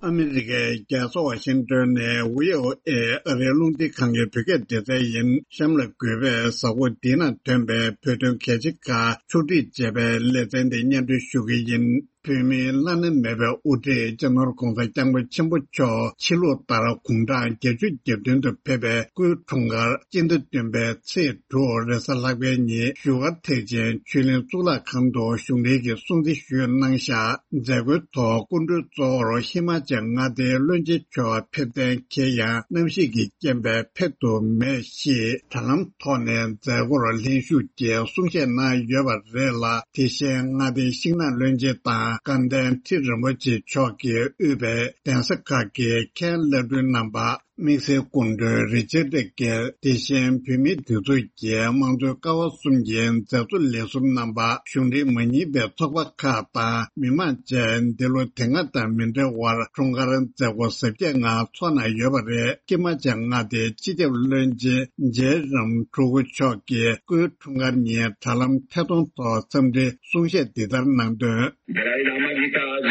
ཨ་མི་རི་ཀའི་རྒྱལ་ས་ཝ་ཤིང་ཏོན་ནས་བྷི་ཨོ་ཨེ་ཨ་རིའི་རླུང་འཕྲིན་ཁང་གི་བོད་སྐད་སྡེ་ཚན་ཡིན། གཤམ་ལ་འགོད་པས་གཟའ་འཁོར་འདིའི་ནང་ཐོན་པའི་བོད་དོན་གལ་ཆེ་ཁག་ཕྱོགས་སྒྲིག་བྱས་པའི་ལེ་ཚན་འདི་སྙན་སྒྲོན་ཞུ་གི་ཡིན། བོད་མིའི་བླ་ན་མེད་པའི་དབུ་ཁྲིད་སྤྱི་ནོར་༧གོང་ས་༧སྐྱབས་མགོན་ཆེན་པོ་མཆོག་ཕྱི་ལུགས་ལྟར་དགུང་གྲངས་བརྒྱད་ཅུ་གྱ་བདུན་དུ་ཕེབས་པའི་སྐུའི་འཁྲུངས་སྐར་སྤྱི་ཟླ་བདུན་པའི་ཚེས་དྲུག་རེས་གཟའ་ལྷག་པའི་ཉིན་བཞུགས་སྒར་ཐེག་ཆེན་ཆོས་གླིང་གཙུག་ལག་ཁང་དུ་བཞུགས་གྲལ་གྱི་སྲུང་བརྩི་ཞུས་གནང་བཞག་མཛད་སྒོའི་ཐོག་སྐུ་མགྲོན་གཙོ་བོར་ཧི་མ་ཅལ་མངའ་སྡེའི་བློན་ཆེན་མཆོག་ཕེབས་གཏན་འཁེལ་ཡང་གནམ་གཤིས་ཀྱི་རྐྱེན་པས་ཕེབས་ཐུབ་མེད་ཞེས་དྲ་ལམ་ཐོག་ནས་མཛད་སྒོར་ལྷན་ཞུགས་ཀྱིས་གསུང་བཤད་གནང་ཡོད་པ་རེད་ལ། དེ་བཞིན་མངའ་སྡེའི་ཤིང་ནགས་བློན་ཆེན་དང་སྐལ་ལྡན་ཁྲི་རིན་པོ་ཆེ་མཆོག་གིས་དབུས་པའི་གདན་ས་ཁག་གི་མཁན་བླ་སྤྲུལ་རྣམ་པ། དམིགས་བསལ་སྐུ་མགྲོན་རི་ཅར་ཌི་གིར། དེ་བཞིན་བོད་མིའི་སྒྲིག་འཛུགས་ཀྱི་དམངས་གཙོའི་ཀ་བ་གསུམ་གྱི་མཛད་གཙོ་ལས་ཟུར་རྣམ་པ། གཞུང་འབྲེལ་མ་ཡིན་པའི་ཚོགས་པ་ཁག་དང་མི་མང་བཅས་འདི་ལོ་དེ་སྔ་དང་མི་འདྲ་བར་འཁྲུངས་སྐར་མཛད་སྒོ་གཟབ་རྒྱས་ངང་ཚོགས་གནང་ཡོད་པ་རེད། ཧི་མ་ཅལ་མངའ་སྡེའི་སྤྱི་ཁྱབ་བློན་ཆེན་རྗེ་རམ་ཕྲུ་གུ་མཆོག་གིས་སྐུའི་འཁྲུངས་སྐར་ཉིན་དྲ་ལམ་ཐད་གཏོང་ཐོག་འཚམས་འདྲི་གསུང་བཤད་འདི་ལྟར་གནང་དོན། मेरा इलामा की आज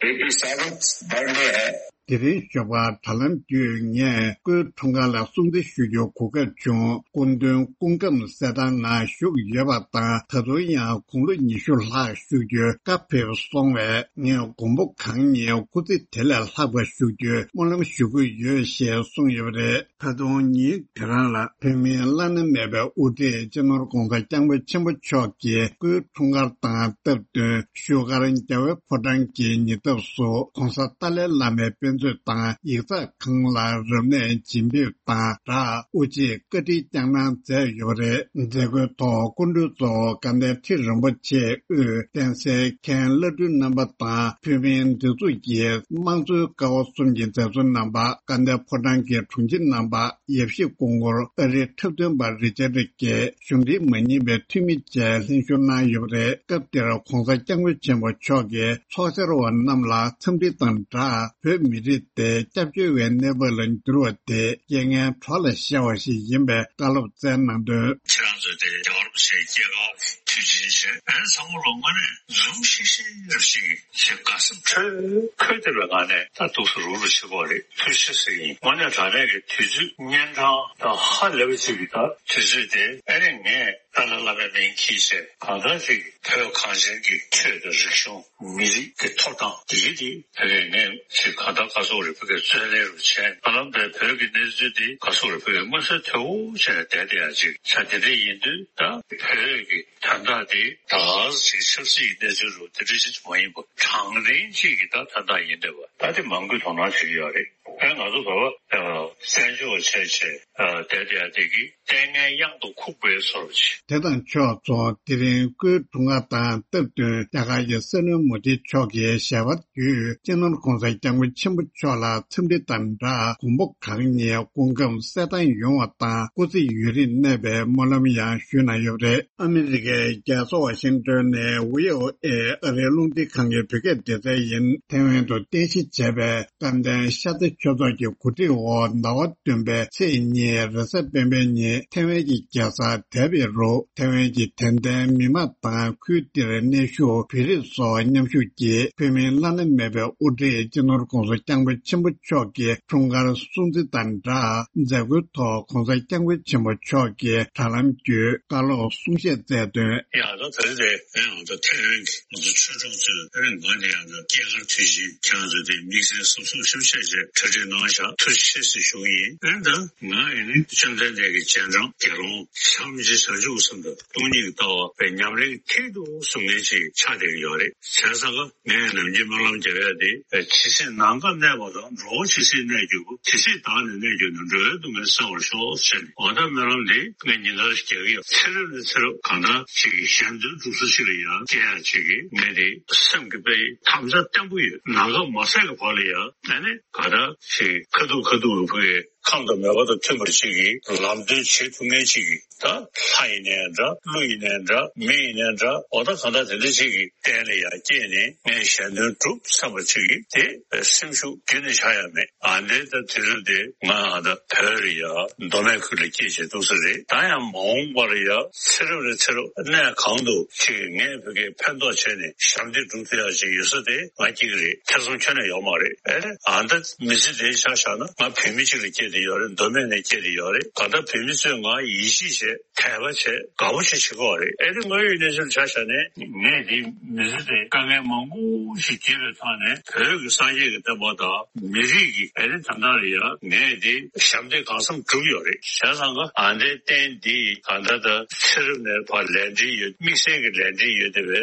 एटी सेवन्थ बर्थडे है। དེ་རིང་ཞོགས་པར་དྲ་ལམ་བརྒྱུད་ངས་སྐུའི་འཁྲུངས་སྐར་ལ་སྲུང་བརྩི་ཞུ་རྒྱུའི་གོ་སྐབས་བྱུང་། སྐུ་མདུན་སྐུ་ཁམས་གསལ་ཐང་ངང་བཞུགས་ཡོད་པ་དང་། ད་དུང་ཡང་དགུང་ལོ་ཉི་ཤུ་ལྷག་བཞུགས་རྒྱུའི་བཀའ་ཕེབས་སོང་བས། ངས་མགོན་པོ་གང་ཉིད་སྐུ་ཚེ་དེ་ལས་ལྷག་པ་བཞུགས་རྒྱུའི་སྨོན་ལམ་ཞུ་གི་ཡོད་ཞེས་གསུངས་ཡོད་པ་རེད། ད་དུང་ཉིན་དེ་རང་ལ་བོད་མིའི་བླ་ན་མེད་པའི་དབུ་ཁྲིད་སྤྱི་ནོར་༧གོང་ས་༧སྐྱབས་མགོན་ཆེན་པོ་མཆོག་གི་སྐུའི་འཁྲུངས་སྐར་དང་སྟབས་བསྟུན་བཞུགས་སྒར་རྒྱལ་བའི་ཕོ་བྲང་གི་ཉེ་འདབས་སུ་༧གོང་ས་ཏཱ་ལའི་བླ་མའི་དཔེ་མཛོད་དང་ཡིག་ཚགས་ཁང་ལ་རབ་གནས་བྱིན་ཕེབས་དང་སྦྲགས་དབུ་འབྱེད་བཀའ་ཁྲིད་བསྐྱངས་གནང་མཛད་ཡོད་པ་རེད། མཛད་སྒོའི་ཐོག་སྐུ་མགྲོན་གཙོ་བོ་དགའ་ལྡན་ཁྲི་རིན་པོ་ཆེ་དབུས་གདན་སའི་མཁན་བླ་སྤྲུལ་རྣམ་པ་དང་བོད་མིའི་སྒྲིག་འཛུགས་ཀྱི་དམངས་གཙོའི་ཀ་བ་གསུམ་གྱི་མཛད་གཙོ་རྣམ་པ། དགའ་ལྡན་ཕོ་བྲང་གི་དྲུང་ཆེ་རྣམ་པ། ཡབ་གཞིས་སྐུ་འཁོར་ཨ་རིའི་འཁྲབ་སྟོན་པ་རི་ཅར་ཌི་གིས་གཞུང་འབྲེལ་མ་ཡིན་པའི་འཐུས་མི་བཅས་ལྷན་ཞུགས་གནང་ཡོད་པ་རེད། སྐབས་དེར་༧གོང་ས་༧སྐྱབས་མགོན་ཆེན་པོ་མཆོག་གིས་ཚོགས་བཅར་བ་རྣམས་ལ་འཚམས་འདྲི་དང་སྦྲགས། བོད་མི་རིགས་དེ་སྐྱབས་བཅོལ་བའི་གནས་བབ་ལ་འགྱུར་བ་དེ་རྐྱེན་ངན་གྲོགས་ལ་ཤར་བ་ཞིག་ཡིན་པའི་བཀའ་སློབ་སྩལ་གནང་དོན། ཁྱེད་རང་ཚོ་དེ་རྒྱལ་བ་རིན་པོ་ཆེའི་སྐྱེས་སྐར་དུས་ཆེན་བྱས། ཨ་ནི་ཚང་མ་ལོ་ལྔ་ནས་འཛུམ་ཤིག་ཤིག་རབ་ཞིག་ཞེས་དགའ་སེམས་འཕྲོས་འཁོལ་བསྡད་པའི་ངང་ནས་ད་འདུག་སེ་རུག་རུག་བྱེད་ཀྱི་ཡོད་རེད། ཐུགས་རྗེ་ཆེ་ཟེར་གྱི་ཡིན། དངོས་གནས་དྲང་གནས་ཀྱི་དུས་ཚོད་གཉན་འཕྲང་དང་ཧ་ལས་པ་ཅིག་གི་ད་དུས་ཚོད་དེ། ཨ་ནི་ངས་ཏཱ་ལའི་བླ་མའི་མིང་འཁྱེར་བྱས་གང་ལྟར་ཅིག་བོད་གངས་ཅན་གྱི་ཆོས་དང་རིག་གཞུང་། མི་རིགས་ཀྱི་ཐོབ་ཐང་དེ་གའི་དེ་བོད་ཀྱི་ངས་ཅིག་གང་ལྟར་ག་ཚོད་རེ་བོད་ཀྱི་རྩོད་ལེན་རུ་བྱས། ཧ་ལམ་པའི་བོད་ཀྱི་གནས་ཚུལ་དེ་ག་ཚོད་རེ་བོད་ཀྱི་མངོན་གསལ་དོད་པོ་བྱས་ནས་བསྡད་བསྡད་ཡ་ཅིག་ས་དེ་འདྲ་ཡིན་དུས། ད་བོད་ཀྱི་དོན་དག་དེ་ད་ག་ཅིག་ཆབ་སྲིད་ཀྱི་གནས་ཚུལ་རུ་དེ་འདྲ་ཅིག་མ་ཡིན་པ། དྲང་བདེན་ཅིག་གི་ད་དོན་དག་ཡིན་བསྡད་པ། ད་དེ་མང་པོས་དོ་སྣང་བྱེད་ཀྱི་ཡོད་རེད། ཨ་ནི་ང་ཚོ་བོད་པ་བཙན་བྱོལ་བྱས་བྱས་བསྡད་བསྡད་ཡ་དེ་གི་ལྟས་ངན་གཡང་དུ་ཁུག་པའི་བཟོ་འདྲ་ཅིག་དེ་དང་ཕྱོགས་མཚུངས། དེ་རིང་སྐུའི་འཁྲུངས་སྐར་དང་སྟབས་བསྟུན་རྒྱ་གར་གྱི་སྲིད་བློན་མོ་དི་མཆོག་གིས་ཞལ་པར་བརྒྱུད། སྤྱི་ནོར་༧གོང་ས་༧སྐྱབས་མགོན་ཆེན་པོ་མཆོག་ལ་འཚམས་འདྲི་དང་སྦྲགས། མགོན་པོ་གང་ཉིད་སྐུ་ཁམས་གསལ་ཐང་ཡོང་བ་དང་སྐུ་ཚེ་ཡུན་རིང་གནས་པའི་སྨོན་ལམ་ཡང་ཞུས་གནང་ཡོད་པ་རེད། ཨ་མི་རི་ཀའི་རྒྱལ་ས་ཝ་ཤིང་ཏོན་ནས་བྷི་ཨོ་ཨེ་ཨ་རིའི་རླུང་འཕྲིན་ཁང་གི་བོད་སྐད་སྡེ་ཚན་ཡིན། ཐེ་ཝན་དུ་རྟེན་གཞི་བྱས་པའི་སྐལ་ལྡན་ཤར་རྩེ་ཆོས་ཚོགས་ཀྱི་གོ་སྒྲིག་འོག་ཟླ་བ་བདུན་པའི་ཚེས་གཉིས་རེས་གཟའ་སྤེན་པའི་ཉིན་ཐེ་ཝན་གྱི་རྒྱལ་ས་ཐའེ་པེ་རུ་ཐེ་ཝན་གྱི་དད་ལྡན་མི་མང་དང་ཁུལ་དེར་གནས་བཞུགས་བོད་རིགས་སོགས་མཉམ་ཞུགས་ཀྱིས་བོད་མིའི་བླ་ན་མེད་པའི་དབུ་ཁྲིད་སྤྱི་ནོར་༧གོང་ས་༧སྐྱབས་མགོན་ཆེན་པོ་མཆོག་གི་འཁྲུངས་སྐར་སྲུང་བརྩི་དང་སྦྲགས། མཛད་སྒོའི་ཐོག་༧གོང་ས་༧སྐྱབས་མགོན་ཆེན་པོ་མཆོག་གིས་དྲ་ལམ་བརྒྱུད་བཀའ་སློབ་གསུང་བཤད་སྩལ་དོན། ཡང་ད་ད་རེས་དེ་ང་ཚོ་ཐེ་ཝན་གྱི་ང་ཚོ་ཆོས་གྲོགས་ཚོས་ཨ་ནི་ང་ནི་ཡང་ད་སྐྱེས་སྐར་དུས་ཆེན་ཁྱེད་རང་ཚོ་དེ་དམིགས་བསལ་གཟབ་གཟབ་ཤོག་བྱས་བྱས་གྲ་སྒྲིག་གནང་ཤག་ཐུགས་རྗེ་ཆེ་ཟེར་ཞུ་གི་ཡིན། ཨ་ནི་ད་ང་ཡིན་ནི་བཅོམ་ལྡན་འདས་ཀྱི་རྗེས་འབྲང་དགེ་སློང་བྱམས་བརྩེ་བྱང་ཆུབ་སེམས་དང་སྟོང་ཉིད་ཀྱི་ལྟ་བ་པའི་ཉམས་ལེན་མཁས་གྲུབ་གསུང་མཁན་ཞིག་ཆགས་བསྡད་ཀྱི་ཡོད་རེད། བྱས་ཙང་ཀ་ངས་ནམ་རྒྱུན་སྨོན་ལམ་རྒྱབ་ཡ་དེ། ཇི་སྲིད་ནམ་མཁའ་གནས་པ་དང་། འགྲོ་བ་ཇི་སྲིད་གནས་གྱུར་པ། དེ་སྲིད་བདག་ནི་གནས་གྱུར་ནས། འགྲོ་བའི་སྡུག་བསྔལ་སེལ་བར་ཤོག་ཟེར་ནས། འོ་ད་སྨོན་ལམ་འདི་ངས་ཉིན་ལྟར་རྒྱག་གི་ཡོད། ཚེ་རབས་ནས་ཚེ་རབས་གང་ལྟར་ཅིག་གཞན་དོན་སྒྲུབ་ས་ཅིག་ལ་ཡང་སྐྱེ་ཡ་ཅིག་གི་ངས་དེ་སེམས་ཀྱི་དཔེ་དམ་བཅའ་བརྟན་པོ་ཡོད། ནམ་མཁའ་མ་ཟད་ཀྱི་བར་ལ་ཡང་ཨ་ནི་ག་ད་ཅིག་ཁ་ཐུག་ཁ་ཐུག་གི་ཕུ་གི་ཁམས་དང་མོས་པ་དང་མཐུན་པར་ཅིག་གིས་ལམ་སྟོན་བྱེད་ཐུབ་མཁན་ཅིག་གིས། ད་ལྷ་ཡིན་ནའི་འདྲ། ཀླུ་ཡིན་ནའི་འདྲ། མི་ཡིན་ནའི་འདྲ། འོ་ད་གང་ལྟར་དེ་འདྲ་ཅིག་གི་རྟེན་ལ་ཡང་སྐྱེས་ནས་ངས་གཞན་དོན་སྒྲུབ་བསམ་པ་ཅིག་གིས་དེ་སེམས་ཤུགས་རྒྱུན་ནས་ཆག་ཡ་མེད། ཨ་འདྲའི་ད་དུས་རབས་དེ་ང་ཨ་ད་བོད་ལ་ཡ་མདོ་སྨད་ཁུལ་ལ་སྐྱེས་བྱས་འདུག་ས་རེད། ད་ཡང་མ་འོངས་པར་ཡ་ཚེ་རབས་ནས་ཚེ་རབས་གནས་གང་དུ་ཅིག་ངས་བོད་སྐད་ཕན་ཐོགས་བྱས་ནས་ཞབས་འདེགས་སྒྲུབ་ཐུབ་ཡ་ཅིག་ཡོད་ས་དེ་ང་སྐྱེ་གི་རེད། ཐེ་ཚོམ་ཁྱོན་ནས་ཡོད་མ་རེད། ཨེ་ཨ་ད་མི་ཚེ་དེ་ཆ་བཞག་ན་ང་བོད་མི་གཅིག་ལ་སྐྱེས་ཏེ་ཡོད་རེད། མདོ་སྨད་ནས་སྐྱེས་ཏེ་ཡོད་རེད། གང་ལྟར་བོད་མི་ཚོས་ང་ཡིད་ཆེས་བྱས། དད་པ་བྱས། དགའ་པོ་ཞིག་བྱེད་ཀྱི་ཡོད་རེད། ཨེ་རེད། དངོས་ཡོད་གནས་ཚུལ་ཆ་བཞག་ནས་ངས་འདི་མི་ཚེ་དེ་དཀའ་ངལ་མང་པོ་ཞིག་འཁྱེར་བའི་ཐོག་ནས་བོད་ཀྱི་སངས་རྒྱས་ཀྱི་བསྟན་པ་དང་མི་རིགས་ཀྱི་ཨེ་རེད་ད་ལྟ་ལ་ཡང་ངས་འདི་ཞབས་འདེགས་གང་འཚམ་བསྒྲུབས་ཡོད་རེད། བྱས་ཙང་ཀ་ཨ་འདྲའི་རྟེན་འདི་གང་ལྟར་ད་ཚེ་རབས་ནས་ཕར་ལས་འབྲེལ་ཡོད། དམིགས་བསལ་གྱི་ལས་འབྲེལ་ཡོད་བསྡད་པའི་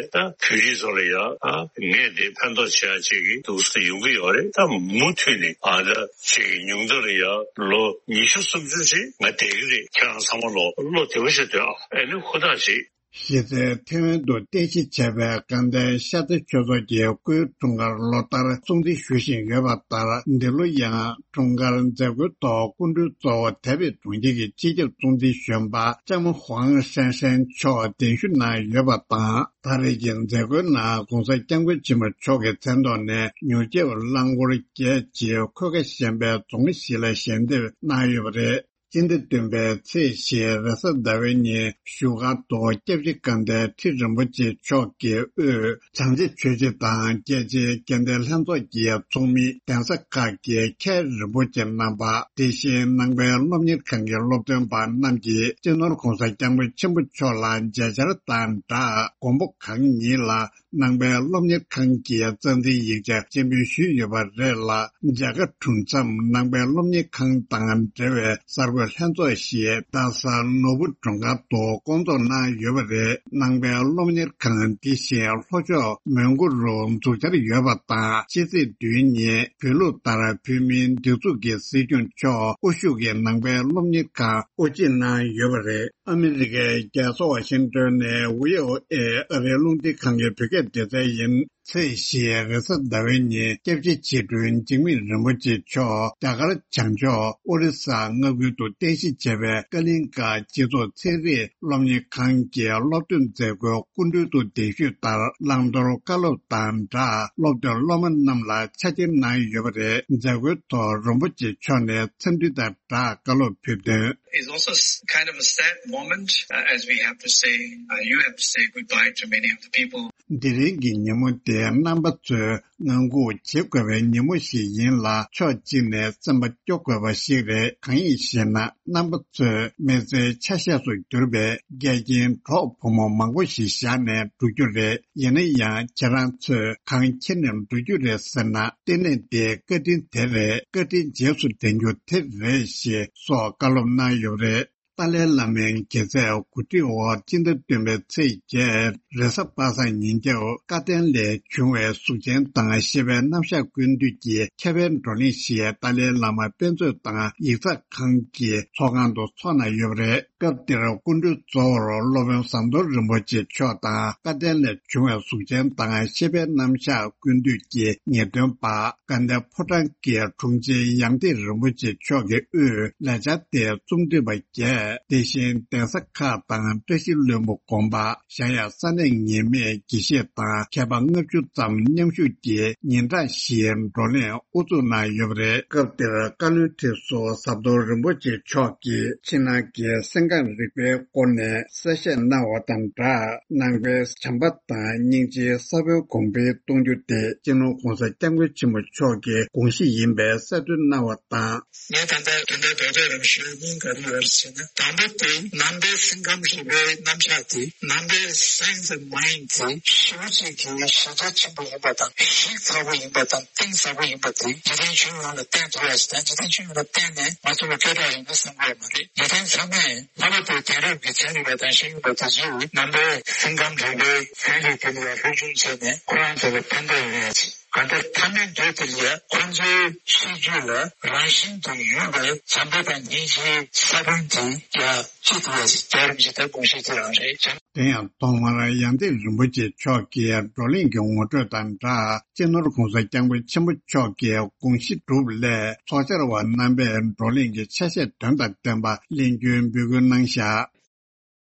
ད་བོད་རིགས་ཚོ་ལ་ཡང་ཨ་ངས་འདི་ཕན་ཐོགས་བྱེད་ཡ་ཅིག་གི་འདུག་སེ་ཡོང་གི་ཡོད་རེད། ད་མུ་མཐུད་ནས་ཨ་ད་ཅིག་ཉུང་མཐའ་ལ་ཡང་ལོ་ཉི་ཤུ་སུམ་ཅུ་ཅིག་ང་བསྡད་ཀྱི་རེད། ཁྱེད་རང་ཚང་མ་ལོ་བློ་བདེ་པོ་བྱས་སྡོད་ཨ། ཨེ་ནི་ཧུར་ཐག་བྱེད། གཞི་རྩའི་ཐེ་ཝན་དུ་རྟེན་གཞི་བྱས་པའི་དགའ་ལྡན་ཤར་རྩེ་ཆོས་ཚོགས་ཀྱི་སྐུའི་འཁྲུངས་སྐར་ལོ་ལྟར་སྲུང་བརྩི་ཞུ་བཞིན་ཡོད་པ་ལྟར། འདི་ལོ་ཡང་འཁྲུངས་སྐར་མཛད་སྒོའི་ཐོག་སྐུ་མགྲོན་གཙོ་བོ་དེ་བས་གྲོང་ཁྱེར་གྱི་སྤྱི་ཁྱབ་གཙོ་འཛིན་གཞོན་པ་ལྕམ་ཧུའང་ཧྲེང་ཧྲེང་མཆོག་གདན་ཞུ་གནང་ཡོད་པ་དང་། ད་རེས་ཀྱི་མཛད་སྒོའི་ནང་༸གོང་ས་༸སྐྱབས་མགོན་ཆེན་པོ་མཆོག་གི་མཚན་ཐོག་ནས་མྱུར་སྐྱེལ་རླངས་འཁོར་བརྒྱད་ཀྱིས་འཁོས་ཀ་གཞན་པའི་རྫོང་གཞིས་ལ་ཞལ་འདེབས་གནང་ཡོད་པ་རེད། སྤྱི་ཟླ་བདུན་པའི་ཚེས་བཞི་རེས་གཟའ་ཟླ་བའི་ཉིན་བཞུགས་སྒར་དུ་སྐྱབས་རྗེ་དགའ་ལྡན་ཁྲི་རིན་པོ་ཆེ་མཆོག་གི་དབུས་བྱང་རྩེ་ཆོས་རྗེ་དང་རྒྱལ་སྤྱིའི་དགེ་ལྡན་ལྷན་ཚོགས་ཀྱི་ཚོགས་མི། གདན་ས་ཁག་གི་མཁན་རིན་པོ་ཆེ་རྣམ་པ། དེ་བཞིན་ནང་པའི་སློབ་གཉེར་ཁང་གི་སློབ་སྟོན་པ་རྣམས་ཀྱིས་སྤྱི་ནོར་༸གོང་ས་༸སྐྱབས་མགོན་ཆེན་པོ་མཆོག་ལ་མཇལ་བཅར་དང་སྦྲགས་མགོན་པོ་གང་ཉིད་ལ་ནང་པའི་སློབ་གཉེར་ཁང་གི་རྩ་འཛིན་ཡིག་ཆ་སྤྱན་འབུལ་ཞུས་ཡོད་པ་རེད་ལ། མཇལ་ཁ་གྲུབ་མཚམས་ནང་པའི་སློབ་གཉེར་ཁང་དང་འབྲེལ་བའི་གསར་འགོད་ལྷན་ཚོགས་ཤིག་རྡ་ས་ནོར་བུ་སྒྲུང་དཀར་དུ་བསྐོང་ཚོགས་གནང་ཡོད་པ་རེད། ནང་པའི་སློབ་གཉེར་ཁང་འདི་བཞིན་ལྷོ་ཕྱོགས་མོན་གྷོ་རུ་འཛུགས་འཆར་ཡོད་པ་དང་། ཕྱི་ཚེས་བདུན་ཉིན་བོད་ལུགས་ལྟར་བོད་མིའི་སྒྲིག་འཛུགས་ཀྱི་སྲིད་སྐྱོང་མཆོག་དབུ་བཞུགས་ཀྱིས་ནང་པའི་སློབ་གཉེར་ཁང་དབུ་འབྱེད་གནང་ཡོད་པ་རེད། ཨ་མི་རི་ཀའི་རྒྱལ་ས་ཝ་ཤིང་ཏོན་ནས་བྷི་ཨོ་ཨེ་ཨ་རིའི་རླུང་འཕྲིན་ཁང་གི་བོད་སྐད་སྡེ་ཚན་ཡིན། ཚེས་བཞི་རེས་གཟའ་ཟླ་བའི་ཉིན་སྐྱབས་རྗེ་ཆེ་དྲུང་འཇིགས་མེད་རིན་པོ་ཆེ་མཆོག་རྒྱ་གར་བྱང་ཕྱོགས་ཨོ་རི་ས་མངའ་ཁུལ་དུ་རྟེན་གཞི་བྱས་པའི་ཀ་ལིང་ཀ་སྤྱི་ཚོགས་ཚན་རིག་སློབ་གཉེར་ཁང་གི་སློབ་སྟོན་མཛད་སྒོའི་སྐུ་མགྲོན་དུ་གདན་ཞུས་ལྟར། བླང་དོར་བཀའ་སློབ་དང་སྦྲགས་སློབ་སྟོན་སློབ་མ་རྣམས་ལ་ཕྱག་འཁྱེར་གནང་ཡོད་པ་རེད། མཛད་སྒོའི་ཐོག་རིན་པོ་ཆེ་མཆོག་ནས་འཚམས་འདྲི་དང་སྦྲགས་བཀའ་སློབ་ཕེབས་དོན། It's also s- kind of a sad moment, uh, as we have to say, uh, you have to say goodbye to many of the people. འདི་རིང་གི་ཉིན་མོ་དེ་རྣམ་པ་ཚོས་ངང་སྒུག་བྱེད་དགོས་པའི་ཉིན་མོ་ཞིག་ཡིན་ལ། ཕྱོགས་གཅིག་ནས་སེམས་པ་སྐྱོ་དགོས་པ་ཞིག་རེད། གང་ཡིན་ཞེ་ན། རྣམ་པ་ཚོས་མི་ཚེའི་ཆ་ཤས་སུ་གྱུར་པའི་འགལ་རྐྱེན་གྲོགས་བུ་མོ་མང་པོ་ཞིག་བཞག་ནས་འགྲོ་རྒྱུ་རེད། ཡིན་ན་ཡང་ཁྱེད་རང་ཚོས་གང་འཁྱེར་ནས་འགྲོ་རྒྱུ་རེད་ཟེར་ན། ལྟེ་གནས་འདིའི་བཀའ་དྲིན་དེ་རེད། བཀའ་དྲིན་རྗེས་སུ་དྲན་རྒྱུ་དེ་རེད་ཞེས་སོགས་བཀའ་སློབ་གནང་ཡོད་པ་རེད། ཏཱ་ལའི་བླ་མའི་དགེ་རྩས་གོ་སྒྲིག་འོག་སྤྱི་ཟླ་བདུན་པའི་ཚེས་བརྒྱད་རེས་གཟའ་པ་སངས་ཉིན་རྒྱབ་སྐལ་ལྡན་ལས་བྱུང་བའི་གཟུགས་ཅན་དང་ཤེས་པའི་རྣམ་གཞག་ཀུན་བཏུས་ཀྱི་ཁྱད་པར་བགྲོ་གླེང་ཞིག་ཏཱ་ལའི་བླ་མ་དཔེ་མཛོད་དང་ཡིག་ཚགས་ཁང་གི་ཚོགས་ཁང་དུ་འཚོགས་གནང་ཡོད་པ་རེད། སྐབས་དེར་སྐུ་མགྲོན་གཙོ་བོར་སློབ་དཔོན་ཟམ་གདོང་རིན་པོ་ཆེ་མཆོག་དང་སྐལ་ལྡན་ལས་བྱུང་བའི་གཟུགས་ཅན་དང་ཤེས་པའི་རྣམ་གཞག་ཀུན་བཏུས་ཀྱི་ངེས་སྟོན་པ་དགའ་ལྡན་ཕོ་བྲང་གི་དྲུང་ཆེ་ཡང་ཏིག་རིན་པོ་ཆེ་མཆོག་གི་དབུས་ལས་འཆར་དེ་རྩོམ་སྒྲིག་པ་བརྒྱད། དེ་བཞིན་གདན་ས་ཁག་དང་བཀྲ་ཤིས་ལྷུན་པོ་དགོན་པ་གཞལ་ཡས་ས་གནས་ངེས་མེད་དགེ་བཤེས་དང་མཁས་པ་ལྔ་བཅུ་ཙམ་མཉམ་ཞུགས་ཀྱིས་ཉིན་གྲངས་བཞིའི་བགྲོ་གླེང་དབུ་འཛུགས་གནང་ཡོད་པ་རེད། སྐབས་དེར་བཀའ་བློན་ཁྲི་ཟུར་ཟམ་གདོང་རིན་པོ་ཆེ་མཆོག་གིས་ཕྱི་ནང་གི་སེམས་ཁམས་རིག་པའི་སྐོར་ནས་གསལ་བཤད་གནང་བ་དང་སྦྲགས། ནང་པའི་བྱམས་པ་དང་སྙིང་རྗེའི་ས་བོན་གོང་འཕེལ་གཏོང་རྒྱུ་དེ་སྤྱི་ནོར་༸གོང་ས་༸སྐྱབས་མགོན་ཆེན་པོ་མཆོག་གི་དགོངས་གཞི་ཡིན་པའི་གསལ་སྟོན་གནང་བ་དང་། ངས་ད་ལྟ་དོན་དག་རྡོག་རྡོག་རང་ཞུ་སྙིང་ག་རེ་ཡོད་རེད་ཟེར་ན། དང་པོ་དེ་ནང་པའི་སེམས་ཁམས་རིག་པའི་རྣམ་གཞག་དེ། ནང་པའི་science of mind དེ་ཞེ་པོ་ཅིག་གི་གཞི་རྒྱ་ཆེན་པོ་ཡིན་པ་དང་། གཞི་ཚ་པོ་ཡིན་པ་དང་། གཏིང་ཟབ་པོ་ཡིན་པ་དེ་འཇིག་རྟེན་ཁྱོན་ཡོངས་ལ་བསྟན་ཐུབ་ཡ་ཞིག་དང་། འཇིག་རྟེན་ཁྱོན་ཡོངས་ལ་བསྟན་ནས་ང་ཚོ་ལ་སྐད་གྲགས་ཡོང་ན་བསམ་གྱི་ཡོད་མ་རེད། འཇིག་རྟེན་ཚང་མས་ལྷག་པར་དུ་དེང་རབས་ཀྱི་ཚན་རིག་པ་དང་ཤེས་ཡོན་པ་དེ་ཚོས་ནང་པའི་སེམས་ཁམས་རིག་པའི་ལྷན་རྒྱས་དེ་ལ་ཡང་ལྷོད་ཆུང་བྱས་ནས་ཁོ་རང་ཚོ་ལ་ཕན་ཐོགས་ཡོང་ཡ་ཅིག་གང་ལྟར་མཐའ་མའི་མདུན་དེ་ལ་ཡ་ཁོང་ཚོའི་སྲིད་ཇུས་ལ་རང་བཞིན་དུ་ཡོད་པའི་བྱམས་པ་དང་སྙིང་རྗེའི་ས་བོན་དེ་ཡ་ཅི་ཐུབ་པ་ཞིག་རྒྱག་རིམ་ཞིག་ད་དགོངས་བཞེས་ཅི་རང་རེད། དེ་ཡང་ཐོག་མར་ཡང་ཏིག་རིན་པོ་ཆེ་མཆོག་གིས་བགྲོ་གླེང་གི་ངོ་སྤྲོད་དང་སྦྲགས། སྤྱི་ནོར་༸གོང་ས་༸སྐྱབས་མགོན་ཆེན་པོ་མཆོག་གིས་དགོངས་གཞི་གྲུབ་སླད་ཚོགས་བཅར་བ་རྣམ་པས་བགྲོ་གླེང་གི་ཆ་ཤས་དོན་དང་ལྡན་པ་གླེང་རྒྱུའི་འབོད་སྐུལ་གནང་བཞག་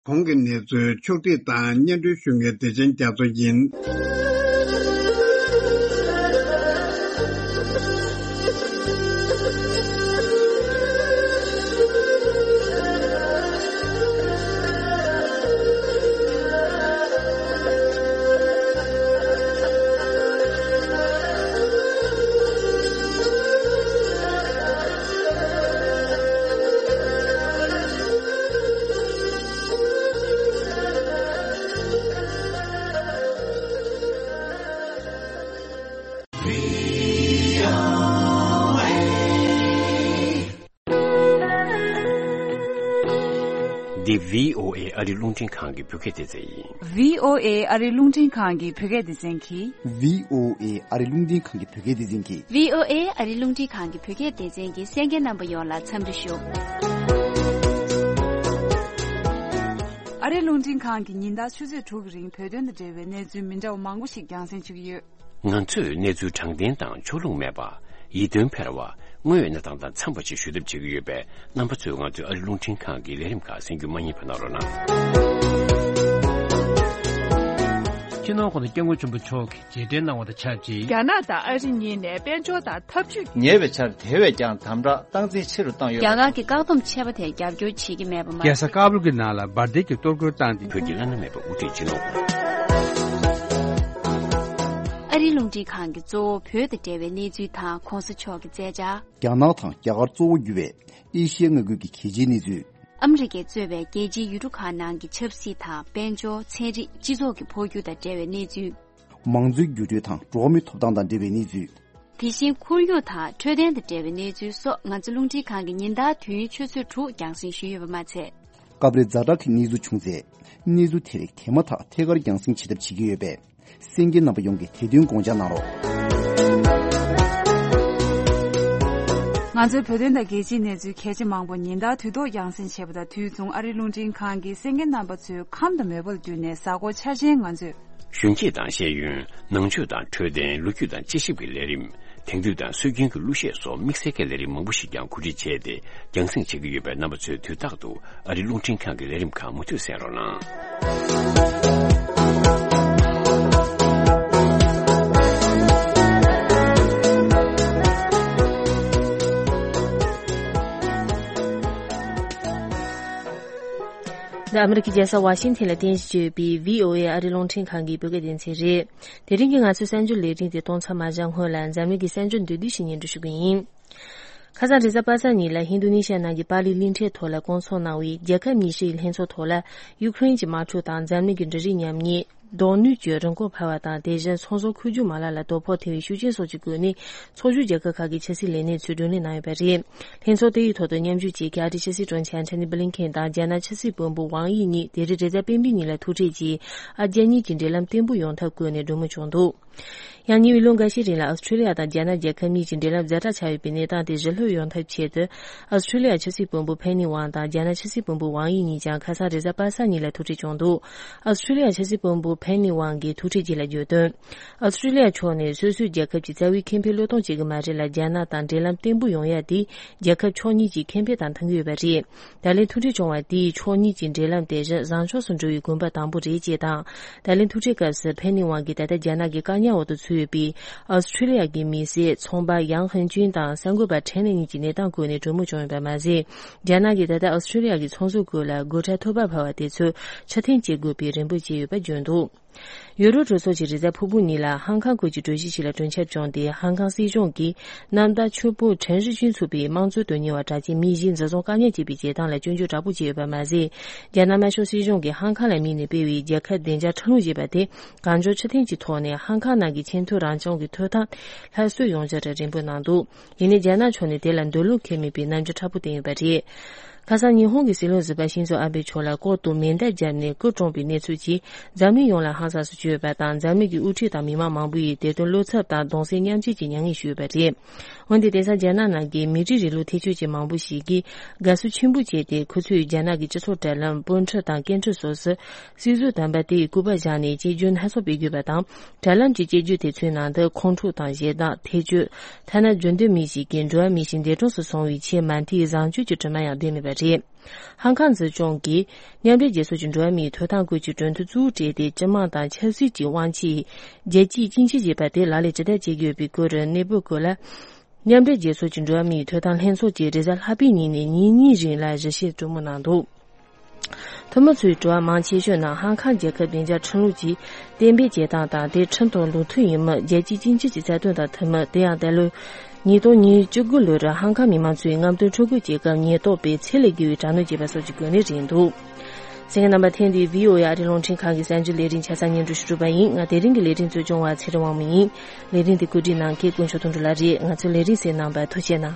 གོང་གི་གནས་ཚུལ་ཕྱོགས་བསྒྲིགས་དང་སྙན་སྒྲོན་ཞུ་མཁན་བདེ་ཆེན་རྒྱ་མཚོ་ཡིན། འདི་བྷི་ཨོ་ཨེ་ཨ་རི་རླུང་འཕྲིན་ཁང་གི་བོད་སྐད་སྡེ་ཚན་ཡིན། བྷི་ཨོ་ཨེ་ཨ་རི་རླུང་འཕྲིན་ཁང་གི་བོད་སྐད་སྡེ་ཚན་གྱིས། བྷི་ཨོ་ཨེ་ཨ་རི་རླུང་འཕྲིན་ཁང་གི་བོད་སྐད་སྡེ་ཚན་གྱིས། བྷི་ཨོ་ཨེ་ཨ་རི་རླུང་འཕྲིན་ཁང་གི་བོད་སྐད་སྡེ་ཚན་གྱི་གསན་མཁན་རྣམ་པ་ཡོངས་ལ་འཚམས་འདྲི་ཞུ། ཨ་རི་རླུང་འཕྲིན་ཁང་གིས་ཉིན་ལྟར་ཆུ་ཚོད་དྲུག་གི་རིང་བོད་དོན་དང་འབྲེལ་བའི་གནས་ཚུལ་མི་འདྲ་བ་མང་པོ་ཞིག་རྒྱང་སྲིང་བྱེད་ཀྱི་ཡོད། ང་ཚོས་གནས་ཚུལ་དྲང་བདེན་དང་ཕྱོགས་ལྷུང་མེད་པ། ཡིད་རྟོན་འཕེར་བ། དངོས་ཡོད་གནས་སྟངས་དང་འཚམས་པ་ཞིག་ཞུ་ཐབས་བྱེད་ཀྱི་ཡོད་པས། རྣམ་པ་ཚོས་ང་ཚོའི་ཨ་རི་རླུང་འཕྲིན་ཁང་གི་ལས་རིམ་ཁག་གསན་རྒྱུ་མ་བསྙེལ་བ་གནང་རོགས་གནང་། སྤྱི་ནོར་༸གོང་ས་༸སྐྱབས་མགོན་ཆེན་པོ་མཆོག་གིས་མཇལ་འཕྲད་གནང་བ་དང་ཆབས་ཅིག་རྒྱ་ནག་དང་ཨ་རི་གཉིས་ནས་དཔལ་འབྱོར་དང་འཐབ་ཇུས། ཉེ་བའི་ཆར་དེ་བས་ཀྱང་དམ་དྲག་སྟངས་འཛིན་ཆེ་རུ་བཏང་ཡོད། རྒྱ་གར་གྱི་བཀག་སྡོམ་ཆད་པ་དེར་རྒྱབ་སྐྱོར་བྱེད་ཀྱི་མེད་པ་མ་ཟད། རྒྱལ་ས་ཀ་བུལ་གྱི་ནང་ལ་འབར་མདེལ་གྱི་གཏོར་རྒོལ་བཏང་སྟེ། བོད་ཀྱི་བླ་ན་མེད་པའི་དབུ་ཁྲིད་སྤྱི་ནོར་ཨ་རིའི་རླུང་འཕྲིན་ཁང་གིས་གཙོ་བོ་བོད་དང་འབྲེལ་བའི་གནས་ཚུལ་དང་གོང་ས་མཆོག་གི་མཛད་འཆར། རྒྱ་ནག་དང་རྒྱ་གར་གཙོ་བོ་གྱུར་བའི་ཨེ་ཤི་ཡའི་མངའ་ཁུལ་གྱི་གལ་ཆེའི་གནས་ཚུལ། ཨ་མི་རི་ཀས་གཙོས་པའི་རྒྱལ་སྤྱིའི་ཡུལ་གྲུ་ཁག་ནང་གི་ཆབ་སྲིད་དང་། དཔལ་འབྱོར། ཚན་རིག་སྤྱི་ཚོགས་ཀྱི་འཕོ་འགྱུར་དང་འབྲེལ་བའི་གནས་ཚུལ། མང་གཙོའི་འགྱུར་འགྲོས་དང་འགྲོ་བ་མིའི་ཐོབ་ཐང་དང་འབྲེལ་བའི་གནས་ཚུལ། དེ་བཞིན་ཁོར་ཡུག་དང་འཕྲོད་བསྟེན་དང་འབྲེལ་བའི་གནས་ཚུལ་སོགས། ང་ཚོ་རླུང་འཕྲིན་ཁང་གིས་ཉིན་ལྟར་དུས་ཡུན་ཆུ་ཚོད་དྲུག་རྒྱང་སྲིང་ཞུས་ཡོད་པ་མ་ཚད། སྐབས་རེ་ཛ་དྲག་གི་གནས་ཚུལ་བྱུང་ཚེ། གནས་ཚུལ་དེ་རིགས་དེ་མ་ཐག་ཐད་ཀར་རྒྱང་སྲིང་བྱེད་ཐབས་བྱེད་ཀྱི་ཡོད་པས། གསན་མཁན་རྣམ་པ་ཡོངས་ཀྱིས་དེ་དོན་དགོངས་འཇགས་གནང་རོགས། ང་ཚོའི་བོད་དོན་དང་རྒྱལ་སྤྱིའི་གནས་ཚུལ་གལ་ཆེ་མང་པོ་ཉིན་ལྟར་དུས་ཐོག་རྒྱང་སྲིང་བྱེད་པ་དང་དུས་མཚུངས། ཨ་རིའི་རླུང་འཕྲིན་ཁང་གིས་གསན་མཁན་རྣམ་པ་ཚོའི་ཁམས་དང་མོས་པ་ལ་བསྟུན་ནས་གཟའ་འཁོར་འཆར་ཅན་ང་ཚོས། གཞོན་སྐྱེས་དང་ཤེས་ཡོན། ནང་ཆོས་དང་འཕྲོད་བསྟེན། ལོ་རྒྱུས་དང་དཔྱད་ཞིབ་ཀྱི་ལས་རིམ། དེང་དུས་དང་སྲོལ་རྒྱུན་གྱི་གླུ་གཞས་སོགས་དམིགས་བསལ་གྱི་ལས་རིམ་མང་པོ་ཞིག་ཀྱང་གོ་སྒྲིག་བྱས་ཏེ་རྒྱང་སྲིང་བྱེད་ཀྱི་ཡོད་པས། རྣམ་པ་ཚོས་དུས་རྟག་ཏུ་ཨ་རིའི་རླུང་འཕྲིན་ཁང་གི་ལས་རིམ་ཁག་མུ་མཐུད་གསན་རོགས་གནང་། འདི་ཨ་མི་རི་ཀའི་རྒྱལ་ས་ཝ་ཤིང་ཐན་ལ་རྟེན་གཞི་བྱས་ཡོད་པའི་བྷི་ཨོ་ཨེ་ཨ་རིའི་རླུང་འཕྲིན་ཁང་གི་བོད་སྐད་སྡེ་ཚན་རེད། དེ་རིང་གི་ང་ཚོའི་གསར་འགྱུར་ལས་རིམ་དེ་གཏོང་མཚམས་མ་བཞག་སྔོན་ལ་འཛམ་གླིང་གི་གསར་འགྱུར་མདོར་བསྡུས་ཤིག་སྙན་སྒྲོན་ཞུ་གི་ཡིན། ཁ་སང་རེས་གཟའ་པ་སངས་ཉིན་ལ་ཧིན་རྡུ་ནི་ཤ་ནང་གི་པཱ་ལི་གླིང་ཕྲན་ཐོག་ལ་བསྐོང་ཚོགས་གནང་བའི་རྒྱལ་ཁབ་ཉི་ཤུ་ཡི་ལྷན་ཚོགས་ཐོག་ལ་ཡུ་ཁུ་རེན་གྱི་དམག་འཁྲུག་དང་འཛམ་གླིང་གི་འབྲུ་རིགས་ཉམས་ཉེས། གདོང་ནུས་ཀྱི་རིན་གོང་འཕར་བ་དང་། དེ་བཞིན་ཚོང་ཟོག་མཁོ་སྒྱུར་མ་ལག་ལ་དོ་ཕོག་ཐེབས་པའི་ཤུགས་རྐྱེན་སོགས་ཀྱི་སྒོ་ནས། ཚོགས་ཞུགས་རྒྱལ་ཁབ་ཁག་གི་ཕྱི་སྲིད་ལས་སྣེ་ཚོས་བགྲོ་གླེང་གནང་ཡོད་པ་རེད། ལྷན་ཚོགས་དེ་ཡི་ཐོག་ཏུ་མཉམ་ཞུགས་བྱེད་མཁན་ཨ་རིའི་ཕྱི་སྲིད་དྲུང་ཆེ་ཨན་ཐོ་ནི་བྷི་ལིན་ཁེན་དང་རྒྱ་ནག་ཕྱི་སྲིད་བློན་པོ་ཝང་དབྱི་གཉིས་དེ་རིང་རེས་གཟའ་སྤེན་པའི་ཉིན་ལ་ཐུག་འཕྲད་ཀྱིས། ཨ་རྒྱ་གཉིས་ཀྱི་འབྲེལ་ལམ་བརྟན་པོ་ཡོང་ཐབས་སྐོར་ནས་གྲོས་མོལ་བྱུང་འདུག་ཡང་ཉེ་བའི་ལོ་འགའ་ཤས་རིང་ལ་ཨོ་སི་ཁྲུ་ལི་ཡ་དང་རྒྱ་ནག་རྒྱལ་ཁབ་གཉིས་ཀྱི་འབྲེལ་ལམ་ཛ་དྲག་ཆགས་ཡོད་པའི་གནས་སྟངས་དེ་ཞི་ལྷོད་ཡོང་ཐབས་ཆེད་དུ། ཨོ་སི་ཁྲུ་ལི་ཡ་ཕྱི་སྲིད་བློན་པོ་ཕེན་ནི་ཝང་དང་རྒྱ་ནག་ཕྱི་སྲིད་བློན་པོ་ཝང་དབྱི་གཉིས་ཀྱང་ཁ་སང་རེས་གཟའ་པ་སངས་ཉིན་ལ་ཐུག་འཕྲད་བྱུང་འདུག་ཨོ་སི་ཁྲུ་ལི་ཡ་ཕྱི་སྲིད་བློན་པོ་ཕེན་ནི་ཝང་གིས་ཐུག་འཕྲད་རྗེས་ལ་བརྗོད་དོན། ཨོ་སི་ཁྲུ་ལི་ཡ་ཕྱོགས་ནས་སོ་སོའི་རྒྱལ་ཁབ་ཀྱི་རྩ་བའི་ཁེ་ཕན་བློས་གཏོང་བྱེད་ཀྱི་མ་རེད་ལ། རྒྱ་ནག་དང་འབྲེལ་ལམ་བརྟན་པོ་ཡོང་ཡ་དེ་རྒྱལ་ཁབ་ཕྱོགས་གཉིས་ཀྱི་ཁེ་ཕན་དང་མཐུན་གྱི་ཡོད་པ་རེད། ད་ལན་ཐུག་འཕྲད་བྱུང་བ་དེས་ཕྱོགས་གཉིས་ཀྱི་འབྲེལ་ལམ་དེ་བཞིན་བཟང་ཕྱོགས་སུ་འགྲོ་བའི་གོམ་པ་དང་པོ་རེད་ཅེས་དང་། ད་ལན་ཐུག་འཕྲད་སྐབས་སུ་ཕེན་ནི་ཝང་གིས་ད་ལྟ་རྒྱ་ནག་གི་བཀག་ཉར་འོག་ཏུ་ཚུད་ཡོད་པའི་ཨོ་སི་ཁྲུ་ལི་ཡ་གི་མི་སེར་ཚོང་པ་ཡང་ཧན་ཅུན་དང་གསར་འགོད་པ་ཁྲེན་ལེ་གཉིས་ཀྱི་གནས་སྟངས་སྐོར་ནས་གྲོས་མོལ་བྱུང་ཡོད་པ་མ་ཟད། རྒྱ་ནག་གིས་ད་ལྟ་ཨོ་སི་ཁྲུ་ལི་ཡ་གི་ཚོང་ཟོག་ཁུལ་ལ་སྒོ་ཁྲལ་ཐོབ་པ་འཕར་བ་དེ་ཚོ་ཕྱིར་འཐེན་བྱེད་དགོས་པའི་རེ་འབོད་བྱས་ཡོད་པ་བརྗོད་འདུག་ཡུ་རོབ་གྲོས་ཚོགས་ཀྱིས་རེས་གཟའ་ཕུར་བུ་ཉིན་ལ་ཧང་ཀང་སྐོར་གྱི་གྲོས་གཞི་ཞིག་ལ་གྲོས་འཆར་བྱུང་སྟེ། ཧང་ཀང་སྲིད་གཞུང་གིས་གནམ་བདག་ཆུ་སྤོ་ཁྲེན་ཧྲི་ཅུན་ཚུད་པའི་དམངས་གཙོའི་དོན་གཉེར་བ་གྲགས་ཅན་མི་བཞི་འཛིན་བཟུང་བཀག་ཉར་བྱས་པའི་བྱེད་སྟངས་ལ་སྐྱོན་བརྗོད་དྲག་པོ་བྱས་ཡོད་པ་མ་ཟད། རྒྱ་ནག་དམར་ཤོག་སྲིད་གཞུང་གིས་ཧང་ཀང་ལ་དམིགས་ནས་སྤེལ་བའི་རྒྱལ་ཁབ་བདེ་འཇགས་ཁྲིམས་ལུགས་ཞེས་པ་དེ་གང་མགྱོགས་ཕྱིར་འཐེན་གྱི་ཐོག་ནས་ཧང་ཀང་ནང་གི་ཆེས་མཐོའི་རང་སྐྱོང་གི་ཐོབ་ཐང་སླར་གསོ་ཡོང་རྒྱུར་རེ་འབོད་གནང་འདུག་ཡིན་ནའི་རྒྱ་ནག་ཕྱོགས་ནས་དེ་ལ་འདོད་བློ་འཁེལ་མེད་པའི་རྣམ་འགྱུར་མཁྲེགས་པོ་བསྟན་ཡོད་པ་རེད། ཁ་སང་ཉི་ཧོང་གི་སྲིད་བློན་ཟུར་པ་ཤིན་ཛོ་ཨ་བྷེ་མཆོག་ལ་ལྐོག་ཏུ་མེ་མདའ་བརྒྱབ་ནས་སྐུ་གྲོངས་པའི་གནས་ཚུལ་གྱིས་འཛམ་གླིང་ཡོངས་ལ་ཧང་སངས་སུ་བསྐྱོད་པ་དང་། འཛམ་གླིང་གི་དབུ་ཁྲིད་དང་མི་མང་མང་པོ་ཡིས་དེ་དོན་བློ་འཚབ་དང་གདུང་སེམས་མཉམ་སྐྱེད་ཀྱི་མྱ་ངན་ཞུས་པ་རེད། འོན་ཏེ་དེང་སང་རྒྱ་ནག་ནང་གི་མི་རིགས་རིང་ལུགས་འཐབ་རྩོད་ཅན་མང་པོ་ཞིག་གིས་དགའ་བསུ་ཆེན་པོ་བྱས་ཏེ། ཁོ་ཚོས་རྒྱ་ནག་གི་སྤྱི་ཚོགས་དྲ་ལམ། དཔོན་ཁྲི་དང་སྐད་འཕྲིན་སོགས་སུ་སྲིད་ཟུར་དམ་པ་དེ་ཡི་སྐུ་པར་བཞག་ནས་གཅེས་འཛིན་སྣ་ཚོགས་སྤེལ་དགོས་པ་དང་། དྲ་ལམ་གྱི་གཅེས་འཛིན་དེ་ཚོའི་ནང་དུ་ཁོང་ཁྲོ་དང་ཞེ་སྡང་། ཐེ་བྱུས། ཐ་ན་འགྲོ་འདོད་མི་ཞིག་གིས་འགྲོ་བ་མི་ཞིག་འདས་གྲོངས་སུ་སོང་བའི་ཆེས་མ་མཐའི་བཟང་སྤྱོད་ཀྱི་དྲི་མ་ཡང་བསྡད་མེད་པ་རེད། ཧང་ཀང་འཛིན་སྐྱོང་གིས་མཉམ་འབྲེལ་རྒྱལ་ཚོགས་ཀྱི་འགྲོ་བ་མིའི་ཐོབ་ཐང་སྐོར་གྱི་གྲོས་མཐུན་གཙོ་བོར་བྲིས་ཏེ། སྤྱི་དམངས་དང་ཆབ་སྲིད་ཀྱི་དབང་ཆའི་རྒྱལ་སྤྱིའི་སྤྱི་ཆིངས་ཞེས་པ་དེ་ལག་ལེན་ཇི་ལྟར་བྱེད་དགོས་པའི་སྐོར་གནས་བབ་སྐོར་ལ། མཉམ་འབྲེལ་རྒྱལ་ཚོགས་ཀྱི་འགྲོ་བ་མིའི་ཐོབ་ཐང་ལྷན་ཚོགས་ཀྱིས་རེས་གཟའ་ལྷག་པའི་ཉིན་ནས་ཉིན་གཉིས་རིང་ལ་ཞིབ་བཤེར་གྲོས་མོལ་གནང་འདུག། འཐུས་མི་ཚོའི་དྲི་བ་མང་ཆེ་ཤོས་ནི། ཧང་ཀང་རྒྱལ་ཁབ་བདེ་འཇགས་ཁྲིམས་ལུགས་ཀྱིས་གཏན་འབེབས་བྱེད་སྟངས་དང་། དེ་ཁྲིམས་དང་ལུགས་མཐུན་ཡིན་མིན་རྒྱལ་སྤྱིའི་སྤྱི་ཆིངས་ཀྱི་རྩ་དོན་དང་མཐུན་མིན། དེ་ཡང་ད་ལོའི་ཉིས་སྟོང་ཉི་ཤུ་རྩ་དགུ་ལོར་ཧང་ཀང་མི་མང་ཚོས་རྔམ་སྟོན་འཕྲོ་འགུལ་བྱེད་སྐབས་ཉེན་རྟོག་པས་ཚད་ལས་བརྒལ་བའི་དྲག་གནོན་བྱས་པ་སོགས་ཀྱི་སྐོར་ནས་རེད་འདུག། གསན་མཁན་རྣམ་པ། ཐེངས་འདིའི་བྷི་ཨོ་ཨེ་ཨ་རིའི་རླུང་འཕྲིན་ཁང་གི་གསར་འགྱུར་ལས་རིམ་ཆ་ཚང་སྙན་སྒྲོན་ཞུ་གྲུབ་པ་ཡིན། ང་དེ་རིང་གི་ལས་རིམ་གཙོ་སྐྱོང་བ་ཚེ་རིང་དབང་མོ་ཡིན། ལས་རིམ་འདི་གོ་སྒྲིག་གནང་མཁན་དཀོན་མཆོག་དོན་གྲུབ་ལགས་རེད། ང་ཚོའི་ལས་རིམ་གསན་གནང་བར་ཐུགས་རྗེ་གནང་།